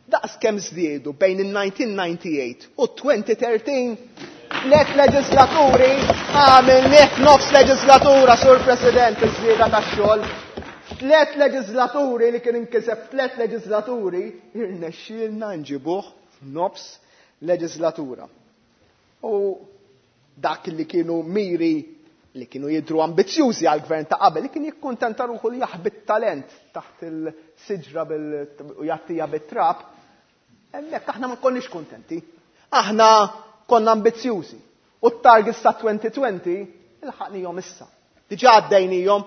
Speaker 12: Daqs kemm żdiedu bejn in-nineteen ninety-eight u twenty thirteen, tliet leġislaturi għamilnieh nofs leġislatura, Sur President, iż-żieda tax-xogħol. Tliet leġislaturi li kien inkiseb tliet leġislaturi irnexxielna nġibuh f'nofs leġislatura. U dak li kienu miri li kienu jidhru ambizzjużi għall-gvern ta' qabel, li kien jikkuntenta ruħu li jaħbi t-talent taħt il-siġra bil-, u jattija bit-trab, hemmhekk aħna ma konniex kuntenti. Aħna konna ambizzjużi. U t-targets ta' twenty twenty ilħaqnihom issa. Diġà għaddejnihom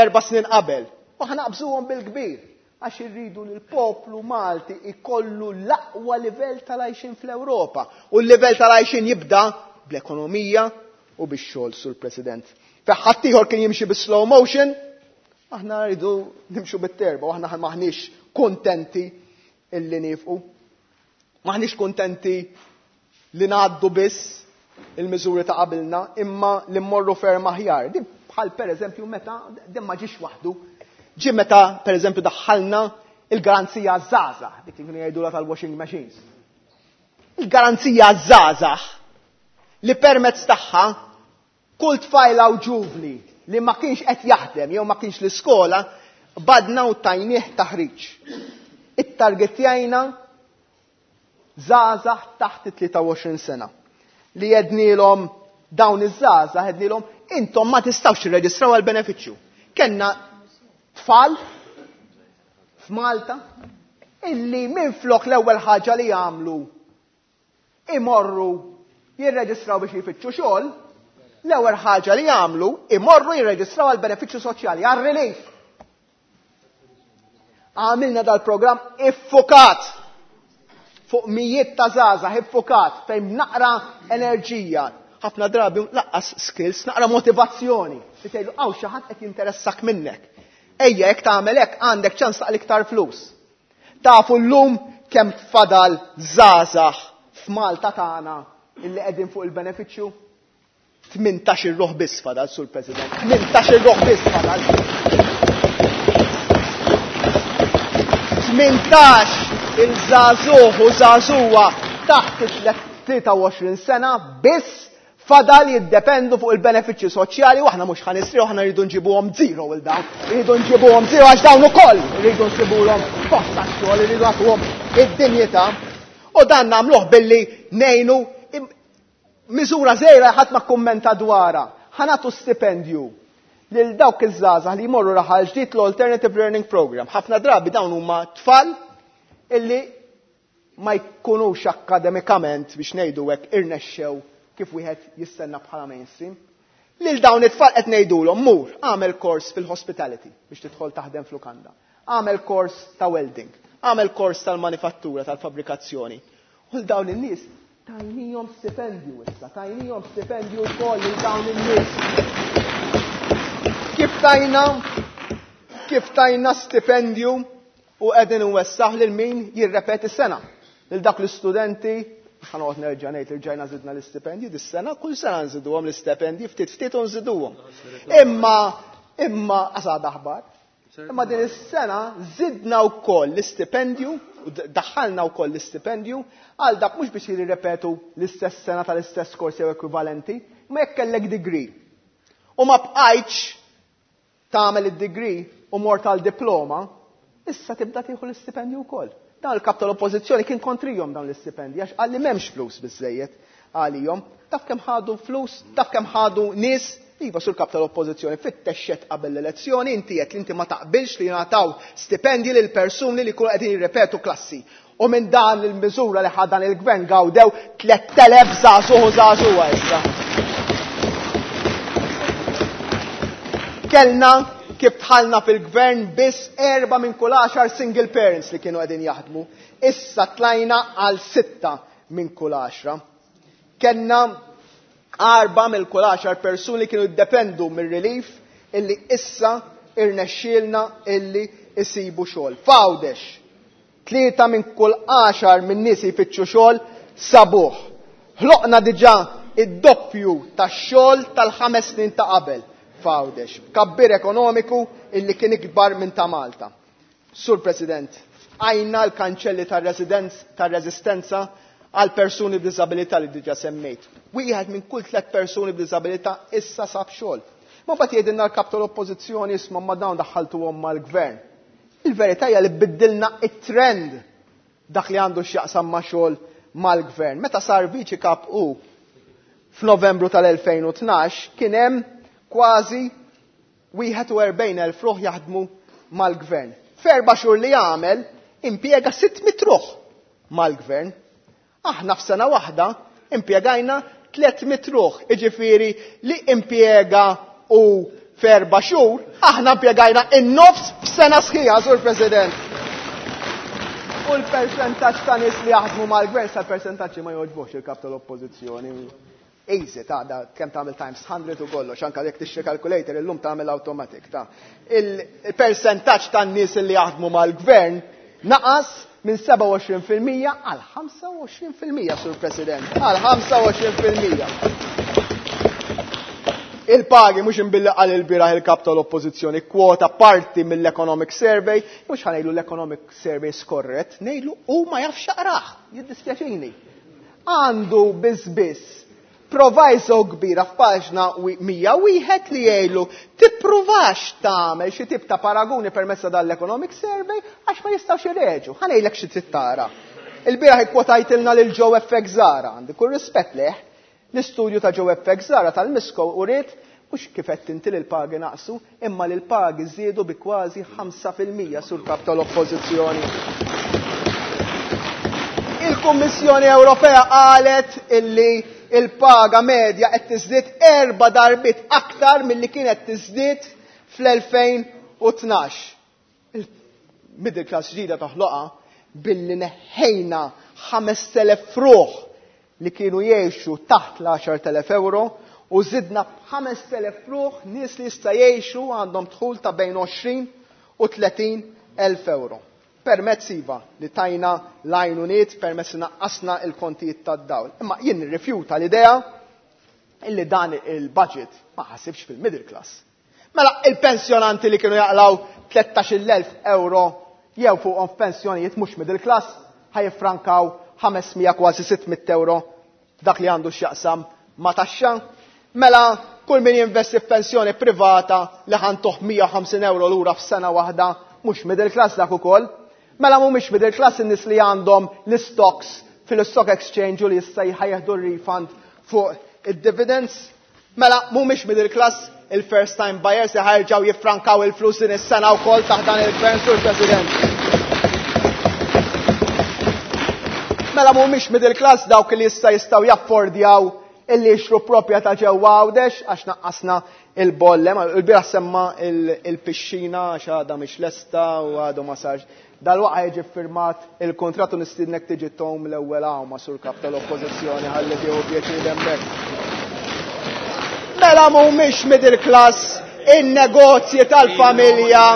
Speaker 12: erba' snin qabel. U aħna naqbżuhom bil-kbir għax irridu li l-poplu Malti ikollu l-aqwa livell tal-għajxin fl-Ewropa. U l-livell tal-għajxin jibda bl-ekonomija u bix-xogħol, Sur President. Fejn ħaddieħor kien jimxi bis-slow motion, aħna rridu nimxu bit-terba, u aħna maħniex kontenti illi nifqu. Maħniex kontenti li ngħaddu biss il-miżuri ta' qabilna, imma li mmorru ferm aħjar. Din bħal per eżempju meta, din ma ġiex waħdu, ġie meta per eżempju daħħalna il-garanzija żgħażagħ, dik li kienu jgħidulha tal-washing machines. Il-garanzija żgħażagħ li permezz tagħha kull tfajla u ġuvni li ma kienx qed jaħdem jew ma kienx l-iskola, badna u tajnieh taħriġ. Ittargetjajna żgħażagħ taħt it-tlieta u għoxrin sena li jednilhom dawn iż-żgħażagħ, jednilhom intom ma tistgħux tirreġistraw għal benefiċċju. Kenna tfal f'Malta illi minflok l-ewwel ħaġa li jagħmlu imorru jirreġistraw biex jfittxu xogħol, l-ewwel ħaġa li jagħmlu imorru jirreġistraw għal benefiċċju soċjali, għal relief. Għamilna dal-programm iffukat fuq mijiet ta' żgħażagħ, iffukat fejn naqra enerġija, ħafna drabi laqqas skills, naqra motivazzjoni. Li tgħidu hawn xi ħadd qed jinteressak minnek. Ejja jekk tagħmel hekk għandek ċans taqli iktar flus. Tafu llum kemm fadal żgħażagħ f'Malta tagħna illi qegħdin fuq il-benefiċċju? Tmintax il-ruħ biss fadal, Sur President. Tmintax il-ruħ biss fadal. Tmintax il-żagħżugħ u żagħżugħa taħt it-tlieta u għoxrin sena biss fadal jiddependu fuq il-benefiċċji soċjali, u aħna mhux ħanisriħu, aħna rridu nġibuhom zero il dawn. Rridu nġibuhom zero għax dawn ukoll rridu nsibulhom post tax-xogħol, rridu nagħtuhom id-dinjità. U dan nagħmluh billi ngħinu miżura żgħira ħadd ma kkummenta dwarha. Ħa nagħtu stipendju lil dawk iż-żgħażagħ li jmorru raħal ġdid l-Alternative Learning Program. Ħafna drabi dawn huma tfal illi ma jkunux akademikament biex ngħidu hekk irnexxew kif wieħed jistenna bħala mainstream. Lil dawn it-tfal qed ngħidulhom mur għamel kors fil-hospitality biex tidħol taħdem f'lukanda. Għamel kors ta' welding, għamel kors tal-manifattura, tal-fabbrikazzjoni. U l dawn in-nies tajnihom stipendju issa, tajnihom stipendju wkoll lil dawn in-nies. Kif tajna, kif tajna stipendju u qegħdin inwessaħ lil min jirrepeti sena. Lil dak l-istudenti, ħanoqgħod nerġa' ngħid li rġajna żidna l-istipendji dis-sena, kull sena nżiduhom l-istipendji, ftit ftit u nżiduhom. Imma, imma qasad aħbar. Imma din is-sena żidna wkoll l-istipendju, u d-, daħħalna wkoll l-istipendju għal dak mhux biex jirripetu l-istess sena tal-istess kors jew ekwivalenti, imma jekk kellek degree. U ma bqajtx tagħmel id-degree u mort għal diploma, issa tibda tieħu l-istipendju wkoll. Dan il-kap tal-oppożizzjoni kien kontrihom dawn l-istipendji għax qal li m'hemmx flus biżżejjed għalihom. Taf kemm ħadu flus, taf kemm ħadu nies. Iva, sur kap tal-oppożizzjoni, fittexxet qabel l-elezzjoni, inti qed li inti ma taqbilx li jingħataw stipendji lil persuni li jkunu qegħdin jirrepetu klassi. U minn dan il-miżura li ħa dan il-gvern gawdew tliet elef żagħżugħ u żagħżugħa issa. Kellna kif dħalna fil-gvern biss erba' minn kull għaxar single parents li kienu qegħdin jaħdmu. Issa tlajna għal sitta minn kull għaxra. Kellna arba' mill kull għaxar persuni li kienu jiddependu mir-relief illi issa irnexxielna illi isibu xogħol. F'Għawdex, tlieta minn kull għaxar minn nies jfittxu xogħol sabuh. Ħloqna diġà id-doppju tax-xogħol tal-ħames snin ta' qabel f'Għawdex, kabbir ekonomiku illi kien ikbar minn ta' Malta. Sur President, Fqajna l-kanċelli tar-reżistenza għal persuni b'diżabilità li diġà semmejt. Wieħed minn kull tliet persuni b'diżabilità issa sab xogħol. Ma mbagħad jgħidilna l-kap tal-Oppożizzjoni isma' ma dawn daħħaltuhom mal-gvern. Il-verità hija li biddilna it-trend dak li għandu x'jaqsam ma' xogħol mal-gvern. Meta sar viċi kap u f'Novembru tal-elfejn u tnax kien hemm kważi wieħed u erbgħin elf ruħ jaħdmu mal-gvern. F'erba' xhur li għamel impjega sitt mitt ruħ mal-gvern. Aħna f'sena waħda impjegajna tliet mitt ruħ, jiġifieri li impjega u f'erba' xhur aħna impjegajna in-nofs f'sena sħiħa, Sur President. U l-percentaġġ ta' nies li jaħdmu mal-gvern sa percentaġġi ma jogħġbux il-kap tal-Oppożizzjoni. Easy, ta' da, kemm tagħmel times hundred u kollox, anke jekk tixtri calculator illum tagħmel automatic, ta'. Il-percentaġġ tan-nies li jaħdmu mal-gvern naqas minn sebgħa u għoxrin fil-mija għal ħamsa u għoxrin fil-mija, Sur President, għal ħamsa u għoxrin fil-mija. Il-pagi mhux imbilli qal il-bieraħ il-kap tal-Oppożizzjoni kwota parti mill-Economic Survey, mhux ħanejlu l-Economic Survey skorret, ngħidlu hu ma jafx jaqrah, jiddispjaċini. Għandu biss biss proviso kbira f'paġna mija wieħed li jgħidlu tippruvax tagħmel xi tip ta' paraguni permezz ta' dan l-Economic Survey għax ma jistgħux ireġu. Ħa ngħidlek xi trid tara. Il-bieraħ ikkwotajtilna lil Joe F X Zahra, għandi kull rispett leh. L-istudju ta' Joe F X Zahra tal-Misco uriet mhux kif qed tinti li l-pagi naqsu, imma li l-pagi żiedu bi kważi ħamsa fil-mija sur kap tal-Oppożizzjoni. Il-Kummissjoni Ewropea qalet illi il-paga medja qed tiżdied erba' darbiet aktar milli kienet tiżdied fl-elfejn u tnax. Il-middle class ġdida toħloqha billi neħħejna ħamest elef ruħ li kienu jgħixu taħt l-għaxar telef euro u żidna b'ħamest elef ruħ nies li jista' jgħixu għandhom dħul ta' bejn għoxrin u tletin elf euro. Permezz iva li tajna l-għajnuniet, permezz li naqqasna il-kontijiet tad-dawl. Imma jien nirrifjuta l-idea illi dan il-budget ma ħasibx fil-middle class. Mela il-pensjonanti li kienu jaqlaw tlettax-il elf euro jew fuqhom f'pensjonijiet mhux middle class ħajfrankaw ħames mija kważi sitt mitt euro dak li għandu x'jaqsam ma' taxxa. Mela kull min jinvesti f'pensjoni privata li ħantuh mija u ħamsin euro lura f'sena waħda mhux middle class dak ukoll. Mela mhumiex middle class in-nies li għandhom l-stocks fil-stock exchange u li issa jħajjeħdu r-refund fuq id-dividends. Mela mhumiex middle class il-first time buyers li ħajrġgħu jiffrankaw il-flus din is-sena wkoll taħt dan il-gvern, Sur President. Mela mhumiex middle class dawk li issa jistgħu jaffordjaw illi jixtru proprjetà ġewwa Għawdex għax naqqasna il-bolle. Il-bieraħ semma il-, il-pixxina għax għadha mhix lesta u għadu ma sarx. Dal-waqgħa jiġi ffirmat il-kuntratt u nistiednek tiġi tom l-ewwel hawn ma' Sur Kap tal-Oppożizzjoni ħalli tieħu pjaċir hemmhekk. Mela mhumiex middle class in-negozji tal-familja.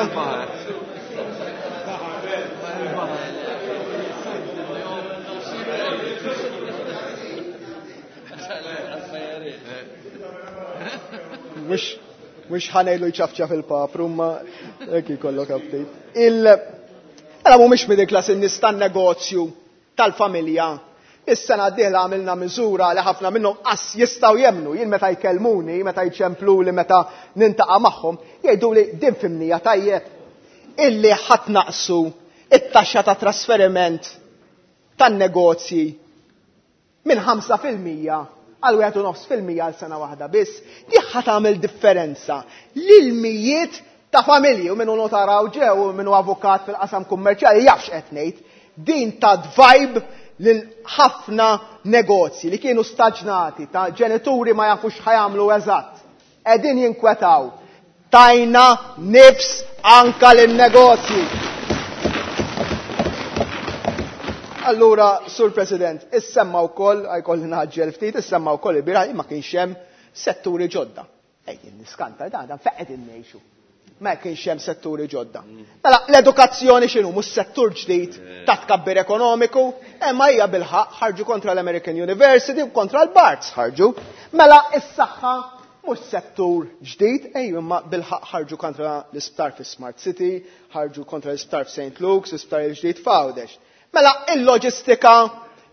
Speaker 12: Mhux, mhux ħanejlu jċafċaf il-papru, ma hekk ikollok update. Il- Mela mhumiex middle class in-nies tan-negozju tal-familja. Is-sena d-dieħla għamilna miżura li ħafna minnhom qass jistgħu jemnu. Jien meta jkellmuni, meta jċempluli, meta nintaqa' magħhom, jgħidu li din fimnija tajjeb illi ħadd naqsu it-taxxa ta' trasferiment tan-negozji minn ħamsa fil-mija għal wieħed u nofs fil-mija għal sena waħda biss. Di ħa tagħmel differenza lil mijiet ta' familji, u minnu notaraw ġew u minnu avukat fil-qasam kummerċjali jafx qed ngħid, din ta' vibe lil ħafna negozji li kienu staġnati ta' ġenituri ma jafux ħajamlu eżatt. Qegħdin jinkwetaw. Tajna nifs anka lin-negozji. Allura, Sur President, issemma wkoll, għajkolli naġġel ftit, issemma wkoll il-bieraħ ma kienx hemm setturi ġodda. Ej, niskanta, dan, dan fejn qegħdin ngħixu. Ma kienx hemm setturi ġodda. Mela, l-edukazzjoni x'inhu mhux settur ġdid ta' tkabbir ekonomiku, imma hija bilħaq ħarġu kontra l-American University u kontra l-Barts ħarġu. Mela is-saħħa Mhux settur ġdid, ejju imma bilħaq ħarġu kontra l-isptar fi Smart City, ħarġu kontra l-isptar f'Saint Luke's, l-isptar il-ġdid f'Għawdex. Mela il-loġistika,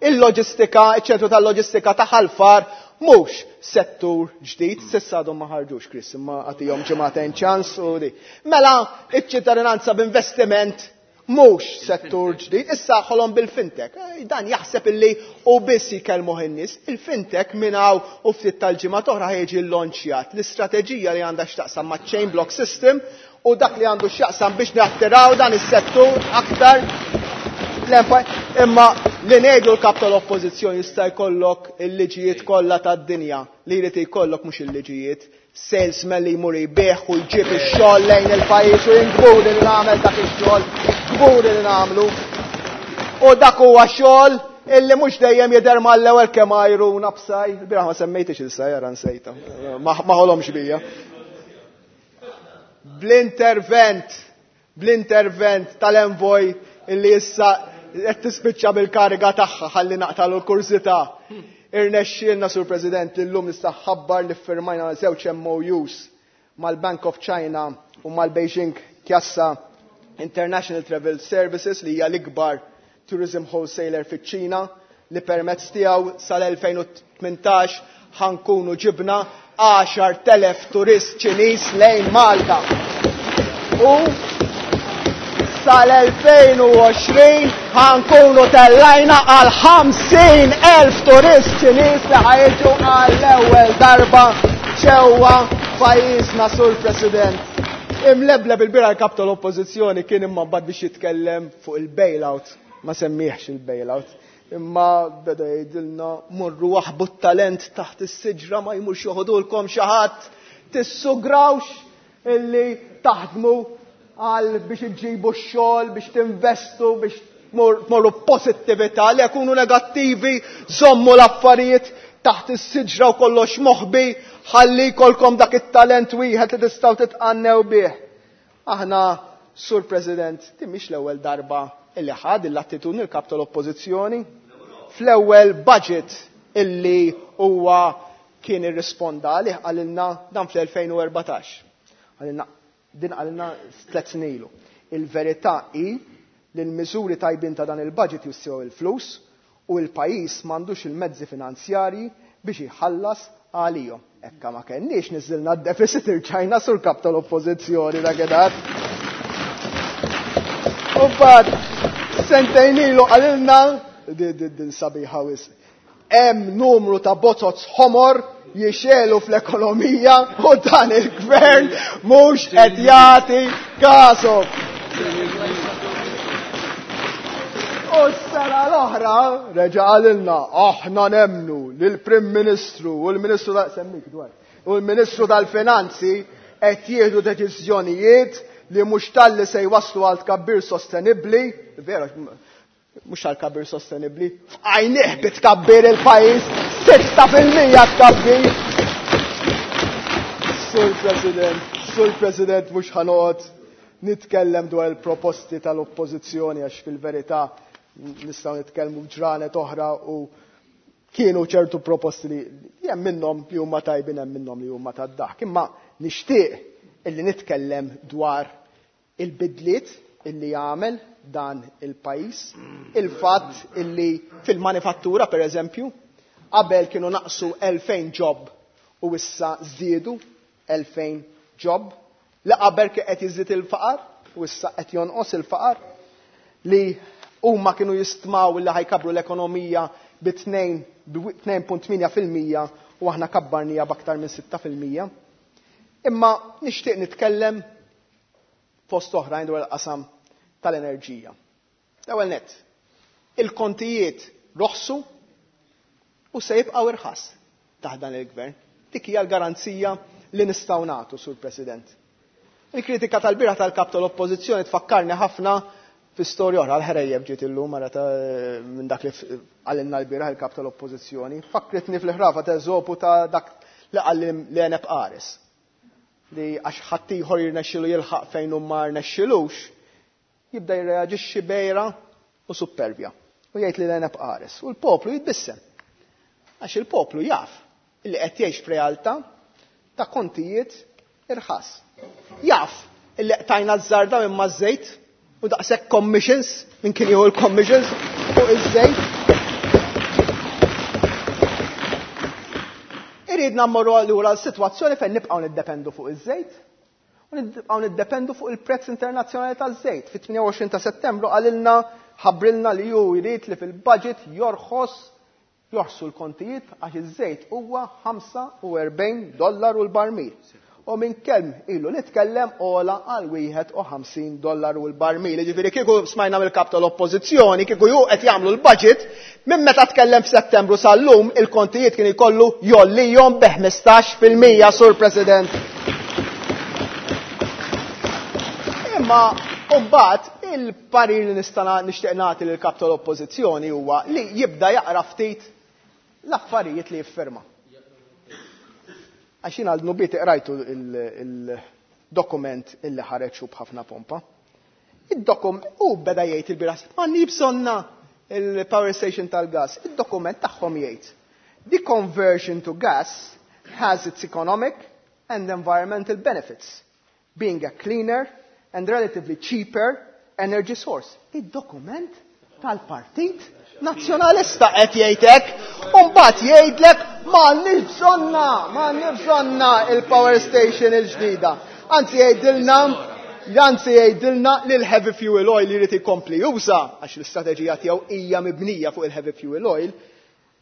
Speaker 12: il-loġistika, iċ-ċentru tal-loġistika ta' Ħal Far mhux settur ġdid, s'issa għadhom ma ħarġux, Chris, imma għatihom ġimagħtejn ċans u di. Mela iċ-ċittadinanza b'investiment mhux settur ġdid, issa ħolom bil-fintech. Dan jaħseb illi u biss jkellmuh in-nies. Il-fintech minn hawn u ftit tal-ġimgħa oħra ħejġi llonċjat l-istrateġija li għandha x'taqsam ma' chain block system u dak li għandu x'jaqsam biex nattiraw dan is-settur aktar l-empa. Imma li ngħidu l-kap tal-oppożizzjoni, jista' jkollok il-liġijiet kollha tad-dinja, li jrid jkollok mhux il-liġijiet, salesman li jmur jbigħ u jġib ix-xogħol lejn il-pajjiż, u jien kburi li nagħmel dak ix-xogħol, kburi li nagħmlu. U dak huwa xogħol illi mhux dejjem jidher mal-ewwel kemm għajruna b'saj. Bieraħ ma semmejtix il-saj, ara nsejta. Ma ħolomx bija. Bl-intervent, bl-intervent tal-envoy illi issa qed tispiċċa bil-kariga tagħha, ħalli naqtalu l-kurżità. Irnexxielna, Sur President, li llum nista' nħabbar li ffirmajna żewġ M O Us mal-Bank of China u mal-Beijing Kjassa International Travel Services, li hija l-ikbar tourism wholesaler fiċ-Ċina, li permezz tiegħu sal-elfejn u tmintax ħa nkunu ġibna għaxart elef turist Ċiniż lejn Malta. U sal-elfejn u għoxrin ħa nkunu tellajna għal ħamsin elf turist Ċiniż li ħa jiġu għall-ewwel darba ġewwa pajjiżna, Sur President. Imlebleb il-bieraħ il-kap tal-oppożizzjoni kien, imma mbagħad biex jitkellem fuq il-bailout, ma semmieħx il-bailout. Imma beda jgħidilna: "Morru aħbu t-talent taħt is-siġra, ma jmurx joħodulkom xi ħadd, tissugrawx illi taħdmu għal biex iġibu x-xogħol, biex tinvestu, biex tmorru pożittività, li jkunu negattivi, żommu l-affarijiet taħt is-siġra u kollox moħbi, ħalli jkollkom dak it-talent wieħed li tistgħu titqannew bih." Aħna, Sur President, din mhix l-ewwel darba illi ħad l-attitudni l-kap tal-oppożizzjoni. Fl-ewwel budget illi huwa kien irrisponda għalih, qalilna dan fl-elfejn u erbatax. Qalilna din, qalilna tliet snin ilu: "Il-verità hi li l-miżuri tajbin ta' dan il-budget jiswew il-flus u l-pajjiż m'għandux il-mezzi finanzjarji biex jħallas għalihom." Ekka ma kenniex niżilna d-deficit irġajna, Sur kap tal-oppożizzjoni, dakinhar. U mbagħad sentejn ilu qalilna din sabiħa wisq: "Hemm numru ta' bozoz ħomor jixegħlu fl-ekonomija u dan il-gvern mhux qed jagħti kasu." U s-sena l-oħra reġa' qalilna: "Aħna nemmnu li l-Prim Ministru u l-Ministru ta' semmik dwar u l-Ministru tal-Finanzi qed jieħdu deċiżjonijiet li mhux talli se jwaslu għal tkabbir sostenibbli." Vera, mhux għal tkabbir sostenibbli, f'għajnih bitkabbir il-pajjiż, sitta fil-mija tkabbir. Sur President, Sur President, mhux ħa noqgħod nitkellem dwar il-proposti tal-oppożizzjoni għax fil-verità nistgħu nitkellmu ġranet oħra u kienu ċertu proposti li hemm minnhom li huma tajbin, hemm minnhom li huma tad-daħk. Imma nixtieq illi nitkellem dwar il-bidliet illi jagħmel dan il-pajjiż, il-fatt illi fil-manifattura, per eżempju, qabel kienu naqsu elfejn job u issa żdiedu elfejn job, li qabel qed jiżdied il-faqar u issa qed jonqos il-faqar, li huma kienu jistmaw li ħa jkabbru l-ekonomija bi tnejn punt tmienja fil-mija u aħna kabbarnieha b'aktar minn sitta fil-mija. Imma nixtieq nitkellem fost oħrajn dwar il-qasam tal-enerġija. L-ewwel net, il-kontijiet roħsu u se jibqgħu irħas taħt dan il-gvern. Dik hija l-garanzija li nistgħu nagħtu, Sur President. Il-kritika tal-bieraħ tal-kap tal-oppożizzjoni tfakkarni ħafna fi storja oħra, l-ħrejjeb ġiet illum mara ta' minn dak li qalilna l-bieraħ il-kap tal-oppożizzjoni. Fakkritni fil-ħrafa ta' Eżopu ta' dak li qal l-għeneb qares. Li għax ħaddieħor jirnexxilu jilħaq fejn hu ma rnexxilux, jibda jirreaġixxi b'għira u superbja. U jgħid li l-għeneb qares. U l-poplu jitbissem. Għax il-poplu jaf li qed jgħix f'realtà ta' kontijiet irħas. Jaf illi qtajna ż-żarda minn maż-żejt u daqshekk commissions minn kien jieħu l-commissions fuq iż-żejt. Iridna mmorru lura l-sitwazzjoni fejn nibqgħu niddependu fuq iż-żejt u nibqgħu niddependu fuq il-prezz internazzjonali taż-żejt. Fit-tmienja u għoxrin ta' Settembru qalilna, ħabbrilna li hu jrid li fil-budget jorħos jorħsu l-kontijiet għax iż-żejt huwa ħamsa u erbgħin dollaru l-barmil. U minn kemm ilu nitkellem ola għal wieħed u ħamsin dollaru l-barmil. Jiġifieri kieku smajna mill-kap tal-Oppożizzjoni, kieku ju qed jagħmlu l-budget, minn meta tkellem f'Settembru sal-lum il-kontijiet kien ikollu jgħollihom bi ħmistax fil-mija, Sur President. Imma mbagħad il-parir li nista' nixtieq nagħti lill-kap tal-Oppożizzjoni huwa li jibda jaqra ftit l-affarijiet li jiffirma. Għax jien għal dnubieti qrajtu il-dokument illi ħareġ u b'ħafna pompa. Id-dokum u beda jgħid il-bieraħ, ma nibsonna il-power station tal-gas. Id-dokument tagħhom jgħid, the conversion to gas has its economic and environmental benefits, being a cleaner and relatively cheaper energy source. Id-dokument tal-Partit Nazzjonalista qed jgħid hekk, u mbagħad jgħidlek m'għandniex bżonna, m'għandniex bżonna il-power station il-ġdida. Anzi jgħidilna, anzi jgħidilna li l-heavy fuel oil jrid ikompli juża, għax l-istrateġija tiegħu hija mibnija fuq il-heavy fuel oil,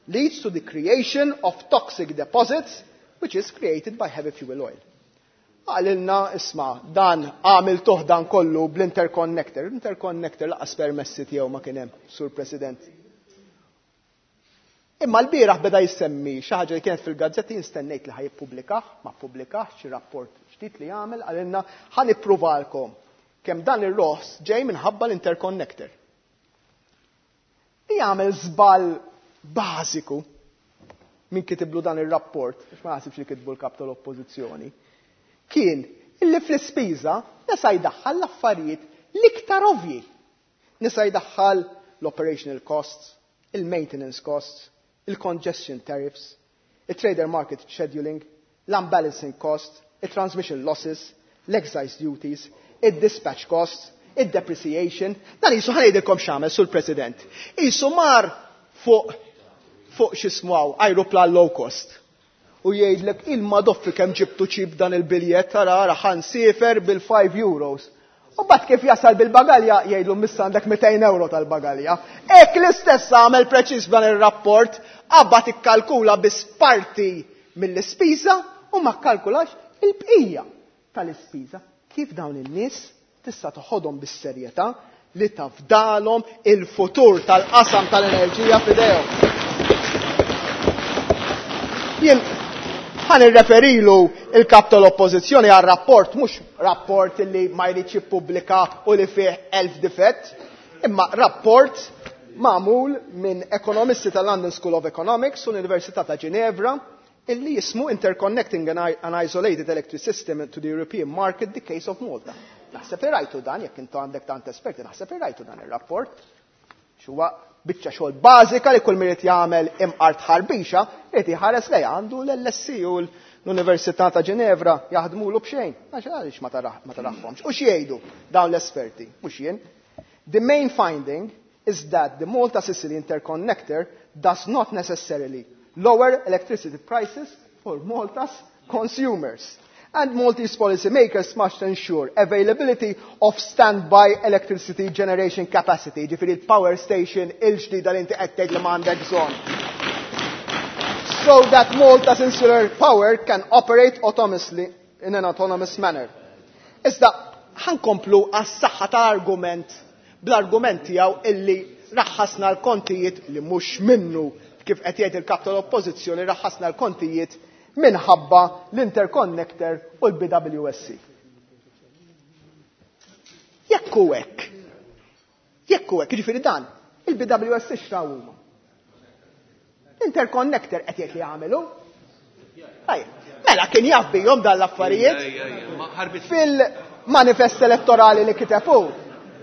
Speaker 12: leads to the creation of toxic deposits which is created by heavy fuel oil. Għalilna, isma, dan għamil dan kollu bl-interconnector. L-interconnector laqas permessi tiegħu ma kien hemm, Sur President. Imma l-bieraħ beda jissemmi xi ħaġa li kienet fil-gazzetti, nistennejt li ħajippubblikah, ma ppubblikah, xi rapport ġdid li jagħmel, għalilna ħa nippruvalkom kemm dan ir-roħs ġej minħabba l-interconnector. Li jagħmel żball bażiku min kitiblu dan ir-rapport, għax ma naħsibx li kitbu l-kap tal-Oppożizzjoni, kien illi fl-ispiża nesa jdaħħal l-affarijiet l-iktar ovvji. Nesa jdaħħal l-operational costs, il-maintenance costs, il-congestion tariffs, il-trader market scheduling, l-unbalancing costs, il-transmission losses, l-excise duties, il-dispatch costs, il-depreciation. Dan jisu ħa ngħidilkom x'għamel, Sur President. Jisu mar fuq, fuq x'ismu aeroplan low cost. U jgħidlek il-madoffi kemm ġibtu ċip dan il-biljett, tara ara ħa nsifer bil-five euros. U bat kif jasal bil-bagalja jgħidlu missa għandek mitejn euro tal-bagalja. Ek l-istess għamel preċiż dan ir-rapport, qabad ikkalkula biss parti mill-ispiża u ma kkalkulax il-bqija tal-ispiża. Kif dawn in-nies tista' toħodhom bis-serjetà li tafdalhom il-futur tal-qasam tal-enerġija f'idejhom. Jien ħa nirreferilu il-kap tal-Oppożizzjoni għal rapport, mhux rapport li ma jridx jippubblika u li fih elf difett, imma rapport magħmul minn ekonomisti tal-London School of Economics u l-Università ta' Ginevra illi jismu Interconnecting an Isolated Electric System to the European Market, the Case of Malta. Naħseb li rajtu dan, jekk intu għandek tant esperti, naħseb li rajtu dan ir-rapport. Xuwa biċċa xogħol bażika li kull min irid jagħmel imqar tħarbixa, irid iħares lejha, għandu l-L S E u l-Università ta' Ginevra jaħdmulu b'xejn. Għax għaliex ma taraħ-, ma taraħhomx. U x'jgħidu dawn l-esperti? Mhux jien. The main finding is that the Malta Sicily interconnector does not necessarily lower electricity prices for Malta's consumers. And Maltese policymakers must ensure availability of standby electricity generation capacity, ġifieri il-power station il-ġdida li inti qed tgħid li m'għandek bżonn. So that Malta's insular power can operate autonomously in an autonomous manner. Iżda ħankomplu għas-saħħa tal-argument bl-argument tiegħu illi raħħasna l-kontijiet li mhux minnu kif qed jgħid il-kap tal-Oppożizzjoni, raħħasna l-kontijiet minħabba l-interconnector u l-B W S C. Jekk hu hekk, jekk hu hekk, jiġifieri dan, il-B W S C x'raw huma? L-interconnector qed jgħid li jagħmelu. Ejja, mela kien jaf bihom dan l-affarijiet fil-manifest elettorali li kiteb hu.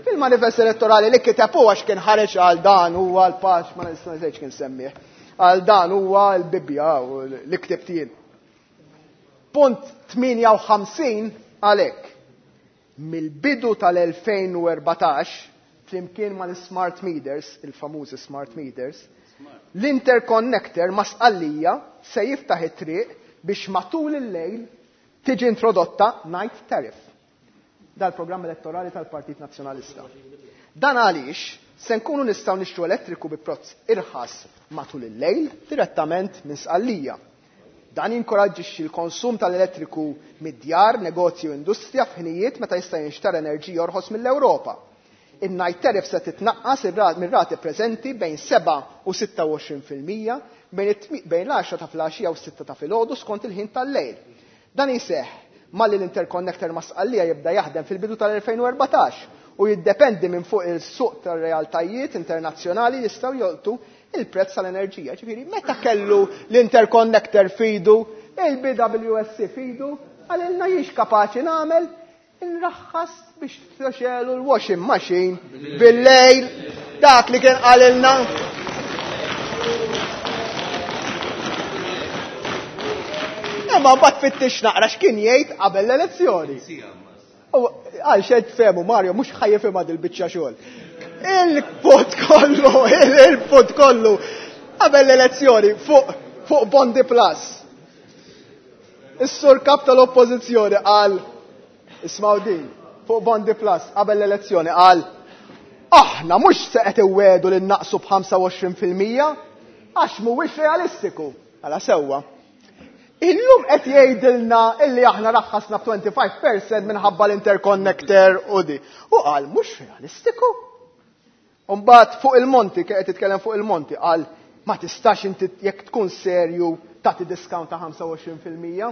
Speaker 12: Fil-manifest elettorali li kiteb hu għax kien ħareġ għal dan huwa l-paċ, ma nista' ngħidx kien semmih. Għal dan huwa l-Bibbja u li ktibt jien. Punt tmienja u ħamsin għalhekk. Mill-bidu tal-elfejn u erbatax, flimkien mal-smart meters, il-famużi smart meters, l-interconnector ma' Sqallija se jiftaħ it-triq biex matul il-lejl tiġi introdotta night tariff. Dal-programm elettorali tal-Partit Nazzjonalista. Dan għaliex se nkunu nistgħu nixtru elettriku bi prezz irħas matul il-lejl direttament minn Sqallija. Dan jinkoraġġixxi l-konsum tal-elettriku mid-djar, negozju u industrija f'ħinijiet meta jista' jinxtara enerġija orħos mill-Ewropa. In-night tariff se titnaqqas mir-rati preżenti bejn seba' u sitta u għoxrin fil-mija bejn l-għaxra ta' filgħaxija u s-sitta ta' filgħodu skont il-ħin tal-lejl. Dan jseħħ malli l-interconnector ma' Sqallija jibda jaħdem fil-bidu tal-elfejn u erbatax u jiddependi minn fuq il-suq tar-realtajiet internazzjonali li jistgħu jolqtu il-prezz tal-enerġija. Ġifieri, meta kellu l-interconnector fidu, il-B W S C fidu, għalilna jiex kapaċi nagħmel inraħħas biex txelu l-washing machine bil-lejl, dak li kien qalilna. Imma mbagħad fittix naqra x'kien jgħid qabel l-elezzjoni. U għal xed fehmu Mario mhux ħajjifhimha dil-biċċa xogħol. Il-put kollu, il-put kollu qabel l-elezzjoni fuq, fuq Bondi Plus. Is-sur kap tal-oppożizzjoni qal, ismgħu din, fuq Bondi Plus qabel l-elezzjoni qal, aħna mhux se qed iwegħdu li naqsu b'ħamsa u għoxrin fil-mija għax mhuwiex realistiku. Għala sewwa. Illum qed jgħidilna illi aħna raħħasna b'twenty-five percent minħabba l-interconnector u di. U qal mhux realistiku. U mbagħad fuq il-Monti, kien qed jitkellem fuq il-Monti, qal ma tistax inti jekk tkun serju tagħti discount ta' ħamsa u għoxrin fil-mija.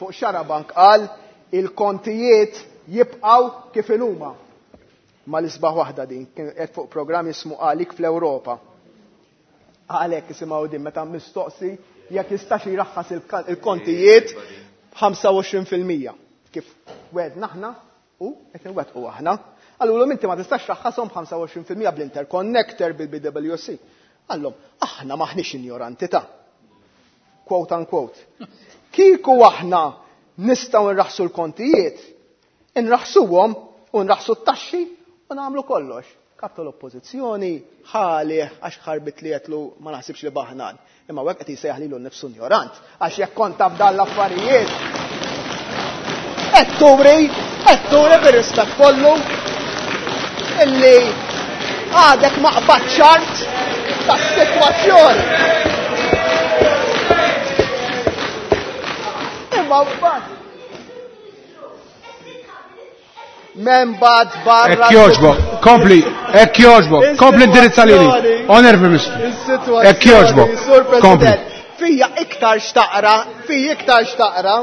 Speaker 12: Fuq Xarabank qal il-kontijiet jibqgħu kif inhuma. Ma l-isbaħ waħda din, kien qed fuq programm jismu Għalik fl-Ewropa. Għalhekk isimgħu din meta mistoqsi jekk jistax jraħħas il-kontijiet b'ħamsa u għoxrin fil-mija. Kif wedna aħna u qed inwettqu aħna. Allura inti ma tistax raħħashom b'ħamsa u għoxrin fil-mija bl-interconnector bil-B W C. Għallhom aħna maħniex injoranti ta'. Quote unquote. Kieku aħna nistgħu nraħħsu l-kontijiet, inraħħsuhom u nraħħsu t-taxxi u nagħmlu kollox. Kap tal-oppożizzjoni ħalih għax ħarbit li qedlu ma naħsibx li baħnan. Imma hekk qed jsejjaħ lilu nnifsu injorant għax jekk kont taf dan l-affarijiet. Qed turi, qed turi bir-rispett kollu illi għadek ma qbadx ċart tas-sitwazzjoni. Imma mbagħad Men bad barra.
Speaker 1: Ekk joġbok, kompli, ekk joġbok, kompli indirizza lili. Onorevoli Ministru. Ekk joġbok, kompli.
Speaker 12: Fija iktar xtaqra, fija iktar xtaqra,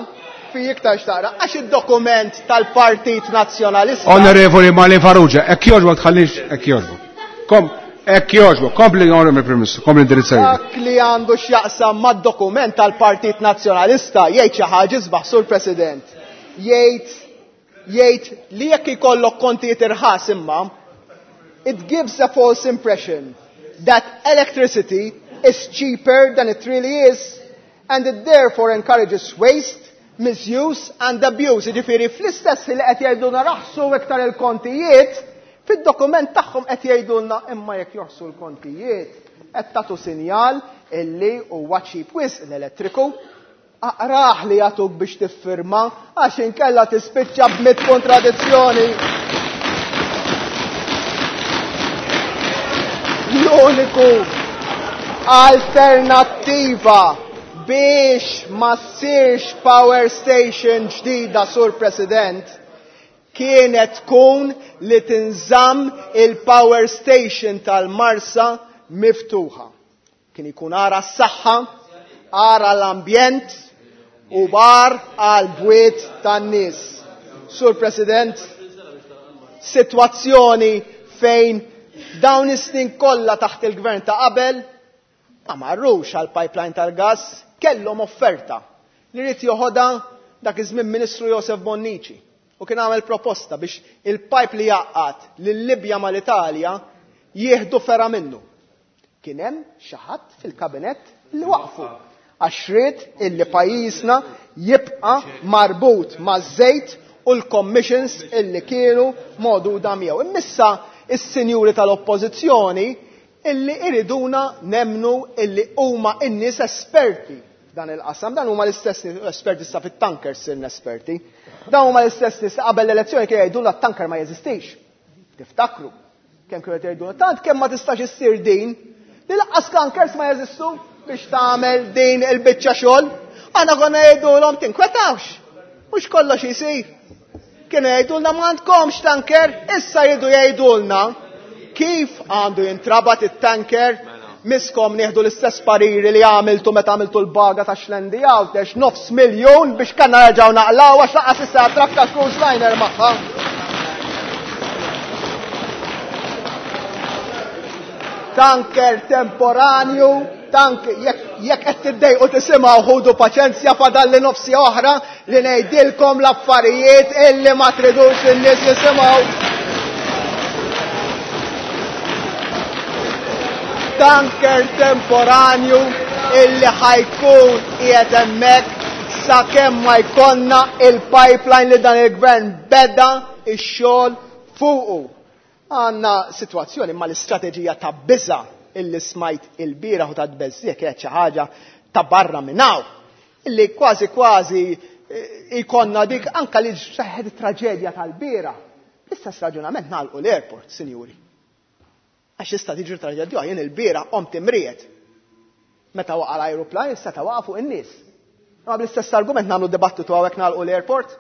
Speaker 12: fija iktar xtaqra, għax id-dokument tal-Partit Nazzjonalista.
Speaker 1: Onorevoli Marlene Farrugia, ekk joġbok tħallix, ekk joġbok. Kom, ekk joġbok, kompli Onorevoli Prim Ministru, kompli indirizza lili.
Speaker 12: Dak li għandu x'jaqsam mad-dokument tal-Partit Nazzjonalista jgħid xi ħaġa isbaħ, Sur President. Jgħid jgħid li jekk ikollok kontijiet irħas imma, it gives a false impression that electricity is cheaper than it really is and it therefore encourages waste, misuse and abuse. Jiġifieri fl-istess li qed jgħidulna raħsu iktar il-kontijiet, fid-dokument tagħhom qed jgħidulna imma jekk joħsu l-kontijiet qed tagħtu sinjal illi huwa cheap wisq l-elettriku. Aqraħ li jagħtuk biex tiffirma għax inkella tispiċċa b'mit kontradizzjoni. L-uniku alternattiva biex ma ssirx power station ġdida, Sur President, kienet tkun li tinżamm il-power station tal-Marsa miftuħa. Kien ikun ara s-saħħa, ara l-ambjent u bar għal bwiet tan-nies. Sur President, sitwazzjoni fejn dawn is-snin kollha taħt il-gvern ta' qabel ma marrux għal pipeline tal-gas, kellhom offerta li rid joħodha dak iż-żmien Ministru Josef Bonnici u kien għamel proposta biex il-pipe li jaqgħad lil-Libja mal-Italja jieħdu fera minnu. Kien hemm xi ħadd fil-kabinett li waqfu. Għax ried illi pajjiżna jibqa' marbut maż-żejt u l-commissions illi kienu moduda miegħu. Immissa is-sinjuri tal-oppożizzjoni illi iriduna nemnu illi huma n-nies esperti f'dan il-qasam. Dan huma l-istess esperti sa fit-tankers sirna esperti. Dan huma l-istess nies qabel l-elezzjoni kienu jgħidulna t-tanker ma jeżistix. Tiftakru kemm kienu jgħidulna tant kemm ma tistax issir din li lanqas tankers ma jeżistu biex tagħmel din il-biċċa xogħol. Aħna konna jgħidulhom tinkwetawx, mhux kollox isir. Kienu jgħidulna ma għandkomx tanker, issa jridu jgħidulna kif għandu jintrabat it-tanker, miskom nieħdu l-istess pariri li għamiltu meta għamiltu l-baga ta' Xlendi Għawdex, nofs miljun biex kanna nerġgħu naqlaw għax laqas issa trakka cruise liner magħha. Tanker temporanju, tank jekk qed tiddejqu tisimgħu ħudu paċenzja fadalli nofsi oħra li ngħidilkom l-affarijiet illi ma tridux in-nies jisimgħu. Tanker temporanju illi ħajkun qiegħed hemmhekk sakemm ma jkollna il-pipeline li dan il-gvern beda x-xogħol fuqu. Għandna sitwazzjoni ma l-istrateġija ta' biża' illi smajt il-bieraħ u ta' tbeżżieq kienet xi ħaġa ta' barra minn hawn. Illi kważi kważi jkollna dik anka li seħħet it-traġedja tal-bieraħ. L-istess raġunament nagħlqu l-airport, sinjuri. Għax issa tiġri traġedja, jien il-bieraħ qomt imriet. Meta waqa' l-ajruplan issa ta' waqa' fuq in-nies. Ma bl-istess argument nagħmlu dibattitu hawnhekk nagħlqu l-airport.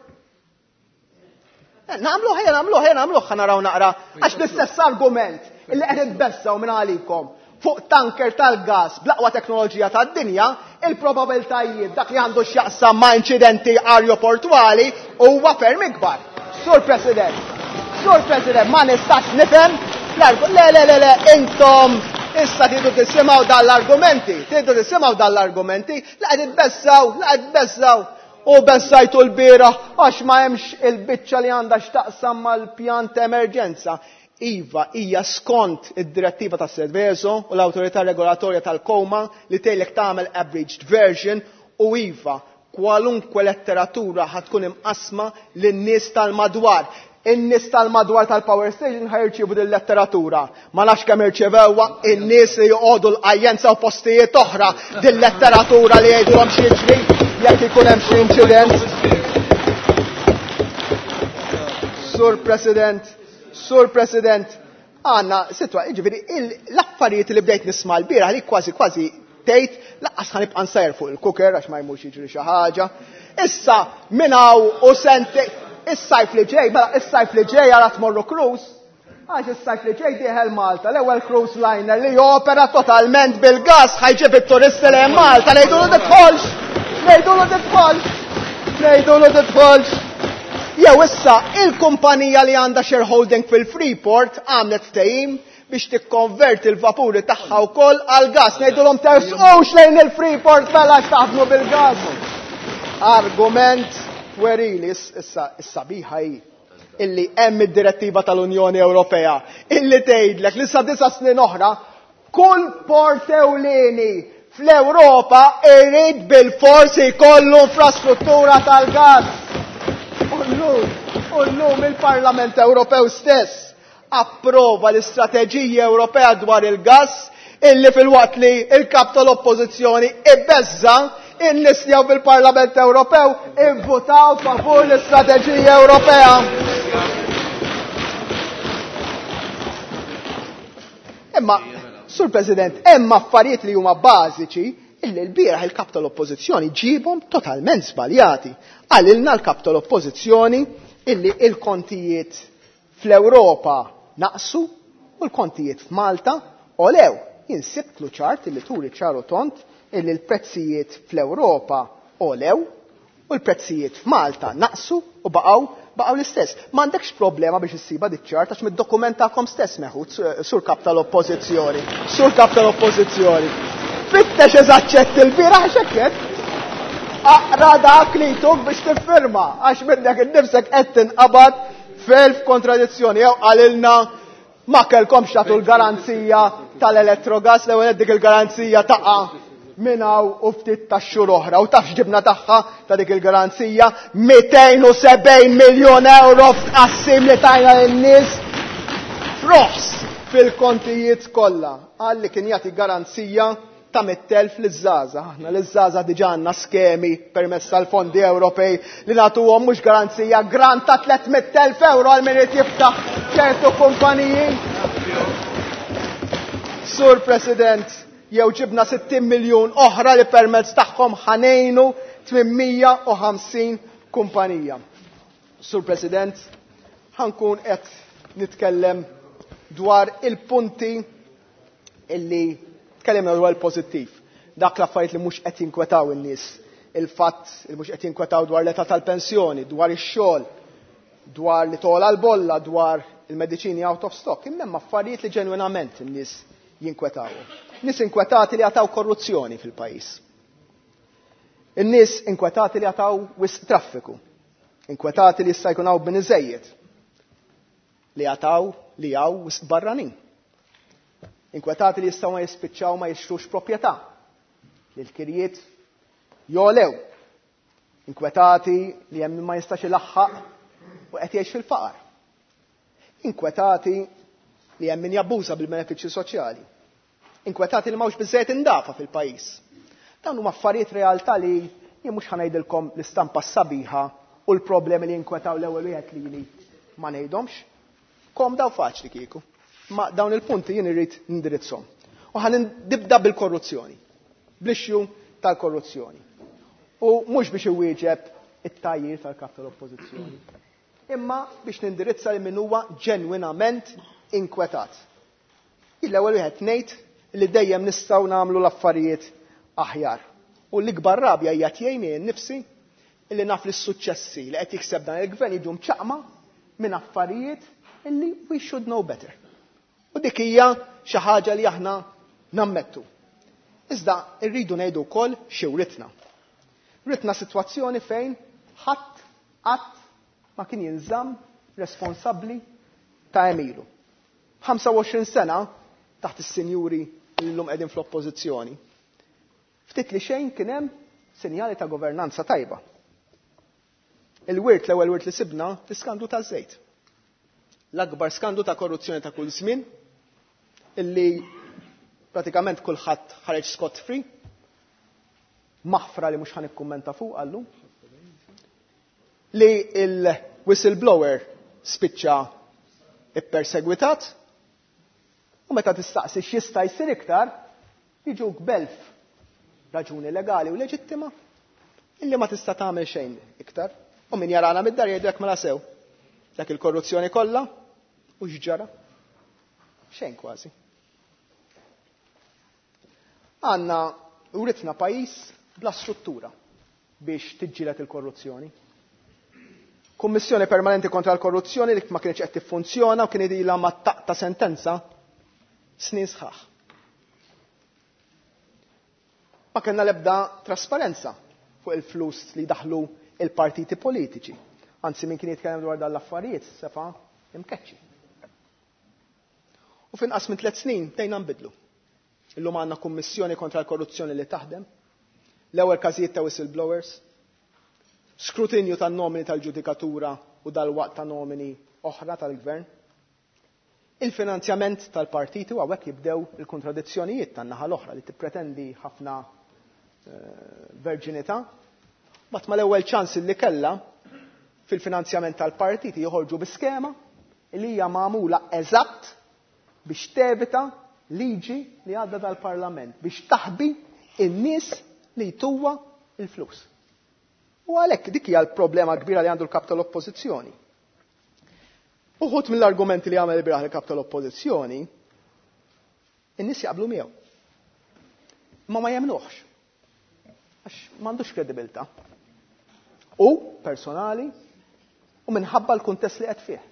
Speaker 12: Nagħmlu ħejja nagħmlu ħejja nagħmlu ħa naraw naqra għax l-istess argument illi qed itbessaw minn għalikom fuq tanker tal-gas bl-aqwa teknoloġija tad-dinja, il-probabiltajiet dak li għandu x'jaqsam ma' inċidenti aeroportwali huwa ferm ikbar. Sur President, Sur President, ma nistax nifhem le le le le intom issa tridu tisimgħu dal-argumenti, tridu tisimgħu dal-argumenti, la qed itbessaw, la qed tbessaw. U bessajtu l-bieraħ għax ma hemmx il-biċċa li għandha x'taqsam mal-pjan ta' emerġenza. Iva, hija skont id-direttiva ta' Seveso u l-awtorità regolatorja tal-Koma li tgħidlek tagħmel abridged version u iva, kwalunkwe letteratura ħatkun imqasma lin-nies tal-madwar. In-nies tal-madwar tal-power station ħajrċievu din letteratura. Ma nafx kemm irċevewha in-nies li joqogħdu l-qajjenza u postijiet oħra din letteratura li jgħidulhom x'jiġri jekk ikun hemm xi inċident. Sur President, Sur President, għandna sitwa, jiġifieri l-affarijiet li bdejt nisma' l-bieraħ li kważi kważi tgħid laqqas ħanibqa' nsajr fuq il-cooker għax ma jmurx jiġri xi ħaġa. Issa minn hawn u sente is-sajf li ġej, mela is-sajf li ġej għara tmorru cruise, għax is-sajf li ġej dieħel Malta, l-ewwel cruise liner li jopera totalment bil-gas ħajġib it-turisti lejn Malta, ngħidulu tidħolx, ngħidulu tidħolx, ngħidulu tidħolx. Jew issa il-kumpanija li għandha shareholding fil-Freeport għamlet ftehim biex tikkonverti l-vapuri tagħha wkoll għall-gas, ngħidulhom tersqux lejn il-Freeport mela għax taħdmu bil-gas. Argument werili issa is-sabiħa hi illi hemm id-direttiva tal-Unjoni Ewropea illi tgħidlek li sa disa' snin oħra kull port ewlieni fl-Ewropa irid bil-forsi jkollu infrastruttura tal-gas. U llum, u llum il-Parlament Ewropew stess approva l-istrateġija Ewropea dwar il-gas illi fil-waqt li il-kap tal-Oppożizzjoni ibbeżza in-nies li hawn fil-Parlament Ewropew ivvutaw favur l-istrateġija Ewropea. Imma, Sur President, hemm affarijiet li huma bażiċi illi l-bieraħ il-kap tal-Oppożizzjoni ġibhom totalment żbaljati. Qalilna l-kap tal-Oppożizzjoni illi il-kontijiet fl-Ewropa naqsu u l-kontijiet f'Malta olew. Jien sibtlu ċart illi turi ċaru tont illi l-prezzijiet fl-Ewropa olew u l-prezzijiet f'Malta naqsu u baqgħu baqgħu l-istess. M'għandekx problema biex issiba dik ċart għax mid-dokument tagħkom stess meħud, Sur Kap tal-Oppożizzjoni. Sur Kap tal-Oppożizzjoni. Fittex eżaċċett il-bieraħ x'hekk. Aqra dak li tuk biex tiffirma għax minnek innifsek qed tinqabad f'elf kontradizzjoni. Jew qalilna ma kellkomx tagħtu l-garanzija tal-elettrogas, l-ewwel dik il-garanzija taqa' minn hawn u ftit tax-xhur oħra. U taf x'ġibna tagħha ta' dik il-garanzija? mitejn u sebgħin miljun euro f'tqassim li tajna lin-nies f'roħs fil-kontijiet kollha. Qal li kien jagħti garanzija ta' mitt elf liż-żgħażagħ. Aħna liż-żgħażagħ diġà għandna skemi permezz tal-fondi Ewropej li nagħtuhom mhux garanzija, grant ta' tliet mitt elf euro għal min irid jiftaħ ċertu kumpaniji. Sur President, jew ġibna sittin miljun oħra li permezz tagħhom ħanejnu tmien mija u ħamsin kumpanija. Sur President, ħankun qed nitkellem dwar il-punti illi tkellimna dwar il-pożittiv. Dak l-affarijiet li mhux qed jinkwetaw in-nies, il-fatt li mhux qed jinkwetaw dwar l-età tal-pensjoni, dwar ix-xogħol, dwar li tola l-bolla, dwar il-mediċini out of stock. Imma hemm affarijiet li ġenwinament in-nies jinkwetaw. Nies inkwetati li għataw korruzzjoni fil-pajjiż. In-nies inkwetati li għataw wisq traffiku. Inkwetati li jista' jkun hawn bini żejjed. Li għataw li hawn wisq barranin. Inkwetati li jistgħu ma jispiċċaw ma jixtrux proprjetà. Li l-kirjiet jolew. Inkwetati li hemm ma jistax ilaħħaq u qed jgħix fil-faqar. Inkwetati li hemm min jabbuża bil-benefiċċji soċjali. Inkwetati li m'hawnx biżżejjed indafa fil-pajjiż. Dawn huma affarijiet realtà li jien mhux ħanejdilkom l-istampa sabiħa u l-problemi li jinkwetaw l-ewwel wieħed lili ma ngħidhomx. Kom daw faċli kieku. Ma dawn il-punti jien irrid nindirizzhom. U ħa nibda bil-korruzzjoni. Bl-issue tal-korruzzjoni. U mhux biex iwieġeb it-tajjir tal-kap tal-oppożizzjoni. Imma biex nindirizza li min huwa ġenwinament inkwetat. Il-ewwel wieħed ngħid li dejjem nistgħu nagħmlu l-affarijiet aħjar. U l-ikbar rabja hija tiegħi nnifsi illi naf li s-suċċessi li qed jikseb dan il-gvern jiġu mċaqma minn affarijiet illi we should know better. U dik hija xi ħaġa li aħna nammettu. Iżda rridu ngħidu wkoll xi writna. Ritna sitwazzjoni fejn ħadd qatt ma kien jinżamm responsabbli ta' għemilu. ħamsa u għoxrin sena taħt is-sinjuri li llum qegħdin fl-oppożizzjoni. Ftit li xejn kien hemm sinjali ta' governanza tajba. Il-wirt, l-ewwel wirt li sibna, l-iskandlu taż-żejt. L-akbar skandlu ta' korruzzjoni ta' kull żmien, illi pratikament kulħadd ħareġ scot free, maħfra li mhux ħa nikkummenta fuq għallu, li il-whistleblower spiċċa ippersegwitat, u meta tistaqsi x'jista' jsir iktar, jiġuk b'elf raġuni legali u leġittima illi ma tista' tagħmel xejn iktar. U min jarana mid-dar jgħidlek mela sew. Dak il-korruzzjoni kollha u x'ġara? Xejn kważi. Għandna uritna pajjiż bla struttura biex tiġġieled il-korruzzjoni. Kummissjoni Permanenti kontra l-Korruzzjoni li ma kienx qed tiffunzjona u kien ilha ma taqta sentenza snin sħaħ. Ma kellna l-ebda trasparenza fuq il-flus li daħlu il-partiti politiċi. Anzi, min kien jitkellem dwar dan l-affarijiet sefa imkeċċi. U finqas minn tliet snin tejna nbidlu. Illum għandna kummissjoni kontra l-korruzzjoni li taħdem, l-ewwel każijiet ta' whistleblowers, skrutinju tan-nomini tal-ġudikatura u dal-waqt ta' nomini oħra tal-gvern, il-finanzjament tal-partiti u hawnhekk jibdew il-kontradizzjonijiet tan-naħa l-oħra li tippretendi ħafna, eh, verġinità. Bat mal-ewwel ċans li kellha fil-finanzjament tal-partiti joħorġu bi skema li hija magħmula eżatt biex tevita liġi li għadda dal-Parlament biex taħbi in-nies li jtuwa il-flus. U għalhekk dik hija l-problema kbira li għandu l-kap tal-Oppożizzjoni. Uħud mill-argumenti li għamel bieraħ il-kap tal-Oppożizzjoni, in-nies jaqblu miegħu. Ma ma jemnuhx. Għax m'għandux kredibilità. U personali u minħabba l-kuntest li qed fih.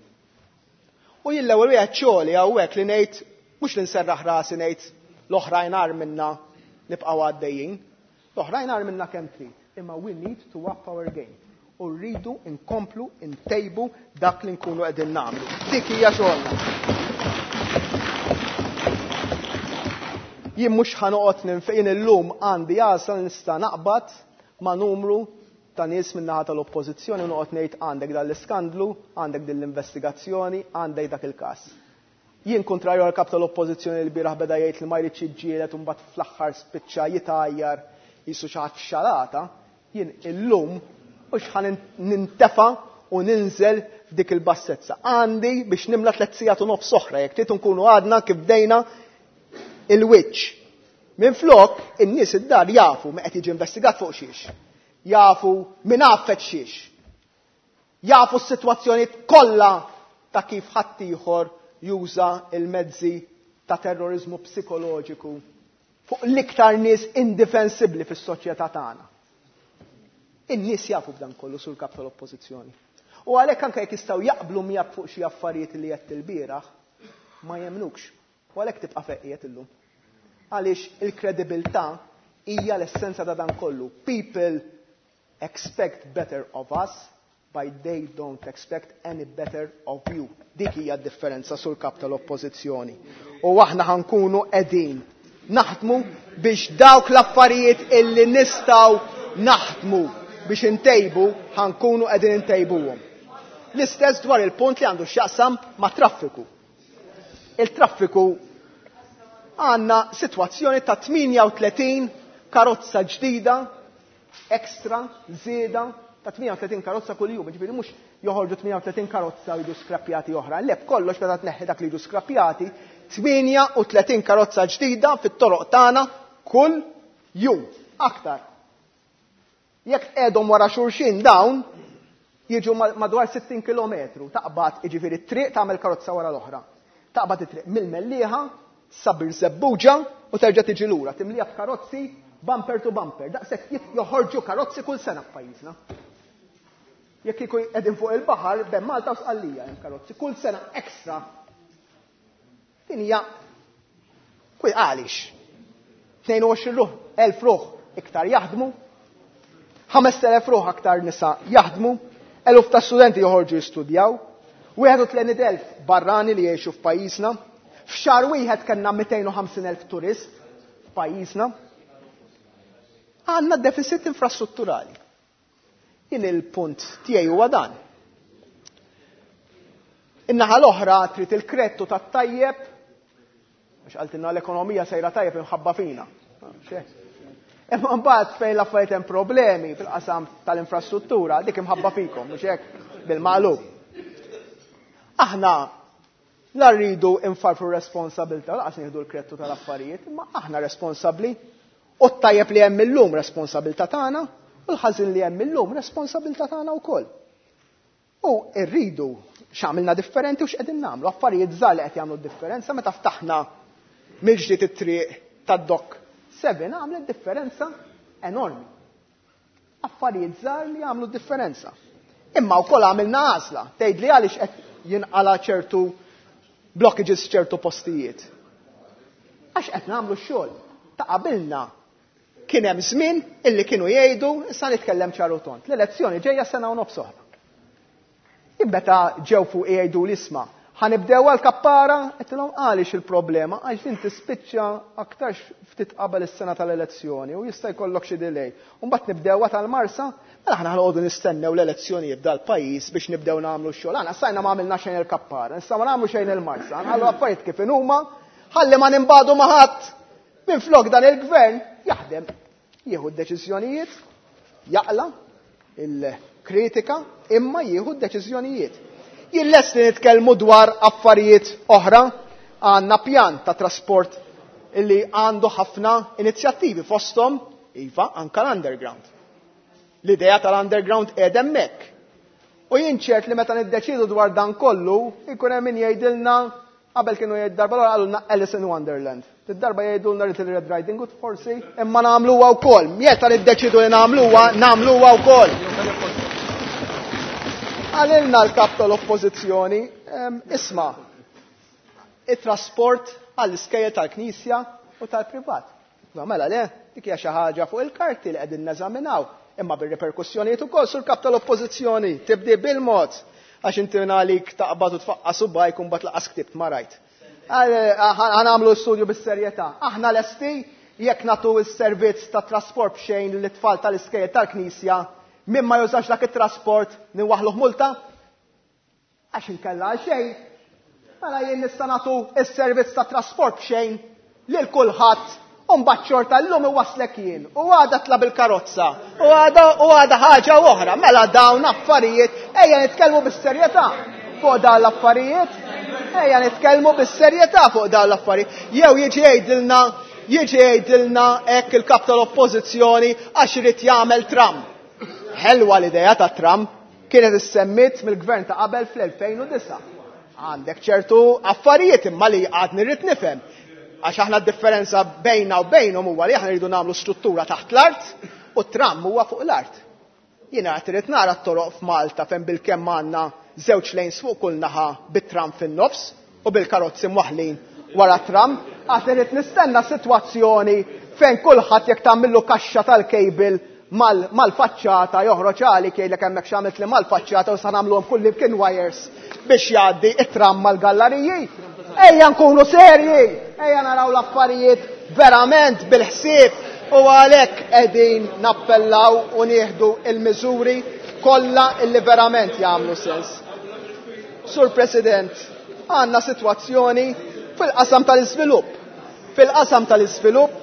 Speaker 12: U jien l-ewwel wieħed xogħli hawnhekk li ngħid mhux li nserraħ rasi ngħid l-oħrajn agħar minna nibqgħu għaddejjin. L-oħrajn agħar minna kemm trid, imma we need to up our game. U rridu nkomplu ntejbu dak li nkunu qegħdin nagħmlu. Dik hija xogħolna. Jien mhux ħa noqgħod ninfejn illum għandi għażla nista' naqbad ma' numru ta' nies min-naħa tal-Oppożizzjoni u noqgħod ngħid għandek dan l-iskandlu, għandek din l-investigazzjoni, għandek dak il-każ. Jien kontrarju għal kap tal-Oppożizzjoni li bieraħ beda jgħid li ma jridx jiġġieled u mbagħad fl-aħħar spiċċa jitgħajjar jisu xi ħadd f'xalata, jien illum mhux ħa nintefa' u ninżel f'dik il-bassezza. Għandi biex nimla tliet sigħat u nofs oħra jekk trid nkunu għadna kif bdejna il-wiċċ. Minflok, in-nies id-dar jafu min qed jiġi investigat fuq xiex. Jafu min għaffet xiex. Jafu s-sitwazzjoni kollha ta' kif ħaddieħor juża il-mezzi ta' terrorizmu psikoloġiku fuq l-iktar nies indifensibbli fis-soċjetà tagħna. In-nies jafu b'dan kollu sur kap tal-Oppożizzjoni. U għalhekk anke jekk jistgħu jaqblu miegħek fuq xi affarijiet li qed ilbieraħ, ma jemnukx. U għalhekk tibqa' feqiet illum. Għaliex il-kredibilità hija l-essenza ta' dan kollu. People expect better of us, but they don't expect any better of you. Dik hija d-differenza sur kap tal-Oppożizzjoni. U aħna ħankunu qegħdin naħdmu biex dawk l-affarijiet illi nistgħu naħdmu biex intejbu, ħankunu qegħdin intejbuhom. L-istess dwar il-punt li għandu x'jaqsam ma' traffiku. Il-traffiku għandna sitwazzjoni ta' tmienja u tletin karozza ġdida, ekstra, żieda ta' tmienja u tletin karozza kuljum. Ġifieri mhux joħorġu tmienja u tletin karozza u jiġu skrappjati oħra. Le, b'kollox meta tneħħi dak li jiġu skrappjati, tmienja u tletin karozza ġdida fit-toroq tagħna kull jum. Aktar. Jekk tqegħdhom wara xulxin dawn, jiġu madwar sittin kilometru. Taqbad, jiġifieri t-triq tagħmel karozza wara l-oħra. Taqbad it-triq mill-Mellieħa, Sabir Żebbuġa u terġa' tiġi lura, timlija b'karozzi bumper to bumper. Daqshekk jit-, joħorġu karozzi kull sena f'pajjiżna. Jekk kieku qegħdin fuq il-baħar, bejn Malta u Sqallija hemm karozzi kull sena ekstra. Din hija kull għaliex. tnejn u għoxrin ruħ, elf ruħ iktar jaħdmu, ħamest elef ruħ aktar nisa jaħdmu, eluf ta' studenti joħorġu jistudjaw, wieħed u tletin elf barrani li jgħixu f'pajjiżna, f'xahar wieħed kellna mitejn u ħamsin elf turist f'pajjiżna. Għandna deficit infrastrutturali. Jien il-punt tiegħi huwa dan. In-naħa l-oħra trid il-kredtu tat-tajjeb, għax qaltilna l-ekonomija sejra tajjeb imħabba fina. Imma mbagħad fejn l-affarijiet hemm problemi fil-qasam tal-infrastruttura, dik imħabba fikom, mhux hekk bil-maqlub. Aħna la rridu nfarfru responsabilità, laqas nieħdu l-kredtu tal-affarijiet, imma aħna responsabbli u t-tajjeb li hemm illum responsabilità tagħna u l-ħażin li hemm illum responsabilità tagħna wkoll. U rridu x'għamilna differenti u x'qegħdin nagħmlu, affarijiet żgħar li qed jagħmlu differenza meta ftaħna mill-ġdid it-triq tad-Dok seven għamlet differenza enormi. Affarijiet żgħar li jagħmlu differenza. Imma wkoll għamilna għażla, tgħid li għaliex qed jinqala ċertu blockages f'ċertu postijiet. Għax qed nagħmlu x-xogħol. Ta' qabilna kien hemm żmien illi kienu jgħidu, issa nitkellem ċar u tont, l-elezzjoni ġejja sena u nofs oħra. Ibbeta ġew fuq jgħidu l-isma', ħanibdew għal-kappara, qedtilhom għaliex il-problema, għax din tispiċċa aktarx ftit qabel is-sena tal-elezzjoni u jista' jkollok xi delay. U mbagħad nibdewha tal-Marsa, mela aħna ħanqogħdu nistennew l-elezzjoni jibda l-pajjiż biex nibdew nagħmlu x-xogħol. Aħna sajna ma għamilna xejn il-kappara, issa ma nagħmlu xejn il-Marsa, nħallu affarijiet kif inhuma, ħalli ma nimbagħdu ma' ħadd. Minflok dan il-gvern jaħdem, jieħu d-deċiżjonijiet, jaqla il-kritika, imma jieħu d-deċiżjonijiet. Jien lest li nitkellmu dwar affarijiet oħra, għandna pjan ta' trasport illi għandu ħafna inizjattivi fosthom, iva, anka l-underground. L-idea tal-underground qiegħed hemmhekk. U jien ċert li meta niddeċidu dwar dan kollu, ikun hemm min jgħidilna, qabel kienu jgħid darba l-oħra qalulna Alice in Wonderland. Id-darba jgħidulna Little Red Riding Hood forsi, imma nagħmluha wkoll. Meta niddeċidu li nagħmluha, nagħmluha wkoll. Għalilna l-kap tal-oppożizzjoni, em, isma', it-trasport għall-iskejjel tal-Knisja u tal-privat. Ma mela le, dik hija xi ħaġa fuq il-karti li qegħdin neżaminaw, imma bir-reperkussjonijiet ukoll sur kap tal-oppożizzjoni, tibdi bil-mod għax inti għalik taqbad u tfaqqas u bajk u mbagħad laqas ktibt ma rajt. Ħa nagħmlu studju bis-serjetà. Aħna lesti jekk nagħtu s-servizz ta' trasport b'xejn lit-tfal tal-iskejjel tal-Knisja, min ma jużax dak it-trasport niwaħluh multa? Għax inkella għal xejn. Mela jien nista' nagħtu s-servizz ta' trasport b'xejn lil kulħadd u mbagħad xorta llum iwaslek jien u għada tla bil-karozza u għada u għada ħaġa oħra. Mela dawn affarijiet ejja nitkellmu bis-serjetà fuq dawn l-affarijiet. Ejja nitkellmu bis-serjetà fuq dawn l-affarijiet. Jew jiġi jgħidilna jiġi jgħidilna hekk il-kap tal-Oppożizzjoni għax irid jagħmel tram. Ħelwa l-idea ta' tram kienet issemmit mill-gvern ta' qabel fl-elfejn u disgħa. Għandek ċertu affarijiet imma li għadni rrid nifhem. Għax aħna d-differenza bejna u bejnhom huwa li aħna rridu nagħmlu struttura taħt l-art u t-tram huwa fuq l-art. Jiena qed irid nara t-toroq f'Malta fejn bilkemm għandna żewġ lanes fuq kull naħa bit-tram fin-nofs u bil-karozzi mwaħlin wara tram. Għad irid nistenna sitwazzjoni fejn kulħadd jekk tagħmillu kaxxa tal-cable mal-faċċata joħroġ għalik jgħidlek hemmhekk x'għamilt li mal-faċċata u sa nagħmluhom kull imkien wires biex jgħaddi it-tram mal-gallariji. Ejja nkunu serji, ejja naraw l-affarijiet verament bil-ħsieb u għalhekk qegħdin nappellaw u nieħdu il-miżuri kollha illi verament jagħmlu sens. Sur President, għandna sitwazzjoni fil-qasam tal-iżvilupp. Fil-qasam tal-iżvilupp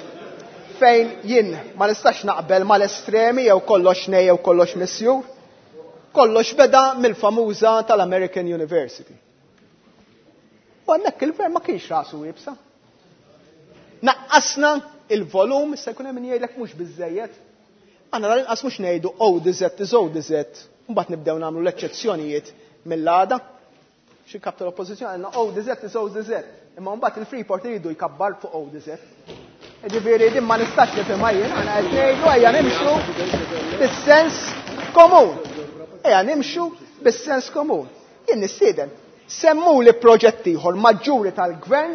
Speaker 12: fejn jien ma nistax naqbel mal-estremi jew kollox nej jew kollox misjur, kollox beda mill-famuża tal-American University. U hemmhekk il-gvern ma kienx rasu iebsa. Naqqasna il-volum, issa jkun hemm min jgħidlek mhux biżżejjed. Aħna tal-inqas mhux ngħidu O D Z is O D Z, mbagħad nibdew nagħmlu l-eċċezzjonijiet mill-għada. Xi kap tal-Oppożizzjoni għandna O D Z is O D Z, imma mbagħad il-Freeport iridu jkabbar fuq O D Z. Ġifieri din ma nistax nifhimha jien, aħna qed ngħidu ejja nimxu bis-sens komun. Ejja nimxu bis-sens komun. Jien nistieden semmu li proġett ieħor maġġuri tal-gvern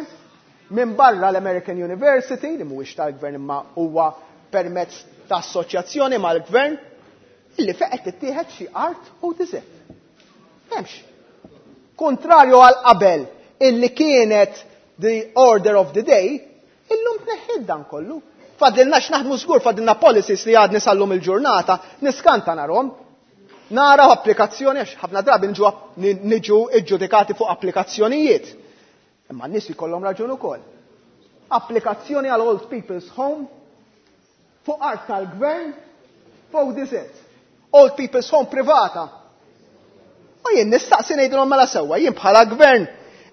Speaker 12: minn barra l-American University, li mhuwiex tal-gvern imma huwa permezz ta' assoċjazzjoni mal-gvern, illi fejn qed tittieħed xi art u diżert. M'hemmx. Kontrarju għal qabel illi kienet the order of the day, illum tneħħid dan kollu. Fadilna x'naħdmu żgur, fadilna policies li għadni sal-lum il-ġurnata, niskanta narhom. Naraw applikazzjoni, għax ħafna drabi niġu app-, ni-, niġu iġġudikati fuq applikazzjonijiet. Imma n-nies ikollhom raġun ukoll. Applikazzjoni għal Old People's Home fuq art tal-gvern fuq diżert. Old People's Home privata. U jien nistaqsi ngħidilhom mela sewwa, jien bħala gvern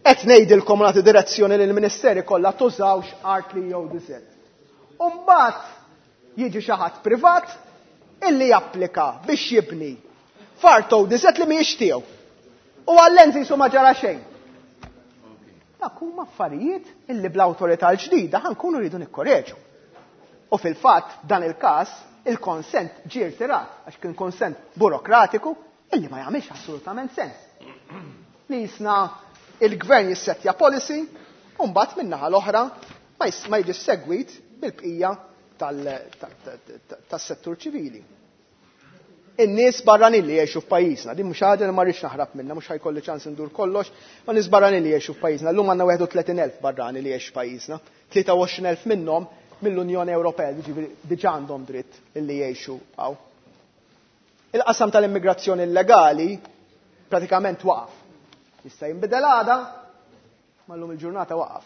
Speaker 12: qed ngħidilkom nagħti direzzjoni lill-ministeri kollha tużawx art li jew diżert. U mbagħad jiġi xi ħadd privat illi japplika biex jibni f'art O D Z li mhijiex tiegħu. U għall-enzi jisu ma ġara xejn. Dak huma affarijiet illi bl-awtorità l-ġdida ħankunu rridu nikkoreġu. U fil-fatt dan il-każ il-konsent ġie rtirat għax kien konsent burokratiku illi ma jagħmilx assolutament sens. Li jisna il-gvern jissettja policy u mbagħad min-naħa l-oħra ma jis-, ma jiġi segwit bil-bqija tal-, ta-, ta-, ta-, tas-settur ċivili. In-nies barranin li jgħixu f'pajjiżna, din mhux ħaġa li ma rridx naħrab minnha, mhux ħajkolli ċans indur kollox, ma nies barranin li jgħixu f'pajjiżna. Llum għandna wieħed u tletin elf barrani li jgħixu f'pajjiżna, tlieta u għoxrin elf minnhom mill-Unjoni Ewropea, jiġifieri diġà għandhom dritt li jgħixu hawn. Il-qasam tal-immigrazzjoni illegali pratikament waqaf. Jista' jinbidel għada, ma llum il-ġurnata waqaf.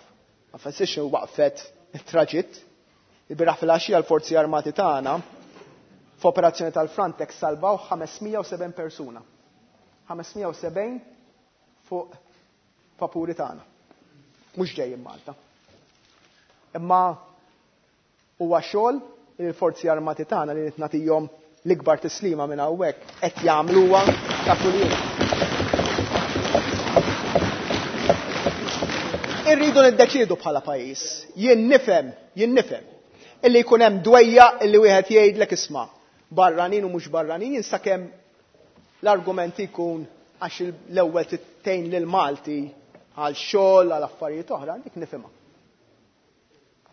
Speaker 12: Ma fessirx waqfet it-traġitt. Il-bieraħ fil-għaxija l-Forzi Armati tagħna f'operazzjoni tal-Frontex salvaw ħames mija u sebgħin persuna. ħames mija u sebgħin fuq vapuri tagħna. Mhux ġejjin Malta. Imma huwa xogħol li l-Forzi Armati tagħna li qed nagħtihom l-ikbar tislima minn hawnhekk qed jagħmluha ta' kuljum. Irridu niddeċiedu bħala pajjiż. Jien nifhem, jien nifhem illi jkun hemm dwejja illi wieħed jgħidlek isma' barranin u mhux barranin, jien sakemm l-argument ikun għax l-ewwel tittejn lil Malti għal xogħol għal affarijiet oħra, dik nifhimha.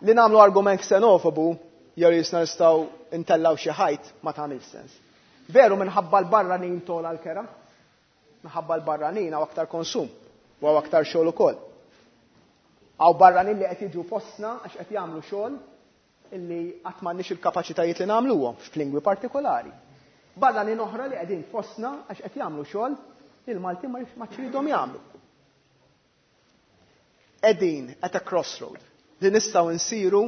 Speaker 12: Li nagħmlu argument xenofobu jew li jisna nistgħu intellaw xi ħajt ma tagħmilx sens. Veru minħabba l-barranin tola l-kera, minħabba l-barranin hawn aktar konsum u hawn aktar xogħol ukoll. Hawn barranin li qed jiġu fostna għax qed jagħmlu xogħol illi qatt m'għandniex il-kapaċitajiet li nagħmluhom f'lingwi partikolari. Barranin oħra li qegħdin fostna għax qed jagħmlu xogħol li l-Maltin ma ċridhom jagħmlu. Qegħdin at a crossroad li nistgħu nsiru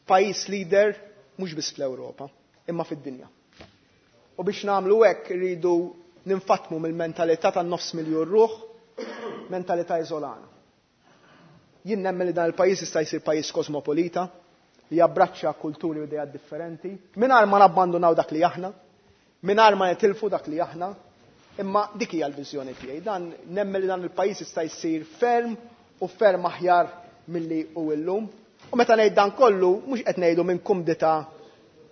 Speaker 12: pajjiż leader mhux biss fl-Ewropa, imma fid-dinja. U biex nagħmlu hekk irridu ninfatmu mill-mentalità tan-nofs miljun ruħ, mentalità iżolana. Jien nemmen li dan il-pajjiż jista' jsir pajjiż kosmopolita li jabbraċċa kulturi u idejat differenti, mingħajr ma nabbandunaw dak li aħna, mingħajr ma nitilfu dak li aħna, imma dik hija l-viżjoni tiegħi. Dan nemmen li dan il-pajjiż jista' jsir ferm u ferm aħjar milli hu llum. U meta ngħid dan kollu mhux qed ngħidu minn kumdità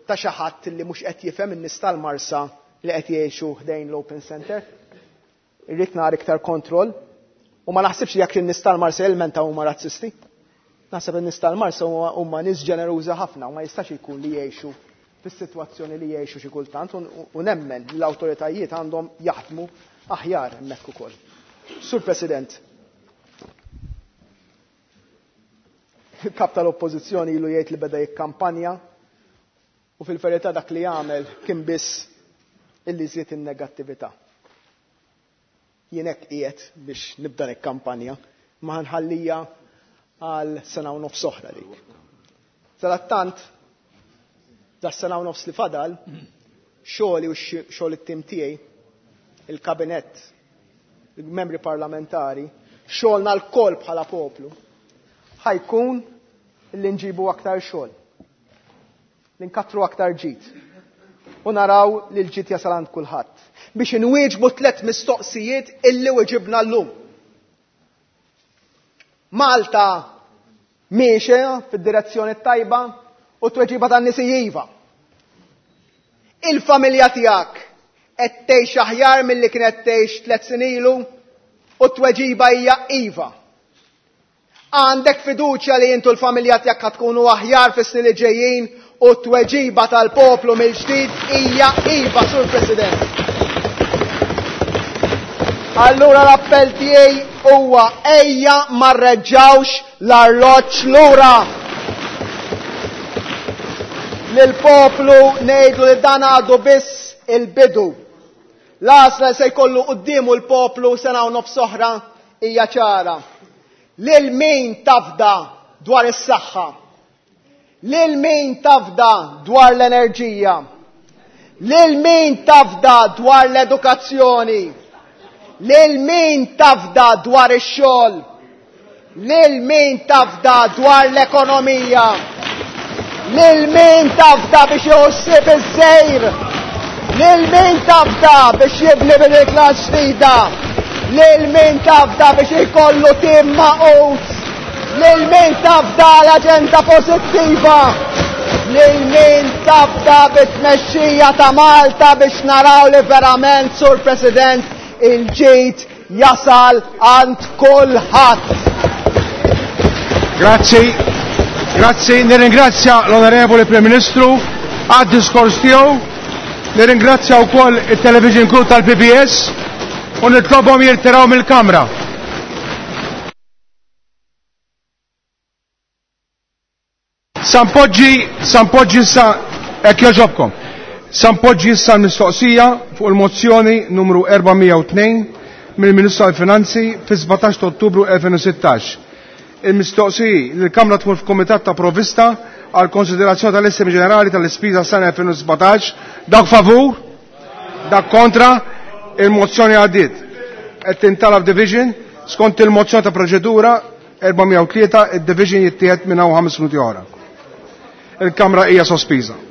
Speaker 12: ta' xi ħadd li mhux qed jifhem in-nies tal-Marsa li qed jgħixu ħdejn l-Open Center. Irrid nara iktar kontroll. U ma naħsibx li jekk in-nies tal-Marsa jilmentaw huma razzisti. Naħseb in-nies tal-Marsa huma nies ġeneruża ħafna u ma jistax ikun li jgħixu fis-sitwazzjoni li jgħixu xi kultant u nemmen li l-awtoritajiet għandhom jaħdmu aħjar hemmhekk ukoll. Sur President, il-kap tal-Oppożizzjoni ilu jgħid li beda jikkampanja u fil-verità dak li jagħmel kien biss illi żied in-negattività. Jien hekk qiegħed biex nibda nikkampanja, ma nħallija għal sena u nofs oħra dik. Sadattant, da sena u nofs li fadal, xogħli u xogħol it-tim tiegħi, il-kabinett, il-membri parlamentari, xogħolna l-koll bħala poplu, ħajkun li nġibu aktar xogħol, li nkattru aktar ġid. U naraw li l-ġid jasal għand kulħadd. Biex inwieġbu tliet mistoqsijiet illi weġibna llum. Malta miexja fid-direzzjoni tajba u tweġiba tan-nies iva. Il-familja tiegħek qed tgħix aħjar milli kienet tgħix tliet snin ilu u t-tweġiba hija iva. Għandek fiduċja li intu l-familja tiegħek ħa tkunu aħjar fis-snin li ġejjin u t-tweġiba tal-poplu mill-ġdid hija iva, Sur President. Allura l-appell tiegħi huwa ejja ma rreġġawx l-arloġġ lura. Lill-poplu ngħidlu li dan għadu biss il-bidu. L-għażla se jkollu quddiemu l-poplu sena u nofs oħra hija ċara. Lil min tafda dwar is-saħħa? Lil min tafda dwar l-enerġija? Lil min tafda dwar l-edukazzjoni? Lil min tafda dwar ix-xogħol? Lil min tafda dwar l-ekonomija? Lil min tafda biex jħossib iż-żejr? Lil min tafda biex jibni bil-klas ġdida? Lil min tafda biex ikollu tim maqut? Lil min tafda l-aġenda pożittiva? Lil min tafda bit-tmexxija ta' Malta biex naraw li verament, Sur President, il-ġid jasal għand kulħadd.
Speaker 1: Grazzi, grazzi, nirringrazzja l-Onorevoli Prim Ministru għad-diskors tiegħu, nirringrazzja wkoll it-Television Crew tal-P B S u nitlobhom jirtiraw mill-Kamra. Sampoġġi, Sampoġġi issa, hekk jogħġobkom. Sampoġġi issa l-mistoqsija fuq il-mozzjoni numru erba' mija u tnejn mill-Ministru tal-Finanzi fis-sbatax ta' Ottubru elfejn u sittax. Il-mistoqsiji li l-Kamra tmur f'Kumitat ta' Provvista għal konsiderazzjoni tal-Estimi Ġenerali tal-Ispiża sena elfejn u sbatax. Dak favur, dak kontra, il-mozzjoni għaddiet. Qed tintalab division skont il-mozzjoni ta' proċedura erba' mija u tlieta, id-division jittieħed minn hawn ħames minuti oħra. Il-Kamra hija sospiża.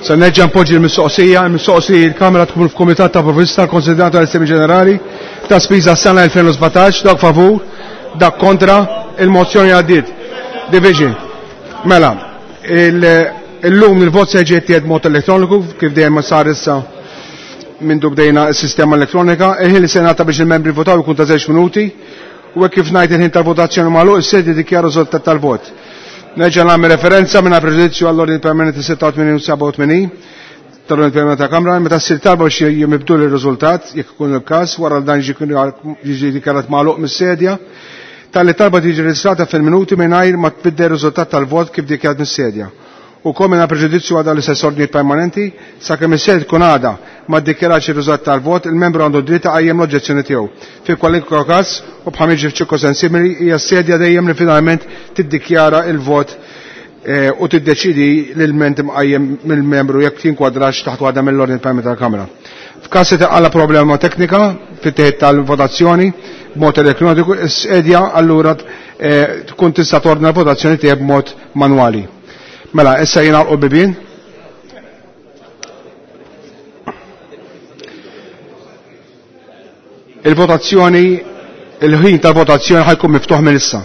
Speaker 1: Se nerġa' npoġġi l-mistoqsija, il-mistoqsija il-Kamra tkun f'Kumitat ta' Provvista konsidrata l-Istemi Ġenerali ta' spiża s-sena elfejn u sbatax, dak favur, dak kontra, il-mozzjoni għaddiet. Division. Mela, illum il-vot se jiġi jittieħed b'mod elettroniku kif dejjem ma sar issa minn bdejna s-sistema elettronika, il-ħin li se ngħata biex il-membri votaw ikun ta' żewġ minuti u hekk kif ngħid il-ħin tal-votazzjoni magħluq is-sedi dikjaru riżultat tal-vot. Nerġa' nagħmel referenza mingħajr preġudizzju għall-ordni permanenti sitta u tmenin u seba' u tmenin tal-ordni permanenti ta' Kamra meta ssir talba biex jimibdu l-riżultat jekk ikun il-każ wara dan jiġi dikjarat magħluq mis-sedja tal-li talba tiġi reġistrata fil-minuti mingħajr ma tbiddel riżultat tal-vot kif dikjarat mis-sedja. U kol mingħajr preġudizzju għal l-istess ordnijiet permanenti sakemm is-sedja tkun għadha ma ddikjaratx ir-riżultat tal-vot, il-membru għandu dritt iqajjem l-oġġezzjoni tiegħu. Fi kwalunkwe każ u bħal jiġri f'ċirkostanzi simili hija s-sedja dejjem li finalment tiddikjara il-vot u tiddeċidi l-ilment imqajjem mill-membru jekk jinkwadrax taħt waħda mill-ordni permanenti tal-Kamra. F'każ li taqala problema teknika fit-teħid tal-votazzjoni b'mod elettroniku, is-sedja allura tkun tista' tordna l-votazzjoni tiegħek b'mod manwali. Mela, issa jingħalqu l-bibien. Il-votazzjoni, il-ħin tal-votazzjoni ħajkun miftuħ minn issa.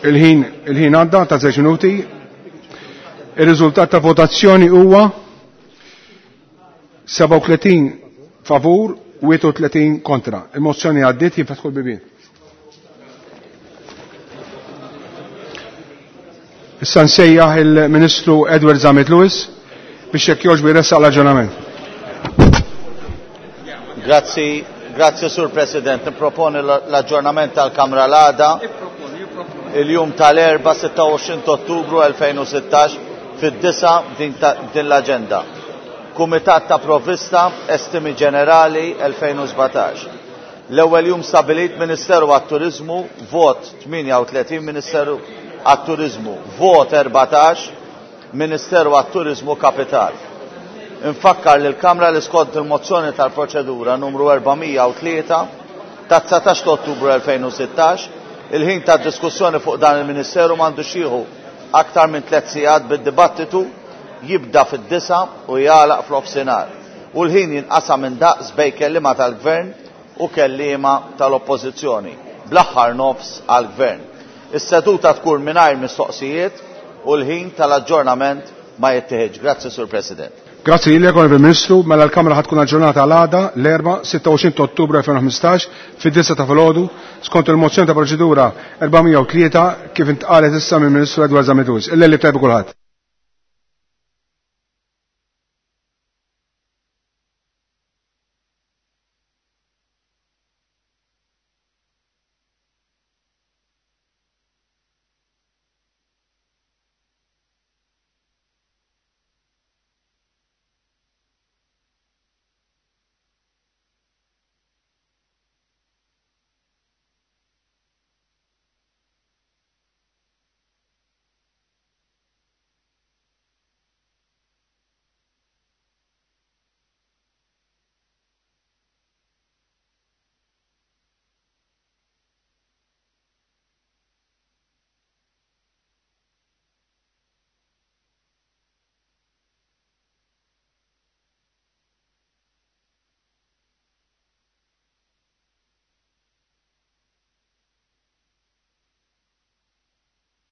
Speaker 1: Il-ħin il-ħin għadda ta' żewġ minuti. Ir-riżultat ta' votazzjoni huwa sebgħa u tletin favur u wieħed u tletin kontra. Il-mozzjoni għaddiet, jinfetħu l-bibien. Issa nsejjaħ il-Ministru Edward Zammit Lewis biex jekk jogħġbu jressaq l-aġġornament.
Speaker 10: Grazzi, grazzi Sur President. Niproponi l-aġġornament tal-Kamra l-għada il-jum tal-erba' sitta u għoxrin ta' Ottubru elfejn u sittax fid-disa din l-aġenda. Kumitat ta' Provvista, Estimi Ġenerali elfejn u sbatax. L-ewwel jum stabilit Ministeru għat-Turizmu, vot tmienja u tletin Ministeru għat-Turizmu, vot erbatax Ministeru għat-Turizmu Kapital. Infakkar lil Kamra li skont il-mozzjoni tal-proċedura numru erba' mija u tlieta ta' dsatax ta' Ottubru elfejn u sittax, il-ħin ta' diskussjoni fuq dan il-Ministeru m'għandux jieħu aktar minn tliet sigħat bid-dibattitu jibda fid-disa u jagħlaq fl-ofsinhar. U l-ħin jinqasam minn daqs bejn kelliema tal-Gvern u kelliema tal-Oppożizzjoni, bl-aħħar nofs għall-Gvern. Is-seduta tkun mingħajr mistoqsijiet u l-ħin tal-aġġornament ma jittieħedx. Grazzi, Sur President.
Speaker 1: Grazzi lilek, Onorevoli Ministru. Mela l-Kamra ħad tkun aġġornata għal għada l-erba' sitta u għoxrin ta' Ottubru elfejn u ħmistax fid-disa ta' filgħodu skont il-mozzjoni ta' proċedura erba' mija u tlieta kif intqalet issa mill-Ministru Edward Zammit Lewis. Il-lejl tajjeb kulħadd.